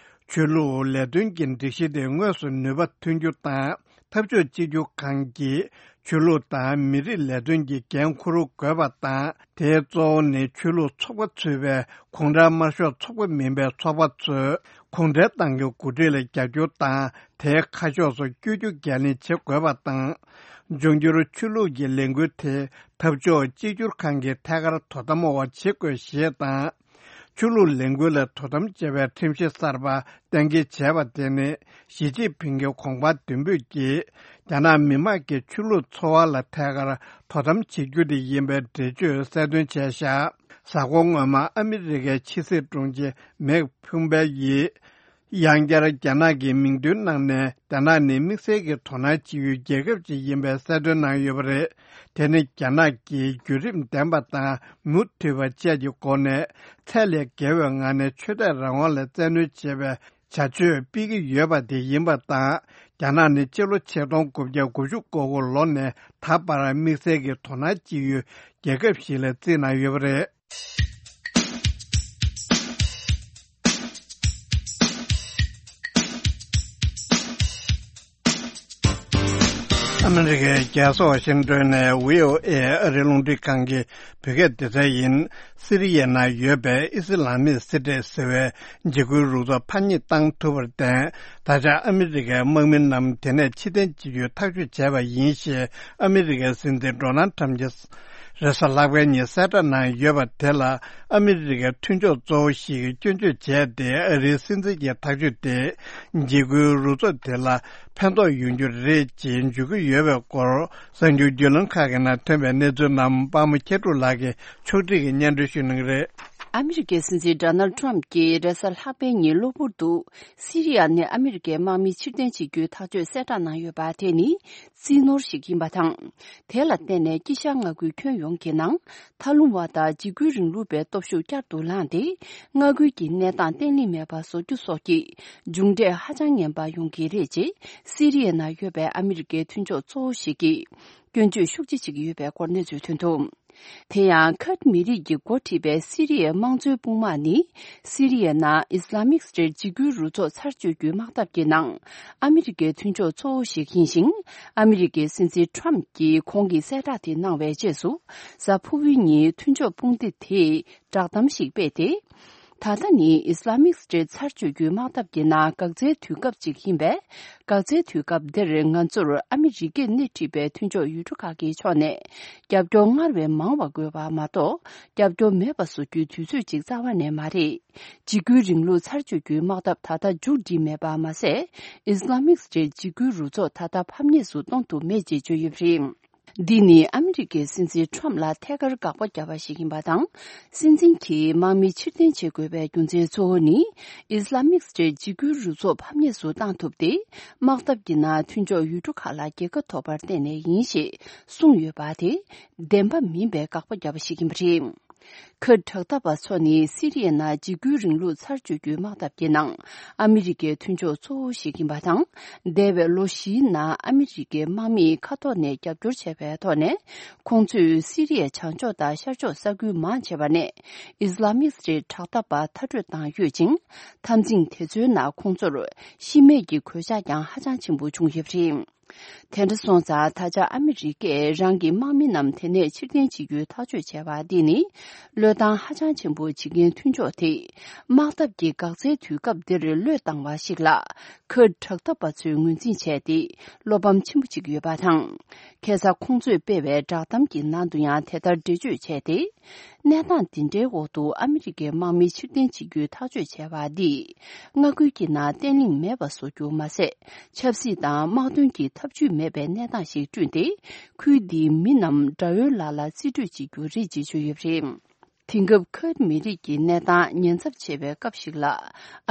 ཆོས་ལུགས་ལས་དོན་གྱི་སྒྲིག་གཞི་དེ་དངོས་སུ་ནུས་པ་ཐོན་རྒྱུ་དང་། འཐབ་ཕྱོགས་གཅིག་གྱུར་ཁང་གིས་ཆོས་ལུགས་དང་མི་རིགས་ལས་དོན་གྱི་འགན་འཁུར་དགོས་པ་དང་། དེའི་གཙོ་བོ་ནི་ཆོས་ལུགས་ཚོགས་པ་ཚུད་པའི་གུང་ཁྲན་དམར་ཤོག་ཚོགས་པ་མིན་པའི་ཚོགས་པ་ཚོས་གུང་ཁྲན་ཏང་གི་འགོ་ཁྲིད་ལ་རྒྱབ་སྐྱོར་དང་། དེའི་ཁ་ཕྱོགས་སུ་བསྐྱོད་རྒྱུ་འགན་ལེན་བྱེད་དགོས་པ་དང་། འབྱུང་འགྱུར་ཆོས་ལུགས་ཀྱི་ལས་འགུལ་དེ་འཐབ་ཕྱོགས་གཅིག་གྱུར་ཁང་གིས་ཐད་ཀར་དོ་དམ་འོག་བྱེད་དགོས་ཞེས་དང་། ཆོས་ལུགས་ལས་འགུལ་ལ་དོ་དམ་བྱེད་པའི་ཁྲིམས་གཞི་གསར་པ་གཏན་འཁེལ་བྱས་པ་དེ་ནི། ཞི་ཅིན་ཕིང་གི་དགོངས་པ་མདུན་སྤོས་ཀྱིས། རྒྱ་ནག་མི་དམངས་ཀྱི་ཆོས་ལུགས་འཚོ་བ་ལ་ཐད་ཀར་དོ་དམ་བྱེད་རྒྱུ་དེ་ཡིན་པའི་འགྲེལ་བརྗོད་གསལ་སྟོན་བྱས་བཞག་གཟའ་འཁོར་སྔོན་མ་ཨ་མི་རི་ཀའི་ཕྱི་སྲིད་དྲུང་ཆེ་མེག་ཕུམ་པེ་ཡིས། ཡང་བསྐྱར་རྒྱ་ནག་གི་མིང་འདོན་གནང་ནས། རྒྱ་ནག་ནི་དམིགས་བསལ་གྱི་དོ་སྣང་བྱེད་ཡུལ་རྒྱལ་ཁབ་ཅིག་ཡིན་པའི་གསལ་སྟོན་གནང་ཡོད་པ་རེད། དེ་ནི་རྒྱ་ནག་གིས་བརྒྱུད་རིམ་ལྡན་པ་དང་མུ་མཐུད་པ་བཅས་ཀྱི་སྒོ་ནས། ཚད་ལས་བརྒལ་བའི་ངང་ནས་ཆོས་དད་རང་དབང་ལ་བཙན་གནོན་བྱེད་པའི་བྱ་སྤྱོད་སྤེལ་གྱི་ཡོད་པ་དེ་ཡིན་པ་དང་། རྒྱ་ནག་ནི་སྤྱི་ལོ་ཆིག་སྟོང་དགུ་བརྒྱ་དགུ་བཅུ་གོ་དགུ་ལོ་ནས་ད་བར་དམིགས་བསལ་གྱི་དོ་སྣང་བྱེད་ཡུལ་རྒྱལ་ཁབ་ཞིག་ལ་བརྩིས་གནང་ཡོད་པ་རེད། ཨ་མི་རི་ཀའི་རྒྱལ་ས་ཝ་ཤིང་ཏོན་ནས་བྷི་ཨོ་ཨེ་ཨ་རིའི་རླུང་འཕྲིན་ཁང་གི་བོད་སྐད་སྡེ་ཚན་ཡིན། སི་རི་ཡའི་ནང་ཡོད་པའི་ཨི་སི་ལ་མིག་སི་ཏེ་ཟེར་བའི་འཇིགས་སྐུལ་རུ་ཚོགས་ཕར་ཉེས་བཏང་ཐུབ་པར་བརྟེན། ད་ཆ་ཨ་མི་རི་ཀའི་དམག་མི་རྣམས་དེ་ནས་ཕྱིར་འཐེན་བྱེད་རྒྱུའི་ཐག་གཅོད་བྱས་པ་ཡིན་ཞེས་ཨ་མི་རི་ཀའི་སྲིད་འཛིན་ཌོ་ནལ་ཊམ་གྱིས། རེས་གཟའ་ལྷག་པའི་ཉིན་གསལ་བསྒྲགས་གནང་ཡོད་པ་དེ་ལ། ཨ་མི་རི་ཀའི་མཐུན་ཕྱོགས་གཙོ་བོ་ཞིག་གིས་སྐྱོན་བརྗོད་བྱས་ཏེ། ཨ་རིའི་སྲིད་འཛིན་གྱི་ཐག་གཅོད་དེ་འཇིགས་སྐུལ་རུ་ཚོགས་དེ་ལ་ཕན་ཐོགས་ཡོང་རྒྱུ་རེད་ཅེས་བརྗོད་ཀྱི་ཡོད་པའི་སྐོར། གསར་འགྱུར་བརྒྱུད་ལམ་ཁག་གི་ནང་ཐོན་པའི་གནས་ཚུལ་རྣམས་དཔའ་མོ་མཁས་གྲུབ་ལགས་ཀྱིས་ཕྱོགས་སྒྲིག་གིས་སྙན་སྒྲོན་ཞུ་གནང་གི་རེད། ཨ་མི་རི་ཀའི་སྲིད་འཛིན་ཌོ་ནལ་ཊམ་གྱིས་རེས་གཟའ་ལྷག་པའི་ཉིན་གློ་བུར་དུ། སི་རི་ཡ་ནས་ཨ་མི་རི་ཀའི་དམག་མི་ཕྱིར་འཐེན་བྱེད་རྒྱུའི་ཐག་གཅོད་གསལ་བསྒྲགས་གནང་ཡོད་པ་དེ་ནི། རྩིས་ནོར་ཞིག་ཡིན་པ་དང་། དེ་ལ་བརྟེན་ནས་དཀྱིལ་ཤར་མངའ་ཁུལ་ཁྱོན་ཡོངས་ཀྱི་ནང་། མཐའ་ལྷུང་བ་དང་འཇིགས་སྐུལ་རིང་ལུགས་པའི་སྟོབས་ཤུགས་བསྐྱར་དུ་ལངས་ཏེ། མངའ་ཁུལ་གྱི་གནས་སྟངས་བརྟན་ལྷིང་མེད་པ་བཟོ་རྒྱུ་སོགས་ཀྱི་མཇུག་འབྲས་ཧ་ཅང་ངན་པ་ཡོང་གི་རེད་ཅེས། སི་རི་ཡའི་ནང་ཡོད་པའི་ཨ་མི་རི་ཀའི་མཐུན་ཕྱོགས་གཙོ་བོ་ཞིག་གིས་སྐྱོན་བརྗོད་ཤུགས་ཆེ་བྱེད་ཀྱི་ཡོད་པའི་སྐོར་གནས་ཚུལ་ཐོན་འདུག་དེ་ཡང་ཁུར་མི་རིགས་ཀྱིས་འགོ་ཁྲིད་པའི་སི་རི་ཡའི་དམངས་གཙོའི་དཔུང་དམག་ནི། སི་རི་ཡའི་ནང་ཨི་སི་ལ་མིག་སི་ཊེཊ་འཇིགས་སྐུལ་རུ་ཚོགས་ཚར་གཅོད་རྒྱུའི་དམག་འཐབ་ཀྱི་ནང་ཨ་མི་རི་ཀའི་མཐུན་ཕྱོགས་གཙོ་བོ་ཞིག་ཡིན་ཞིང་། ཨ་མི་རི་ཀའི་སྲིད་འཛིན་ཊམ་གྱིས་ཁོང་གི་གསལ་བསྒྲགས་དེ་གནང་བའི་རྗེས་སུ། གཟའ་ཕུར་བུའི་ཉིན་མཐུན་ཕྱོགས་དཔུང་སྡེ་དེས་བསྒྲགས་གཏམ་ཞིག་སྤེལ་ཏེ། ད་ལྟ་ནི་ཨི་སི་ལ་མིག་སི་ཊེཊ་ཚར་གཅོད་རྒྱུའི་དམག་འཐབ་ཀྱི་ནང་འགག་རྩའི་དུས་སྐབས་ཅིག་ཡིན་པས། འགག་རྩའི་དུས་སྐབས་འདིར་ང་ཚོར་ཨ་མི་རི་ཀས་སྣེ་ཁྲིད་པའི་མཐུན་ཕྱོགས་ཡུལ་གྲུ་ཁག་གི་ཕྱོགས་ནས་རྒྱབ་སྐྱོར་སྔར་བས་མང་བ་དགོས་པ་མ་གཏོགས། རྒྱབ་སྐྱོར་མེད་པ་བཟོ་རྒྱུའི་དུས་ཚོད་ཅིག་རྩ་བ་ནས་མ་རེད། འཇིགས་སྐུལ་རིང་ལུགས་ཚར་གཅོད་རྒྱུའི་དམག་འཐབ་ད་ལྟ་མཇུག་སྒྲིལ་མེད་པ་མ་ཟད། ཨི་སི་ལ་མིག་སི་ཊེཊ་འཇིགས་སྐུལ་རུ་ཚོགས་ད་ལྟ་ཕམ་ཉེས་སུ་གཏོང་ཐུབ་མེད་ཅེས་བརྗོད་ཡོད་པ་རེད། འདི་ནི་ཨ་མི་རི་ཀའི་སྲིད་འཛིན་ཊམ་ལ་ཐད་ཀར་དགག་པ་བརྒྱབ་པ་ཞིག་ཡིན་པ་དང་། སྲིད་འཛིན་གྱིས་དམག་མི་ཕྱིར་འཐེན་བྱེད་དགོས་པའི་རྒྱུ་མཚན་གཙོ་བོ་ནི། ཨི་སི་ལ་མིག་སི་ཊེཊ་འཇིགས་སྐུལ་རུ་ཚོགས་ཕམ་ཉེས་སུ་བཏང་ཐུབ་སྟེ། དམག་འཐབ་ཀྱི་ནང་མཐུན་ཕྱོགས་ཡུལ་གྲུ་ཁག་ལ་རྒྱལ་ཁ་ཐོབ་པར་བརྟེན་ནས་ཡིན་ཞེས་གསུངས་ཡོད་པ་དེ། བདེན་པ་མིན་པའི་དགག་པ་བརྒྱབ་པ་ཞིག་ཡིན་པ་རེད། ཁུར་དྲག་འཐབ་པ་ཚོ་ནི་སི་རི་ཡའི་ནང་འཇིགས་སྐུལ་རིང་ལུགས་ཚར་གཅོད་རྒྱུའི་དམག་འཐབ་ཀྱི་ནང་ཨ་མི་རི་ཀའི་མཐུན་ཕྱོགས་གཙོ་བོ་ཞིག་ཡིན་པ་དང་། འདས་པའི་ལོ་བཞིའི་ནང་ཨ་མི་རི་ཀའི་དམག་མིས་མཁའ་ཐོག་ནས་རྒྱབ་སྐྱོར་བྱས་པའི་ཐོག་ནས། ཁོང་ཚོས་སི་རི་ཡའི་བྱང་ཕྱོགས་དང་ཤར་ཕྱོགས་ས་ཁུལ་མང་ཆེ་བ་ནས་ཨི་སི་ལ་མིག་སི་ཊེཊ་དྲག་འཐབ་པ་མཐར་སྐྲོད་བཏང་ཡོད་ཅིང་། འཐབ་འཛིང་དེ་ཚོའི་ནང་ཁོང་ཚོར་ཤི་རྨས་ཀྱི་གོད་ཆག་ཀྱང་ཧ་ཅང་ཆེན་པོ་བྱུང་ཡོད་པ་རེད། དེ་འདྲ་སོང་ཙང་ད་ཆ་ཨ་མི་རི་ཀས་རང་གི་དམག་མི་རྣམས་དེ་ནས་ཕྱིར་འཐེན་བྱེད་རྒྱུའི་ཐག་གཅོད་བྱས་པ་འདི་ནི་བློས་བཏང་ཧ་ཅང་ཆེན་པོ་བྱེད་མཁན་མཐུན་ཕྱོགས་དེས་དམག་འཐབ་ཀྱི་འགག་རྩའི་དུས་སྐབས་འདིར་བློས་བཏང་བ་ཞིག་ལ་ཁུར་དྲག་འཐབ་པ་ཚོས་ངོས་འཛིན་བྱས་ཏེ་བློ་ཕམ་ཆེན་པོ་བྱེད་ཀྱི་ཡོད་པ་དང་། ཁ་སང་ཁོང་ཚོས་སྤེལ་བའི་བསྒྲགས་གཏམ་གྱི་ནང་དུ་ཡང་དེ་ལྟར་འགྲེལ་བརྗོད་བྱས་ཏེ། གནས་སྟངས་འདི་འདྲའི་འོག་ཏུ་ཨ་མི་རི་ཀའི་དམག་མི་ཕྱིར་འཐེན་བྱེད་རྒྱུའི་ཐག་གཅོད་བྱས་པ་འདིས། མངའ་ཁུལ་གྱི་ནང་བརྟན་ལྷིང་མེད་པ་བཟོ་རྒྱུ་མ་ཟད། ཆབ་སྲིད་དང་དམག་དོན་གྱི་ཐབས་ཇུས་མེད་པའི་གནས་སྟངས་ཤིག་བསྐྲུན་ཏེ། ཁུལ་འདིའི་མི་རྣམས་དགྲ་བོའི་ལག་ལ་རྩིས་སྤྲོད་བྱེད་རྒྱུ་རེད་ཅེས་བརྗོད་ཡོད་པ་རེད། དེང་སྐབས་ཁུར་མི་རིགས་ཀྱི་གནས་སྟངས་ཉེན་ཚབས་ཆེ་བའི་སྐབས་ཤིག་ལ།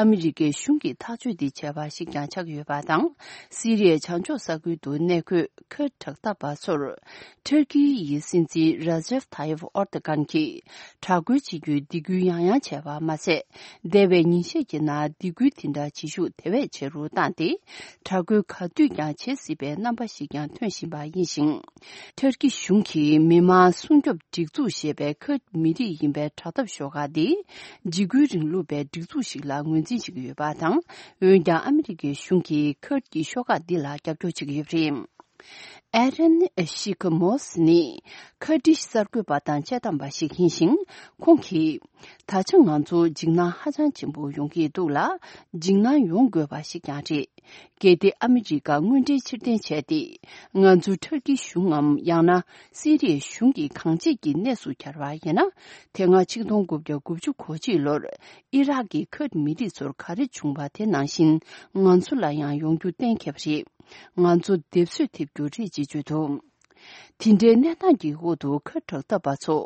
ཨ་མི་རི་ཀའི་གཞུང་གིས་ཐག་གཅོད་འདི་བྱས་པ་ཞིག་ཀྱང་ཆགས་ཡོད་པ་དང་། སི་རི་ཡའི་བྱང་ཕྱོགས་ས་ཁུལ་དུ་གནས་འཁོད་ཁུར་དྲག་འཐབ་པ་ཚོར། ཐུར་ཀི་ཡི་སྲིད་འཛིན་ར་ཇེབ་ཐ་ཡིབ་ཨོར་ཏི་ཀན་གྱིས་དྲག་རྒོལ་བྱེད་རྒྱུའི་སྡིགས་སྐུལ་ཡང་ཡང་བྱས་པ་མ་ཟད། འདས་པའི་ཉིན་ཤས་ཀྱི་ནང་སྡིགས་སྐུལ་དེ་འདྲ་བྱེད་ཤུགས་དེ་བས་ཆེ་རུ་བཏང་སྟེ། དྲག་རྒོལ་ག་དུས་ཀྱང་བྱེད་སྲིད་པའི་རྣམ་པ་ཞིག་ཀྱང་ཐོན་བཞིན་པ་ཡིན་ཞིང་། ཐུར་ཀི་གཞུང་གིས་མི་དམངས་སྲུང་སྐྱོབ་སྒྲིག་འཛུགས་ཞེས་པའི་ཁུར་མི་རིགས་ཡིན་པའི་དྲག་འཐབ་ཤོག་ཁག་འདི། འཇིགས་སྐུལ་རིང་ལུགས་པའི་སྒྲིག་འཛུགས་ཤིག་ལ་ངོས་འཛིན་བྱེད་ཀྱི་ཡོད་པ་དང་། འོན་ཀྱང་ཨ་མི་རི་ཀའི་གཞུང་གིས་ཁུར་གྱི་ཤོག་ཁག་འདི་ལ་རྒྱབ་སྐྱོར་བྱེད་ཀྱི་ཡོད་པ་རེད། ཨེ་རན་ཤི་ཁ་མོ་སི་ནི་ཁ་ཏྲི་གསར་འགོད་པ་དང་དཔྱད་གཏམ་པ་ཞིག་ཡིན་ཞིང་། ཁོང་གིས། ད་ཆ་ང་ཚོ་འཇིགས་སྣང་ཧ་ཅང་ཆེན་པོ་ཡོང་གི་འདུག་ལ། འཇིགས་སྣང་ཡོང་དགོས་པ་ཞིག་ཀྱང་རེད། གལ་ཏེ་ཨ་མི་རི་ཀ་དངོས་འབྲེལ་ཕྱིར་འཐེན་བྱས་ཏེ། ང་ཚོ་ཐུར་ཀི་གཞུང་ངམ་ཡང་ན་སི་རི་ཡའི་གཞུང་གི་གང་ཅིའི་གནས་སུ་གྱར་བ་ཡིན་ན། དེ་སྔ་ཆིག་སྟོང་དགུ་བརྒྱ་དགུ་བཅུ་གོ་གཅིག་ལོར་ཨི་རག་གི་ཁུར་མི་རིགས་ཚོར་ག་རེ་བྱུང་བ་དེ་ནང་བཞིན་ང་ཚོ་ལ་ཡང་ཡོང་རྒྱུ་གཏན་འཁེལ་བ་རེད། ང་ཚོ་སྡེབ་གསོད་ཐེབས་རྒྱུ་རེད་ཅེས་བརྗོད་འདུག་དེ་འདྲའི་གནས་སྟངས་ཀྱི་འོག་ཏུ་ཁུར་དྲག་འཐབ་པ་ཚོ་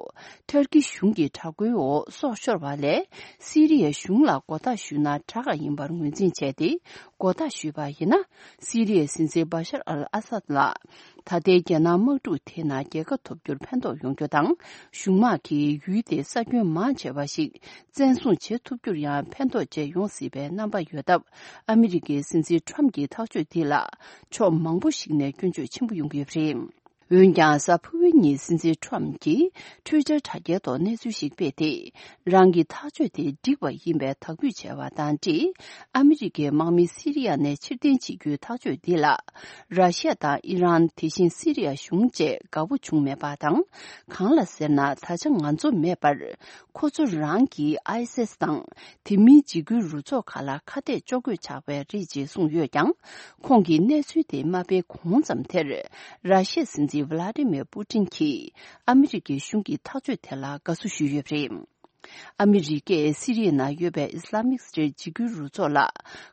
ཐུར་ཀི་གཞུང་གི་དྲག་རྒོལ་འོག་སྲོག་ཤོར་བ་ལས། སི་རི་ཡའི་གཞུང་ལ་མགོ་བཏགས་ཞུས་ན་དྲག་ག་ཡིན་པར་ངོས་འཛིན་བྱས་ཏེ། མགོ་བཏགས་ཞུས་པ་ཡིན་ན། སི་རི་ཡའི་སྲིད་འཛིན་བ་ཤར་ཨལ་ཨ་སཱད་ལ། ད་ལྟའི་རྒྱ་ནག་དམག་འཁྲུག་དེའི་ནང་རྒྱལ་ཁ་ཐོབ་རྒྱུར་ཕན་ཐོགས་ཡོང་རྒྱུ་དང་། གཞུང་དམག་གིས་ཡུལ་དེའི་ས་ཁྱོན་མང་ཆེ་བ་ཞིག་བཙན་བཟུང་བྱེད་ཐུབ་རྒྱུར་ཡང་ཕན་ཐོགས་བཅས་ཡོང་སྲིད་པའི་རྣམ་པ་ཡོད་སྟབས། ཨ་མི་རི་ཀའི་སྲིད་འཛིན་ཁྲོམ་གྱི་ཐག་གཅོད་འདི་ལ་ཕྱོགས་མང་པོ་ཞིག་ནས་སྐྱོན་བརྗོད་ཆེན་པོ་ཡོང་གི་ཡོད་པ་རེད། འོན་ཀྱང་། གཟའ་ཕུར་བུའི་ཉིན་སྲིད་འཛིན་ཁྲོམ་གྱིས་ཊུའི་ཊར་དྲ་རྒྱའི་ཐོག་གནས་ཚུལ་ཞིག་སྤེལ་ཏེ། རང་གི་ཐག་གཅོད་དེ་འགྲིག་པ་ཡིན་པའི་དག་འབུལ་བྱས་པ་དང་འབྲེལ། ཨ་མི་རི་ཀའི་དམག་མི་སི་རི་ཡ་ནས་ཕྱིར་འཐེན་བྱེད་རྒྱུའི་ཐག་གཅོད་འདི་ལ། ར་ཤི་ཡ་དང་ཨི་རན། དེ་བཞིན་སི་རི་ཡ་གཞུང་བཅས་དགའ་པོ་བྱུང་མེད་པ་དང་། གང་ལ་ཟེར་ན། ད་ཆ་ང་ཚོ་མེད་པར། ཁོ་ཚོ་རང་གིས་ཨའི་སི་ཨེས་དང་། དེ་མིན་འཇིགས་སྐུལ་རུ་ཚོགས་ཁག་ལ་ཁ་གཏད་གཅོག་དགོས་ཆགས་པ་རེད་ཅེས་གསུངས་ཡོད་ཀྱང་། ཁོང་གིས་གནས་ཚུལ་དེ་མ་སྤེལ་གོང་ཙམ་དེར། ར་ཤི་ཡའི་སྲིད་འཛིན་ཝ་ལ་ཏི་མེར་པུ་ཏིན་གྱིས་ཨ་མི་རི་ཀའི་གཞུང་གི་ཐག་གཅོད་དེ་ལ་དགའ་བསུ་ཞུས་ཡོད་པ་རེད། ཨ་མི་རི་ཀས་སི་རི་ཡའི་ནང་ཡོད་པའི་ཨི་སི་ལ་མིག་སི་ཊེཊ་འཇིགས་སྐུལ་རུ་ཚོགས་ལ་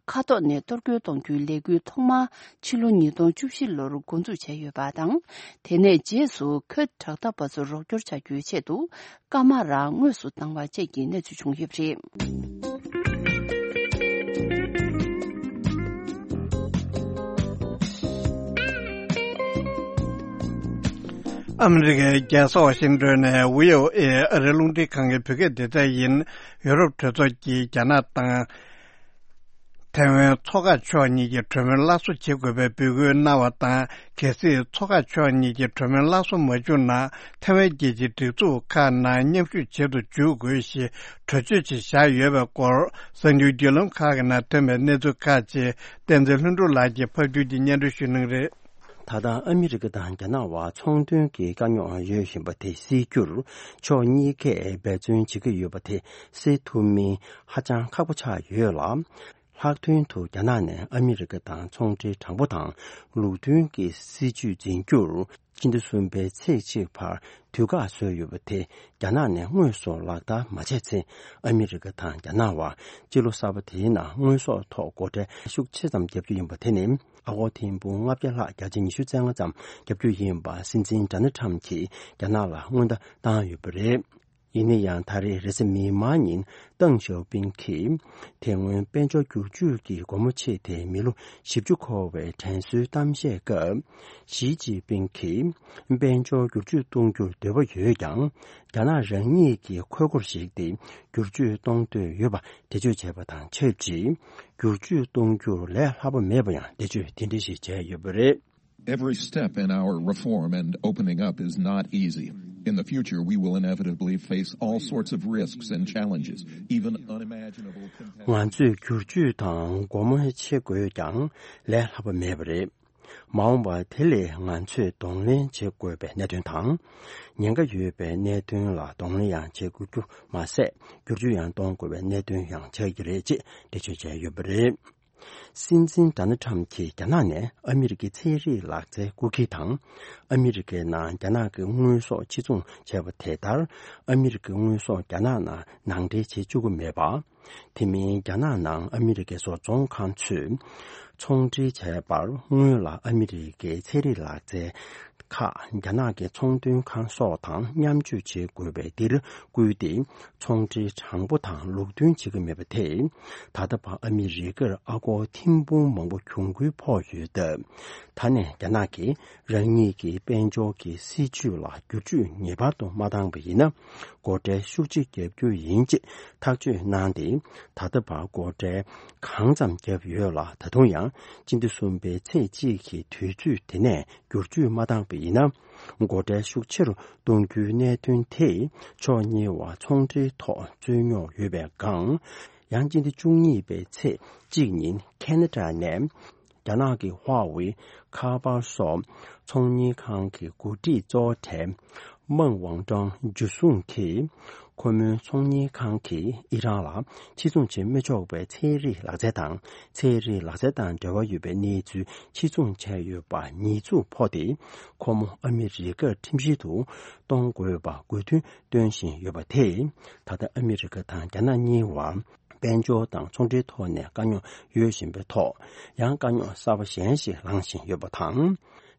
མཁའ་ཐོག་ནས་གཏོར་རྒོལ་གཏོང་རྒྱུའི་ལས་འགུལ་ཐོག་མར་ཕྱི་ལོ་ཉིས་སྟོང་བཅུ་བཞི་ལོར་འགོ་འཛུགས་བྱས་ཡོད་པ་དང་། དེ་ནས་རྗེས་སུ་ཁུར་དྲག་འཐབ་པ་ཚོར་རོགས་སྐྱོར་བྱ་རྒྱུའི་ཆེད་དུ། སྐར་མ་རང་དངོས་སུ་བཏང་བ་བཅས་ཀྱི་གནས་ཚུལ་བྱུང་ཡོད་པ་རེད། ཨ་མི་རི་ཀའི་རྒྱལ་ས་ཝ་ཤིང་ཏོན་ནས་ཝི་ཨོ་ཨེ་ཨ་རིའི་རླུང་འཕྲིན་ཁང་གི་བོད་སྐད་སྡེ་ཚན་ཡིན། ཡོ་རོབ་གྲོས་ཚོགས་ཀྱིས་རྒྱ་ནག་དང་། ཐའེ་ཝན་མཚོ་འགག་ཕྱོགས་གཉིས་ཀྱི་གྲོས་མོལ་སླར་གསོ་བྱེད་དགོས་པའི་འབོད་སྐུལ་གནང་བ་དང་། གལ་སྲིད་མཚོ་འགག་ཕྱོགས་གཉིས་ཀྱི་གྲོས་མོལ་སླར་གསོ་མ་བྱུང་ན། ཐའེ་ཝན་རྒྱལ་སྤྱིའི་སྒྲིག་འཛུགས་ཁག་ནང་མཉམ་ཞུགས་བྱེད་དུ་འཇུག་དགོས་ཞེས་གྲོས་ཆོད་ཅིག་བཞག་ཡོད་པའི་སྐོར། གསར་འགྱུར་བརྒྱུད་ལམ་ཁག་གི་ནང་ཐོན་པའི་གནས་ཚུལ་ཁག་ཅིག་བསྟན་འཛིན་ལྷུན་གྲུབ་ལགས་ཀྱིས་ཕབ་སྒྱུར་གྱིས་སྙན་སྒྲོན་ཞུ་གནང་གི་རེད། ད་ལྟ་ཨ་མི་རི་ཀ་དང་རྒྱ་ནག་བར་ཚོང་དོན་གྱི་དཀའ་རྙོག་ཡོད་བཞིན་པ་དེ་སེལ་རྒྱུར་ཕྱོགས་གཉིས་ཀས་འབད་བརྩོན་བྱེད་ཀྱི་ཡོད་པ་དེ་སེལ་ཐུབ་མིན་ཧ་ཅང་ཁག་པོ་ཆགས་ཡོད་ལ། ལྷག་དོན་དུ་རྒྱ་ནག་ནས་ཨ་མི་རི་ཀ་དང་ཚོང་འབྲེལ་དྲང་པོ་དང་ལུགས་མཐུན་གྱི་སྲིད་ཇུས་འཛིན་རྒྱུར་སྤྱི་ཟླ་གསུམ་པའི་ཚེས་གཅིག་བར་དུས་བཀག་བཟོས་ཡོད་པ་དེ་རྒྱ་ནག་ནས་དངོས་སུ་ལག་བསྟར་མ་བྱས་ཚེ། ཨ་མི་རི་ཀ་དང་རྒྱ་ནག་བར་སྤྱི་ལོ་གསར་པ་དེའི་ནང་དངོས་ཟོག་ཐོག་སྒོ་ཁྲལ་ཤུགས་ཆེ་ཙམ་བརྒྱབ་རྒྱུ་ཡིན་པ་དེ་ནི། ཨ་སྒོར་ཐེར་འབུམ་ལྔ་བརྒྱ་ལྷག་བརྒྱ་ཆ་ཉི་ཤུ་རྩ་ལྔ་ཙམ་བརྒྱབ་རྒྱུ་ཡིན་པ་སྲིད་འཛིན་ཌོ་ནལ་ཊམ་གྱིས་རྒྱ་ནག་ལ་སྔོན་བརྡ་བཏང་ཡོད་པ་རེད། ཡིན་ན་ཡང་། ད་རེས་རེས་གཟའ་མིག་དམར་ཉིན་ཏེང་ཞའོ་ཕིང་གིས་དེ་སྔོན་དཔལ་འབྱོར་བསྒྱུར་བཅོས་ཀྱི་སྒོ་མོ་ཕྱེ་སྟེ་མི་ལོ་བཞི་བཅུ་འཁོར་བའི་དྲན་གསོའི་གཏམ་བཤད་སྐབས། ཞི་ཅིན་ཕིང་གིས་དཔལ་འབྱོར་བསྒྱུར་བཅོས་གཏོང་རྒྱུར་འདོད་པ་ཡོད་ཀྱང་། རྒྱ་ནག་རང་ཉིད་ཀྱི་ཁོལ་སྒོར་གཞིགས་ཏེ་བསྒྱུར་བཅོས་གཏོང་འདོད་ཡོད་པ་འགྲེལ་བརྗོད་བྱས་པ་དང་ཆབས་ཅིག་བསྒྱུར་བཅོས་གཏོང་རྒྱུར་ལས་སླ་པོ་མེད་པ་ཡང་འགྲེལ་བརྗོད་དེ་འདྲ་ཞིག་བྱས་ཡོད་པ་རེད། Every step in our reform and opening up is not easy. In the future, we will inevitably face all sorts of risks and challenges, even unimaginable competitive ང་ཚོས་བསྒྱུར་བཅོས་དང་སྒོ་མོ་ཕྱེ་དགོས་ཀྱང་ལས་སླ་པོ་མེད་པ་རེད། མ་འོངས་པ་དེ་ལས་ང་ཚོས་གདོང་ལེན་བྱེད་དགོས་པའི་གནད་དོན་དང་། ཉེན་ཁ་ཡོད་པའི་གནད་དོན་ལ་གདོང་ལེན་ཡང་བྱེད་དགོས་རྒྱུ་མ་ཟད། བསྒྱུར་བཅོས་ཡང་གཏོང་དགོས་པའི་གནད་དོན་ཡང་ཆགས་ཀྱི་རེད་ཅེས་འགྲེལ་བརྗོད་བྱས་ཡོད་པ་རེད། སྲིད་འཛིན་ཌོ་ནལ་ཁྲམ་གྱིས་རྒྱ་ནག་ནས་ཨ་མི་རི་ཀའི་ཚན་རིག་ལག་རྩལ་རྐུ་འཁྱེར་དང་། ཨ་མི་རི་ཀའི་ནང་རྒྱ་ནག་གི་དངོས་ཟོག་ཕྱིར་ཚོང་བྱས་པ་དེ་ལྟར། ཨ་མི་རི་ཀའི་དངོས་ཟོག་རྒྱ་ནག་ནང་ནང་འདྲེན་བྱེད་བཅུག་གི་མེད་པ། དེ་མིན་རྒྱ་ནག་ནང་ཨ་མི་རི་ཀའི་བཟོ་ཚོང་ཁང་ཚོས་ཚོང་འབྲེལ་བྱས་པར། སྔོན་ལ་ཨ་མི་རི་ཀའི་ཚན་རིག་ལག་རྩལ་ཁག་རྒྱ་ནག་གི་ཚོང་དོན་ཁང་སོགས་དང་མཉམ་སྤྱོད་བྱེད་དགོས་པའི་འདིར་བསྐུལ་ཏེ། ཚོང་འབྲེལ་དྲང་པོ་དང་ལུགས་མཐུན་བྱེད་ཀྱི་མེད་པ་དེས། ད་ལྟ་བར་ཨ་མི་རི་ཀར་ཨ་སྒོར་ཐེར་འབུམ་མང་པོ་གྱོང་གུན་ཕོག་ཡོད་སྟབས། ད་ནས་རྒྱ་ནག་གིས་རང་ཉིད་ཀྱི་དཔལ་འབྱོར་གྱི་སྲིད་ཇུས་ལ་བསྒྱུར་བཅོས་ངེས་པར་དུ་མ་བཏང་པ་ཡིན་ན། སྒོ་ཁྲལ་ཤུགས་ཆེ་བརྒྱབ་རྒྱུ་ཡིན་ཅེས་ཐག་གཅོད་གནང་སྟེ། ད་ལྟ་བར་སྒོ་ཁྲལ་གང་ཙམ་བརྒྱབ་ཡོད་ལ། ད་དུང་ཡང་སྤྱི་ཟླ་གསུམ་པའི་ཚེས་གཅིག་གི་དུས་ཚོད་དེ་ནས་བསྒྱུར་བཅོས་མ་བཏང་པ་ཡིན་ན། སྒོ་ཁྲལ་ཤུགས་ཆེ་རུ་གཏོང་རྒྱུའི་གནད་དོན་དེས་ཕྱོགས་གཉིས་བར་ཚོང་འབྲེལ་ཐོག་རྩོད་རྙོག་ཡོད་པའི་སྒང་། ཡང་སྤྱི་ཟླ་བཅུ་གཉིས་པའི་ཚེས་གཅིག་ཉིན་ཁེ་ན་ཌ་ནས་རྒྱ་ནག་གི་ཧྭ་ཝེ་ཁ་པར་སོགས་ཚོང་གཉེར་ཁང་གི་འགོ་ཁྲིད་གཙོ་བོ་གྲས་མང་ཝང་ཀྲང་འཇུ་བཟུང་གིས། ཁོ་མོའི་ཚོང་གཉེར་ཁང་གིས་ཨི་རན་ལ་ཕྱིར་ཚོང་བྱེད་མི་ཆོག་པའི་ཚན་རིག་ལག་རྩལ་དང་། ཚན་རིག་ལག་རྩལ་དང་འབྲེལ་བ་ཡོད་པའི་གནས་ཚུལ་ཕྱིར་ཚོང་བྱས་ཡོད་པ་ཉེས་འཛུགས་ཕོག་སྟེ། ཁོ་མོ་ཨ་མི་རི་ཀར་ཁྲིམས་བཤེར་དུ་གཏོང་དགོས་པ་དགོས་འདུན་བཏོན་བཞིན་ཡོད་པ་དེས། ད་ལྟ་ཨ་མི་རི་ཀ་དང་རྒྱ་ནག་གཉིས་བར་དཔལ་འབྱོར་དང་ཚོང་འབྲེལ་ཐོག་ནས་དཀའ་རྙོག་ཡོད་བཞིན་པའི་ཐོག། ཡང་དཀའ་རྙོག་གསར་པ་གཞན་ཞིག་ལངས་བཞིན་ཡོད་པ་དང་།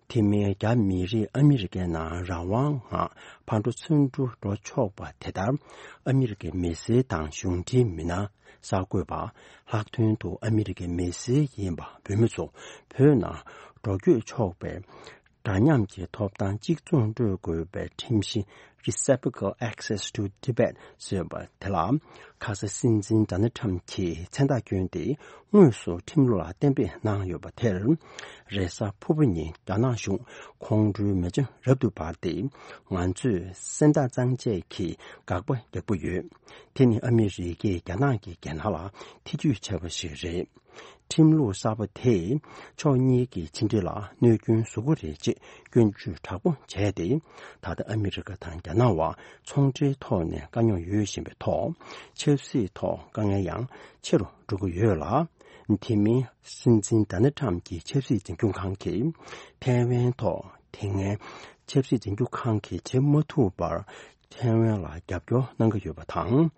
དེ་མིན་རྒྱ་མི་རིགས་ཨ་མི་རི་ཀའི་ནང་རང་དབང་ངང་ཕར་འགྲོ་ཚུར་འགྲོ་འགྲོ་ཆོག་པ་དེ་ལྟར། ཨ་མི་རི་ཀའི་མི་སེར་དང་གཞུང་འབྲེལ་མི་སྣ་གསར་འགོད་པ། ལྷག་དོན་དུ་ཨ་མི་རི་ཀའི་མི་སེར་ཡིན་པ་བོད་མི་ཚོ་བོད་ནང་འགྲོ་སྐྱོད་ཆོག་པའི་འདྲ་མཉམ་གྱི་ཐོབ་ཐང་གཅིག་མཚུངས་སྤྲོད་དགོས་པའི་ཁྲིམས་གཞི། Reciprocal Access to Tibet ཟེར་བ་དེ་ལ། ཁ་སང་སྲིད་འཛིན་ཌོ་ནལ་ཁྲམ་གྱིས་མཚན་རྟགས་བསྐྱོན་ཏེ། དངོས་སུ་ཁྲིམས་ལུགས་ལ་གཏན་འབེབས་གནང་ཡོད་པ་དེར། རེས་གཟའ་ཕུར་བུ་ཉིན་རྒྱ་ནག་གཞུང་ཁོང་ཁྲོའི་མེ་ལྕེ་རབ་ཏུ་འབར་ཏེ། ང་ཚོས་སེམས་ཐག་གཙང་བཅད་ཀྱིས་དགག་པ་རྒྱག་པ་ཡོད། དེ་ནི་ཨ་མི་རི་ཀས་རྒྱ་ནག་གི་རྒྱལ་ནང་ལ་ཐེ་ཇུས་བྱས་པ་ཞིག་རེད། ཁྲིམས་ལུགས་གསར་པ་དེས་ཕྱོགས་གཉིས་ཀྱི་ཕྱི་འབྲེལ་ལ་གནོད་སྐྱོན་བཟོ་གི་རེད་ཅེས་སྐྱོན་བརྗོད་དྲག་པོ་བྱས་ཏེ། ད་ལྟ་ཨ་མི་རི་ཀ་དང་རྒྱ་ནག་བར་ཚོང་འབྲེལ་ཐོག་ནས་དཀའ་རྙོག་ཡོད་བཞིན་པའི་ཐོག། ཆབ་སྲིད་ཐོག་དཀའ་ངལ་ཡང་ཆེ་རུ་འགྲོ་གི་ཡོད་ལ། དེ་མིན་སྲིད་འཛིན་ཌོ་ནལ་ཁྲམ་གྱི་ཆབ་སྲིད་འཛིན་སྐྱོང་ཁང་གིས་ཐའེ་ཝན་ཐོག་དེ་སྔའི་ཆབ་སྲིད་འཛིན་སྐྱོང་ཁང་གིས་བྱེད་མ་ཐུབ་པར། ཐའེ་ཝན་ལ་རྒྱབ་སྐྱོར་གནང་གི་ཡོད་པ་དང་།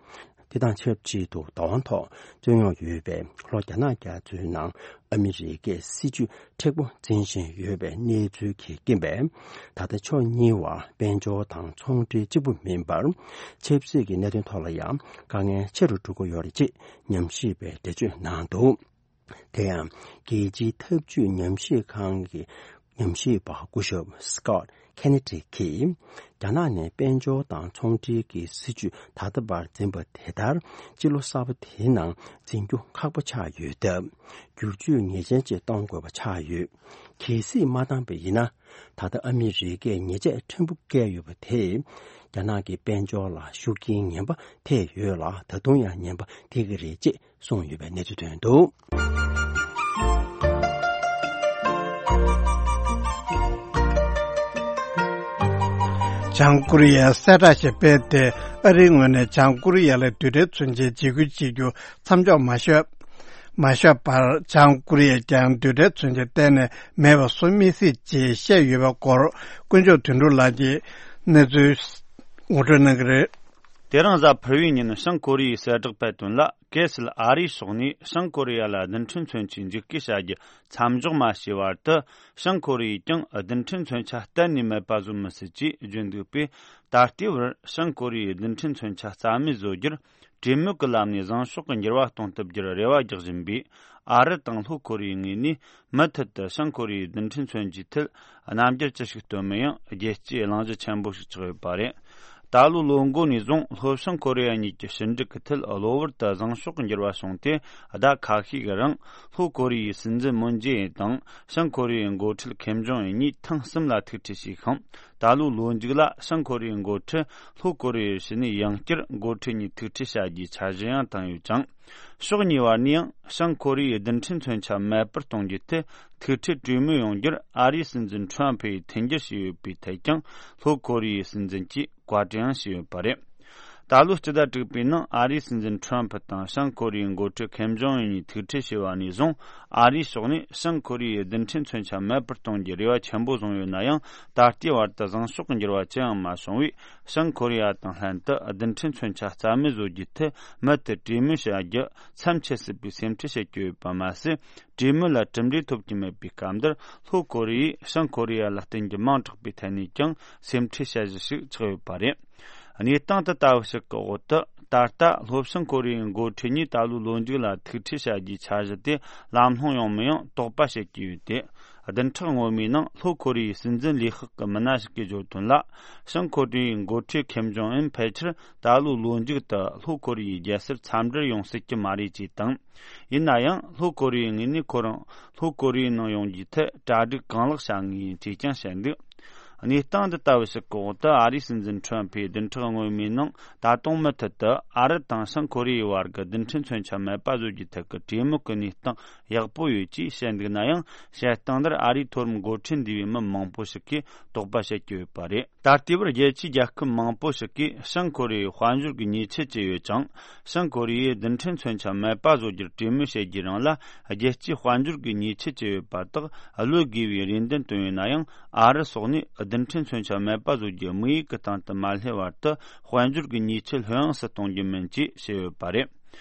དེ་དང་ཆབས་ཅིག་ཏུ། བདག་དབང་ཐོག་རྩོད་རྙོག་ཡོད་པའི་ལྷོ་རྒྱ་ནག་རྒྱ་མཚོའི་ནང་ཨ་མི་རི་ཀས་སྲིད་ཇུས་མཁྲེགས་པོ་འཛིན་བཞིན་ཡོད་པའི་གནས་ཚུལ་གྱི་རྐྱེན་པས། ད་ལྟ་ཕྱོགས་གཉིས་བར་དཔལ་འབྱོར་དང་ཚོང་འབྲེལ་གཅིག་པུ་མིན་པར། ཆབ་སྲིད་ཀྱི་གནད་དོན་ཐོག་ལ་ཡང་དཀའ་ངལ་ཆེ་རུ་འགྲོ་གི་ཡོད་རེད་ཅེས་ཉམས་ཞིབ་པས་འགྲེལ་བརྗོད་གནང་འདུག། དེ་ཡང་། རྒྱལ་སྤྱིའི་འཐབ་ཇུས་ཉམས་ཞིབ་ཁང་གི་ཉམས་ཞིབ་པ་སྐུ་ཞབས་Scott Kennedy གིས། རྒྱ་ནག་ནས་དཔལ་འབྱོར་དང་ཚོང་འབྲེལ་གྱི་སྲིད་ཇུས་ད་ལྟ་བར་འཛིན་པ་དེ་ལྟར། སྤྱི་ལོ་གསར་པ་དེའི་ནང་འཛིན་རྒྱུ་ཁག་པོ་ཆགས་ཡོད་སྟབས། བསྒྱུར་བཅོས་ངེས་ཅན་ཅིག་གཏོང་དགོས་པ་ཆགས་ཡོད། གལ་སྲིད་མ་བཏང་པ་ཡིན་ན། ད་ལྟ་ཨ་མི་རི་ཀས་ཉེས་ཆད་ཕྲན་བུ་བཀལ་ཡོད་པ་དེས། རྒྱ་ནག་གི་དཔལ་འབྱོར་ལ་ཤུགས་རྐྱེན་ངན་པ་ཐེབས་ཡོད་ལ། ད་དུང་ཡང་ངན་པ་ཐེབས་ཀྱི་རེད་ཅེས་གསུངས་ཡོད་པའི་གནས་ཚུལ་ཐོན་འདུག། བྱང་ཀོ་རི་ཡས་གསལ་བསྒྲགས་ཤིག་སྤེལ་ཏེ། ཨ་རིའི་ངོས་ནས་བྱང་ཀོ་རི་ཡ་ལ་རྡུལ་ཕྲན་མཚོན་ཆའི་འཇིགས་སྐུལ་བྱེད་རྒྱུ་མཚམས་འཇོག་མ་ཤོར། མ་ཤོར་བར། བྱང་ཀོ་རི་ཡས་ཀྱང་རྡུལ་ཕྲན་མཚོན་ཆ་གཏན་ནས་མེད་པ་བཟོ་མི་སྲིད་ཅེས་བཤད་ཡོད་པའི་སྐོར། དཀོན་མཆོག་དོན་གྲུབ་ལགས་ཀྱིས་གནས་ཚུལ་ངོ་སྤྲོད་གནང་གི་རེད། དེ་རིང་གཟའ་ཕུར་བུའི་ཉིན་བྱང་ཀོ་རི་ཡའི་གསལ་བསྒྲགས་སྤེལ་དོན་ལ། གལ་སྲིད་ཨ་རིའི་ཕྱོགས་ནས་བྱང་ཀོ་རི་ཡ་ལ་རྡུལ་ཕྲན་མཚོན་ཆའི་འཇིགས་སྐུལ་བྱ་རྒྱུ་མཚམས་འཇོག་མ་བྱས་བར་དུ། བྱང་ཀོ་རི་ཡས་ཀྱང་རྡུལ་ཕྲན་མཚོན་ཆ་གཏན་ནས་མེད་པ་བཟོ་མི་སྲིད་ཅེས་བརྗོད་འདུག་པས། ད་ལྟའི་བར་བྱང་ཀོ་རི་ཡས་རྡུལ་ཕྲན་མཚོན་ཆ་རྩ་མེད་བཟོ་རྒྱུར། གྲོས་མོལ་གྱི་ལམ་ནས་བཟང་ཕྱོགས་ཀྱི་འགྱུར་བ་གཏོང་ཐུབ་རྒྱུར་རེ་བ་རྒྱག་བཞིན་པའི་ཨ་རི་དང་ལྷོ་ཀོ་རི་ཡའི་ངོས་ནས། མུ་མཐུད་དུ་བྱང་ཀོ་རི་ཡས་རྡུལ་ཕྲན་མཚོན་ཆའི་ཐད་རྣམ་འགྱུར་ཅི་ཞིག་སྟོན་མིན་ཡང་རྒྱལ་སྤྱིའི་གླེང་གཞི་ཆེན་པོ་ཞིག་ཆགས་ཡོད་པ་རེད། ད་ལོའི་ལོ་མགོ་ནས་བཟུང་ལྷོ་བྱང་ཀོ་རི་ཡ་གཉིས་ཀྱི་ཕྱི་འབྲེལ་གྱི་ཐད་གློ་བུར་དུ་བཟང་ཕྱོགས་ཀྱི་འགྱུར་བ་བྱུང་སྟེ། ཟླ་ཁ་ཤས་ཀྱི་རིང་ལྷོ་ཀོ་རི་ཡའི་སྲིད་འཛིན་མུན་ཇེ་ཨིན་དང་བྱང་ཀོ་རི་ཡའི་འགོ་ཁྲིད་ཁེམ་ཇོང་ཨུན་གཉིས་ཐེངས་གསུམ་ལ་ཐུག་འཕྲད་བྱས་ཤིང་། ད་ལོའི་ལོ་མཇུག་ལ་བྱང་ཁོ་རེ་ཡའི་འགོ་ཁྲིད་ལྷོ་ཁོ་རེ་ཡའི་ཕྱི་ནས་ཡང་བསྐྱར་འགོ་ཁྲིད་གཉིས་ཐུག་འཕྲད་བྱ་རྒྱུའི་འཆར་གཞི་ཡང་བཏིང་ཡོད་ཅིང་། ཕྱོགས་གཉིས་བར་ནས་ཡང་བྱང་ཁོ་རེ་ཡའི་རྡུལ་ཕྲན་མཚོན་ཆ་མེད་པར་གཏོང་རྒྱུའི་ཐད་ཐུག་འཕྲད་གྲོས་མོལ་ཡོང་རྒྱུར་ཨ་རིའི་སྲིད་འཛིན་ཁྲོམ་ཕུ་ཡིས་མཐུན་འགྱུར་བྱས་ཡོད་པའི་ཐད་ཀྱང་ལྷོ་ཁོ་རེ་ཡའི་སྲིད་འཛིན་གྱིས་བཀའ་དྲིན་ཡང་ཞུས་ཡོད་པ་རེད། ད་ལོའི་སྤྱི་ཟླ་དྲུག་པའི་ནང་ཨ་རིའི་སྲིད་འཛིན་ཁྲོམ་ཕུ་དང་བྱང་ཁོ་རེ་ཡའི་འགོ་ཁྲིད་ཁེམ་ཇོང་ཨུན་གཉིས་ཐུག་འཕྲད་བྱས་པ་ནས་བཟུང་ཨ་རིའི་ཕྱོགས་ནས་བྱང་ཁོ་རེ་ཡའི་རྡུལ་ཕྲན་མཚོན་ཆ་མེད་པར་གཏོང་རྒྱུའི་རེ་བ་ཆེན་པོ་བཟུང་ཡོད་ན་ཡང་ད་ལྟའི་བར་དུ་བཟང་ཕྱོགས་ཀྱི་འགྱུར་བ་ཅི་ཡང་མ་བྱུང་བས་བྱང་ཁོ་རེ་ཡ་དང་ལྷན་དུ་རྡུལ་ཕྲན་མཚོན་ཆ་རྩ་མེད་བཟོ་རྒྱུའི་ཐད་མུ་མཐུད་གྲོས་མོལ་བྱ་རྒྱུ་མཚམས་ཆད་སྲིད་པའི་སེམས་ཁྲལ་བྱེད་ཀྱི་ཡོད་པ་མ་ཟད། གྲོས་མོལ་ལ་གྲུབ་འབྲས་ཐོབ་ཀྱི་མེད་པའི་སྐབས་འདིར་ལྷོ་ཁོ་རེ་ཡས་བྱང་ཁོ་རེ་ཡ་ལ་བརྟེན་རྒྱུ་མང་དྲགས་པའི་ཐད་ནས་ཀྱང་སེམས་ཁྲལ་བྱ་གཞི་ཞིག་ཆགས་ཡོད་པ་རེད། གནས་སྟངས་དེ་ལྟ་བུ་ཞིག་གི་འོག་ཏུ་ད་ལྟ་ལྷོ་བྱང་ཁོ་རེ་ཡའི་འགོ་ཁྲིད་གཉིས་ད་ལོའི་ལོ་མཇུག་ལ་ཐུག་འཕྲད་བྱ་རྒྱུའི་འཆར་གཞི་དེ་ལམ་ལྷོང་ཡོང་མི་ཡོང་དོགས་པ་བྱེད་ཀྱི་ཡོད་དེ། བདུན་ཕྲག་སྔོན་མའི་ནང་ལྷོ་ཁོ་རེ་ཡའི་སྲིད་འཛིན་ལས་ཁག་གི་མི་སྣ་ཞིག་གིས་བརྗོད་དོན་ལ། བྱང་ཁོ་རེ་ཡའི་འགོ་ཁྲིད་ཁེམ་ཇོང་ཨུན་ཕལ་ཆེར་ད་ལོའི་ལོ་མཇུག་ཏུ་ལྷོ་ཁོ་རེ་ཡའི་རྒྱལ་སར་འཚམས་འདྲིར་ཡོང་སྲིད་ཀྱི་མ་རེད་ཅེས་དང་། ཡིན་ན་ཡང་ལྷོ་ཁོ་རེ་ཡའི་ངོས་ནས་ཁོ་རང་ལྷོ་ཁོ་རེ་ཡའི་ནང་ཡོང་རྒྱུའི་ཐད་གྲ་སྒྲིག་གང་ལེགས་བྱ་ངེས་ཡིན་ཅེས་ཀྱང་བཤད་འདུག་གནས་སྟངས་འདི་ལྟ་བུ་ཞིག་གི་འོག་ཏུ་ཨ་རིའི་སྲིད་འཛིན་ཁྲོམ་ཕུས་བདུན་ཕྲག་སྔོན་མའི་ནང་ད་དུང་མུ་མཐུད་དུ་ཨ་རི་དང་བྱང་ཁོ་རེ་ཡའི་བར་གྱི་རྡུལ་ཕྲན་མཚོན་ཆ་མེད་པ་བཟོ་རྒྱུའི་ཐད་ཀྱི་གྲོས་མོལ་གྱི་གནས་སྟངས་ཡག་པོ་ཡོད་ཅེས་བཤད་འདུག་ན་ཡང་བཤད་སྟངས་འདིར་ཨ་རིའི་མཐོ་རིམ་འགོ་ཁྲིད་འདུས་པའི་མི་མང་པོ་ཞིག་གིས་དོགས་པ་བྱེད་ཀྱི་ཡོད་པ་རེད། ད་ལྟའི་བར་རྒྱལ་སྤྱིའི་རྒྱལ་ཁབ་མང་པོ་ཞིག་གིས་བྱང་ཁོ་རེ་ཡའི་དཔལ་འབྱོར་གྱི་ཉེས་ཆད་བཅད་ཡོད་ཅིང་། བྱང་ཁོ་རེ་ཡས་རྡུལ་ཕྲན་མཚོན་ཆ་མེད་པ་བཟོ་རྒྱུར་གྲོས་མོལ་བྱེད་རྒྱུའི་རིང་ལ་རྒྱལ་སྤྱིའི་དཔལ་འབྱོར་གྱི་ཉེས་ཆད་བཅད་ཡོད་པ་དག་གློད་དགོས་པའི་རེ་འདུན་བཏོན་ཡོད་ན་ཡང་། ཨ་རི་སོགས་ནས་རྡུལ་ཕྲན་མཚོན་ཆ་མེད་པ་བཟོ་རྒྱུ་དམིགས་ཡུལ་གྱི་སྟེང་དུ་མ་སླེབས་བར་དུ་དཔལ་འབྱོར་གྱི་ཉེས་ཆད་ལྷོད་ཡངས་སུ་གཏོང་རྒྱུ་མིན་ཅེས་བཤད་ཡོད་པ་རེད།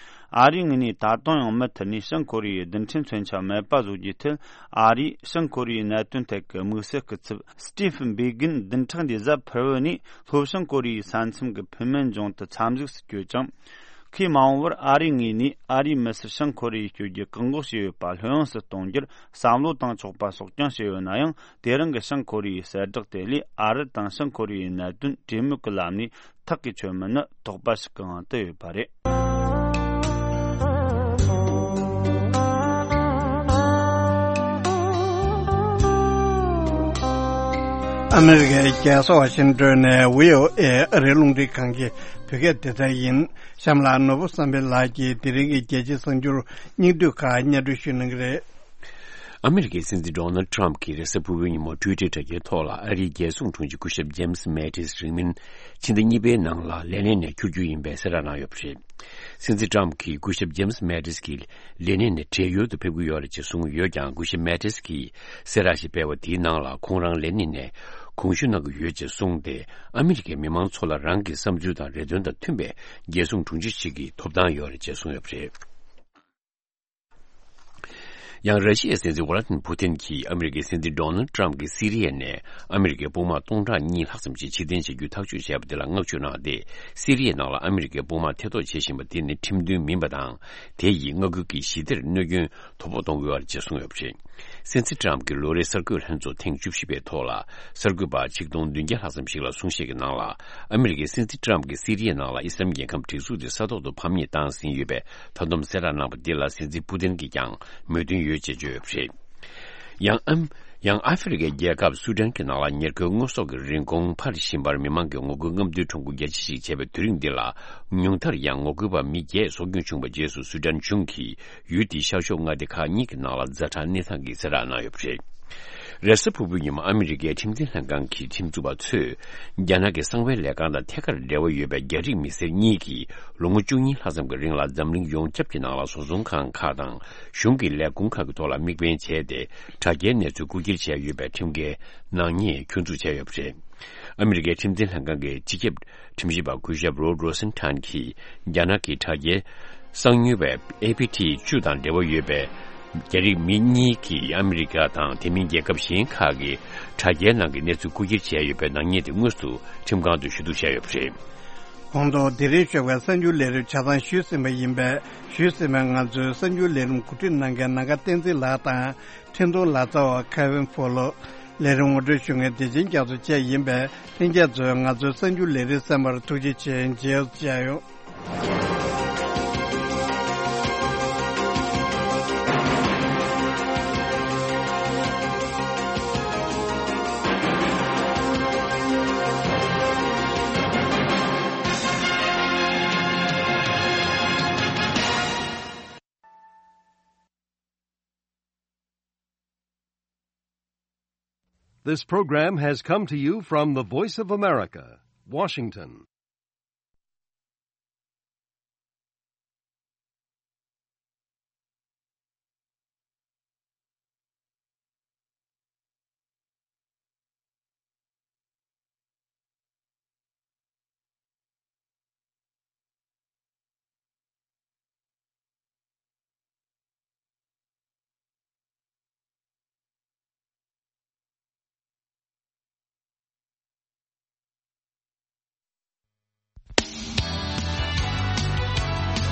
ཨ་རིའི་ངོས་ནས་ད་དུང་ཡང་མུ་མཐུད་ནས་བྱང་ཁོ་རེ་ཡའི་རྡུལ་ཕྲན་མཚོན་ཆ་མེད་པ་བཟོ་རྒྱུའི་ཐད་ཨ་རིས་བྱང་ཁོ་རེ་ཡའི་གནད་དོན་ཐད་ཀྱི་དམིགས་བསལ་སྐུ་ཚབ་སི་ཏི་ཕིན་བྷེ་གིན་བདུན་ཕྲག་འདིའི་གཟའ་ཕུར་བུ་ནས་ལྷོ་བྱང་ཁོ་རེ་ཡའི་ས་མཚམས་ཀྱི་ཕུ་མན་ཇོང་དུ་འཚམས་གཟིགས་སུ་བསྐྱོད་ཅིང་། ཁོས་མ་འོངས་པར་ཨ་རིའི་ངོས་ནས་ཨ་རིའི་མི་སེར་བྱང་ཁོ་རེ་ཡར་བསྐྱོད་རྒྱུ་བཀག་འགོག་བྱས་ཡོད་པ་ལྷོད་ཡངས་སུ་གཏོང་རྒྱུར་བསམ་བློ་བཏང་ཆོག་པ་སོགས་ཀྱང་བཤད་ཡོད་ན་ཡང་། དེ་རིང་གི་བྱང་ཁོ་རེ་ཡའི་གསལ་བསྒྲགས་དེ་ལས་ཨ་རི་དང་བྱང་ཁོ་རེ་ཡའི་གནད་དོན་གྲོས་མོལ་གྱི་ལམ་ནས་ཐག་གིས་ཆོད་མིན་ནི་དོགས་པ་ཞིག་གི་དབང་དུ་ཡོད་པ་རེད། ཨ་མི་རི་ཀའི་རྒྱལ་ས་ཝ་ཤིང་ཏོན་ནས་བྷི་ཨོ་ཨེ་ཨ་རིའི་རླུང་འཕྲིན་ཁང་གི་བོད་སྐད་སྡེ་ཚན་ཡིན། གཤམ་ལ་ནོར་བུ་བསམ་འཕེལ་ལགས་ཀྱིས་དེ་རིང་གི་རྒྱལ་སྤྱིའི་གསར་འགྱུར་སྙིང་བསྡུས་ཁག་སྙན་སྒྲོན་ཞུ་གནང་གི་རེད། ཨ་མི་རི་ཀའི་སྲིད་འཛིན་ཌོ་ནལ་ཊམ་གྱིས་རེས་གཟའ་ཕུར་བུའི་ཉིན་མོ་ཊུའི་ཊར་དྲ་རྒྱའི་ཐོག་ལ་ཨ་རིའི་རྒྱལ་སྲུང་དྲུང་ཆེ་སྐུ་ཞབས་ཇེམ་སི་མེ་ཏིས་རིང་མིན་ཕྱི་ཟླ་གཉིས་པའི་ནང་ལ་ལས་གནས་ནས་འཁྱུར་རྒྱུ་ཡིན་པའི་གསལ་བསྒྲགས་གནང་ཡོད་པ་རེད། སྲིད་འཛིན་ཊམ་གྱིས་སྐུ་ཞབས་ཇེམ་སི་མེ་ཏིས་ཀྱིས་ལས་གནས་ནས་བགྲེས་ཡོལ་དུ་ཕེབས་ཀྱི་ཡོད་རེད་ཅེས་གསུངས་ཡོད་ཀྱང་། སྐུ་ཞབས་མེ་ཏིས་ཀྱིས་གསལ་བསྒྲགས་ཤིག་སྤེལ་བ་དེའི་ནང་ལ་ཁོང་རང་ལས་གནས་ནས་དགོངས་ཞུ་གནང་གི་ཡོད་ཅེས་གསུངས་ཏེ། ཨ་མི་རི་ཀའི་མི་མང་ཚོ་ལ་རང་གི་བསམ་ཚུལ་དང་རེ་འདུན་དང་མཐུན་པའི་རྒྱལ་སྲུང་དྲུང་ཆེ་ཞིག་གི་ཐོབ་ཐང་ཡོད་རེད་ཅེས་གསུངས་ཡོད་པ་རེད། ཡང་། ར་ཤི་ཡའི་སྲིད་འཛིན་ཝ་ལ་ཏིན་པུ་ཏིན་གྱིས་ཨ་མི་རི་ཀའི་སྲིད་འཛིན་ཌོ་ནལ་ཏྲམ་གྱིས་སི་རི་ཡ་ནས་ཨ་མི་རི་ཀའི་དཔུང་དམག་སྟོང་ཕྲག་གཉིས་ལྷག་ཙམ་ཞིག་ཕྱིར་འཐེན་བྱ་རྒྱུ་ཐག་གཅོད་བྱས་པ་དེ་ལ་བསྔགས་བརྗོད་གནང་སྟེ། སི་རི་ཡའི་ནང་ལ་ཨ་མི་རི་ཀའི་དཔུང་དམག་ཐེ་གཏོགས་བྱེད་བཞིན་པ་དེ་ནི་ཁྲིམས་མཐུན་མིན་པ་དང་། དེ་ཡིས་མངའ་ཁུལ་གྱི་ཞི་བདེར་གནོད་སྐྱོན་དོ་ཕོག་གཏོང་གི་ཡོད་རེད་ཅེས་གསུངས་ཡོད་པ་རེད། སྲིད་འཛིན་ཏྲམ་གྱི་ལོ་རེའི་གསར་འགོད་ལྷན་ཚོགས་ཐེངས་བཅུ་བཞི་པའི་ཐོག་ལ། གསར་འགོད་པ་ཆིག་སྟོང་བདུན་བརྒྱ་ལྷག་ཙམ་ཞིག་ལ་གསུང་བཤད་ཀྱི་ནང་ལ། ཨ་མི་རི་ཀའི་སྲིད་འཛིན་ཏྲམ་གྱིས་སི་རི་ཡའི་ནང་ལ་ཨི་སི་ལམ་རྒྱལ་ཁབ་སྒྲིག་འཛུགས་དེ་ས་ཐོག་ཏུ་ཕམ་ཉེས་བཏང་ཟིན་ཡོད་པའི་ད་དུང་གསལ་བསྒྲགས་གནང་པ་འདི་ལ་སྲིད་འཛིན་པུ་ཏིན་གྱིས་ཀྱང་མོས་མཐུན་ཡོད་ཅེས་བརྗོད་ཡོད་པ་རེད། ཡང་ཨམ། ཡང་ཨ་ཧྥེ་རི་ཁའི་རྒྱལ་ཁབ་སུ་ཌན་གྱི་ནང་ལ་ཉེར་མཁོའི་དངོས་ཟོག་གི་རིན་གོང་འཕར་བཞིན་པར་མི་མང་གིས་ངོ་རྒོལ་རྔམ་སྟོན་ཁྲོམ་སྐོར་རྒྱ་ཆེ་ཞིག་བྱས་པའི་དུས་རིང་འདི་ལ། ཉུང་མཐར་ཡང་ངོ་རྒོལ་པ་མི་བརྒྱད་སྲོག་སྐྱོན་བྱུང་བའི་རྗེས་སུ་སུ་ཌན་གཞུང་གིས་ཡུལ་དེའི་ཤར་ཕྱོགས་མངའ་སྡེ་ཁག་གཉིས་ཀྱི་ནང་ལ་ཛ་དྲག་གནས་སྟངས་ཀྱི་གསལ་བསྒྲགས་གནང་ཡོད་པ་རེད། རེས་གཟའ་ཕུར་བུའི་ཉིན་མོ་ཨ་མི་རི་ཀའི་ཁྲིམས་འཛིན་ལྷན་ཁང་གི་ཁྲིམས་བཟོ་བ་ཚོས། རྒྱ་ནག་གི་གསང་བའི་ལས་ཁང་དང་ཐད་ཀར་འབྲེལ་བ་ཡོད་པའི་རྒྱ་རིགས་མི་སེར་གཉིས་ཀྱིས་ལོ་ངོ་བཅུ་གཉིས་ལྷག་ཙམ་གྱི་རིང་ལ་འཛམ་གླིང་ཡོངས་ཁྱབ་ཀྱི་ནང་ལ་བཟོ་ཚོང་ཁང་ཁག་དང་གཞུང་གི་ལས་ཁུངས་ཁག་གི་ཐོག་ལ་དམིགས་འབེན་བྱས་ཏེ། དྲ་རྒྱའི་གནས་ཚུལ་རྐུ་འཁྱེར་བྱས་ཡོད་པའི་ཁྲིམས་འགལ་ནག་ཉེས་ཁྱོན་འཛུགས་བྱས་ཡོད་པ་རེད། ཨ་མི་རི་ཀའི་ཁྲིམས་འཛིན་ལྷན་ཁང་གི་སྤྱི་ཁྱབ་ཁྲིམས་ཞིབ་པ་སྐུ་ཞབས་རོ་ཌི་རོ་སན་ཐན་གྱིས། རྒྱ་ནག་གི་དྲ་རྒྱའི་གསང་ཉུལ་བའི་ཨེ་ཕི་ཊི་བཅུ་དང་འབྲེལ་བ་ཡོད་པའི་རྒྱ་རིགས་མི་གཉིས་ཀྱིས་ཨ་མི་རི་ཀ་དང་དེ་མིན་རྒྱལ་ཁབ་གཞན་ཁག་གི་དྲ་རྒྱའི་ནང་གི་གནས་ཚུལ་རྐུ་འཁྱེར་བྱས་ཡོད་པའི་ནག་ཉེས་དེ་དངོས་སུ་ཁྲིམས་ཁང་དུ་ཞུ་གཏུག་བྱས་ཡོད་པ་རེད། གོང་དུ་དེ་རིང་ཞོགས་པའི་གསར་འགྱུར་ལས་རིམ་ཆ་ཚང་ཞུས་ཟིན་པ་ཡིན་པས། ཞུས་ཟིན་པའི་ང་ཚོའི་གསར་འགྱུར་ལས་རིམ་གོ་སྒྲིག་གནང་མཁན་ནམ་མཁའ་བསྟན་འཛིན་ལགས་དང་། འཕྲིན་གཏོང་ལག་རྩལ་བ་ཁེ་ཝིན་ཕོ་ལོ། ལས་རིམ་ངོ་སྤྲོད་ཞུ་མཁན་བདེ་ཆེན་རྒྱ་མཚོ་བཅས་ཡིན་པས། ལྷན་རྒྱས་ཚོས་ང་ཚོའི་གསར་འགྱུར་ལས་རིམ་གསན་པར་ཐུགས་རྗེ་ཆེ། མཇལ་ཡོང་། This program has come to you from the Voice of America, Washington.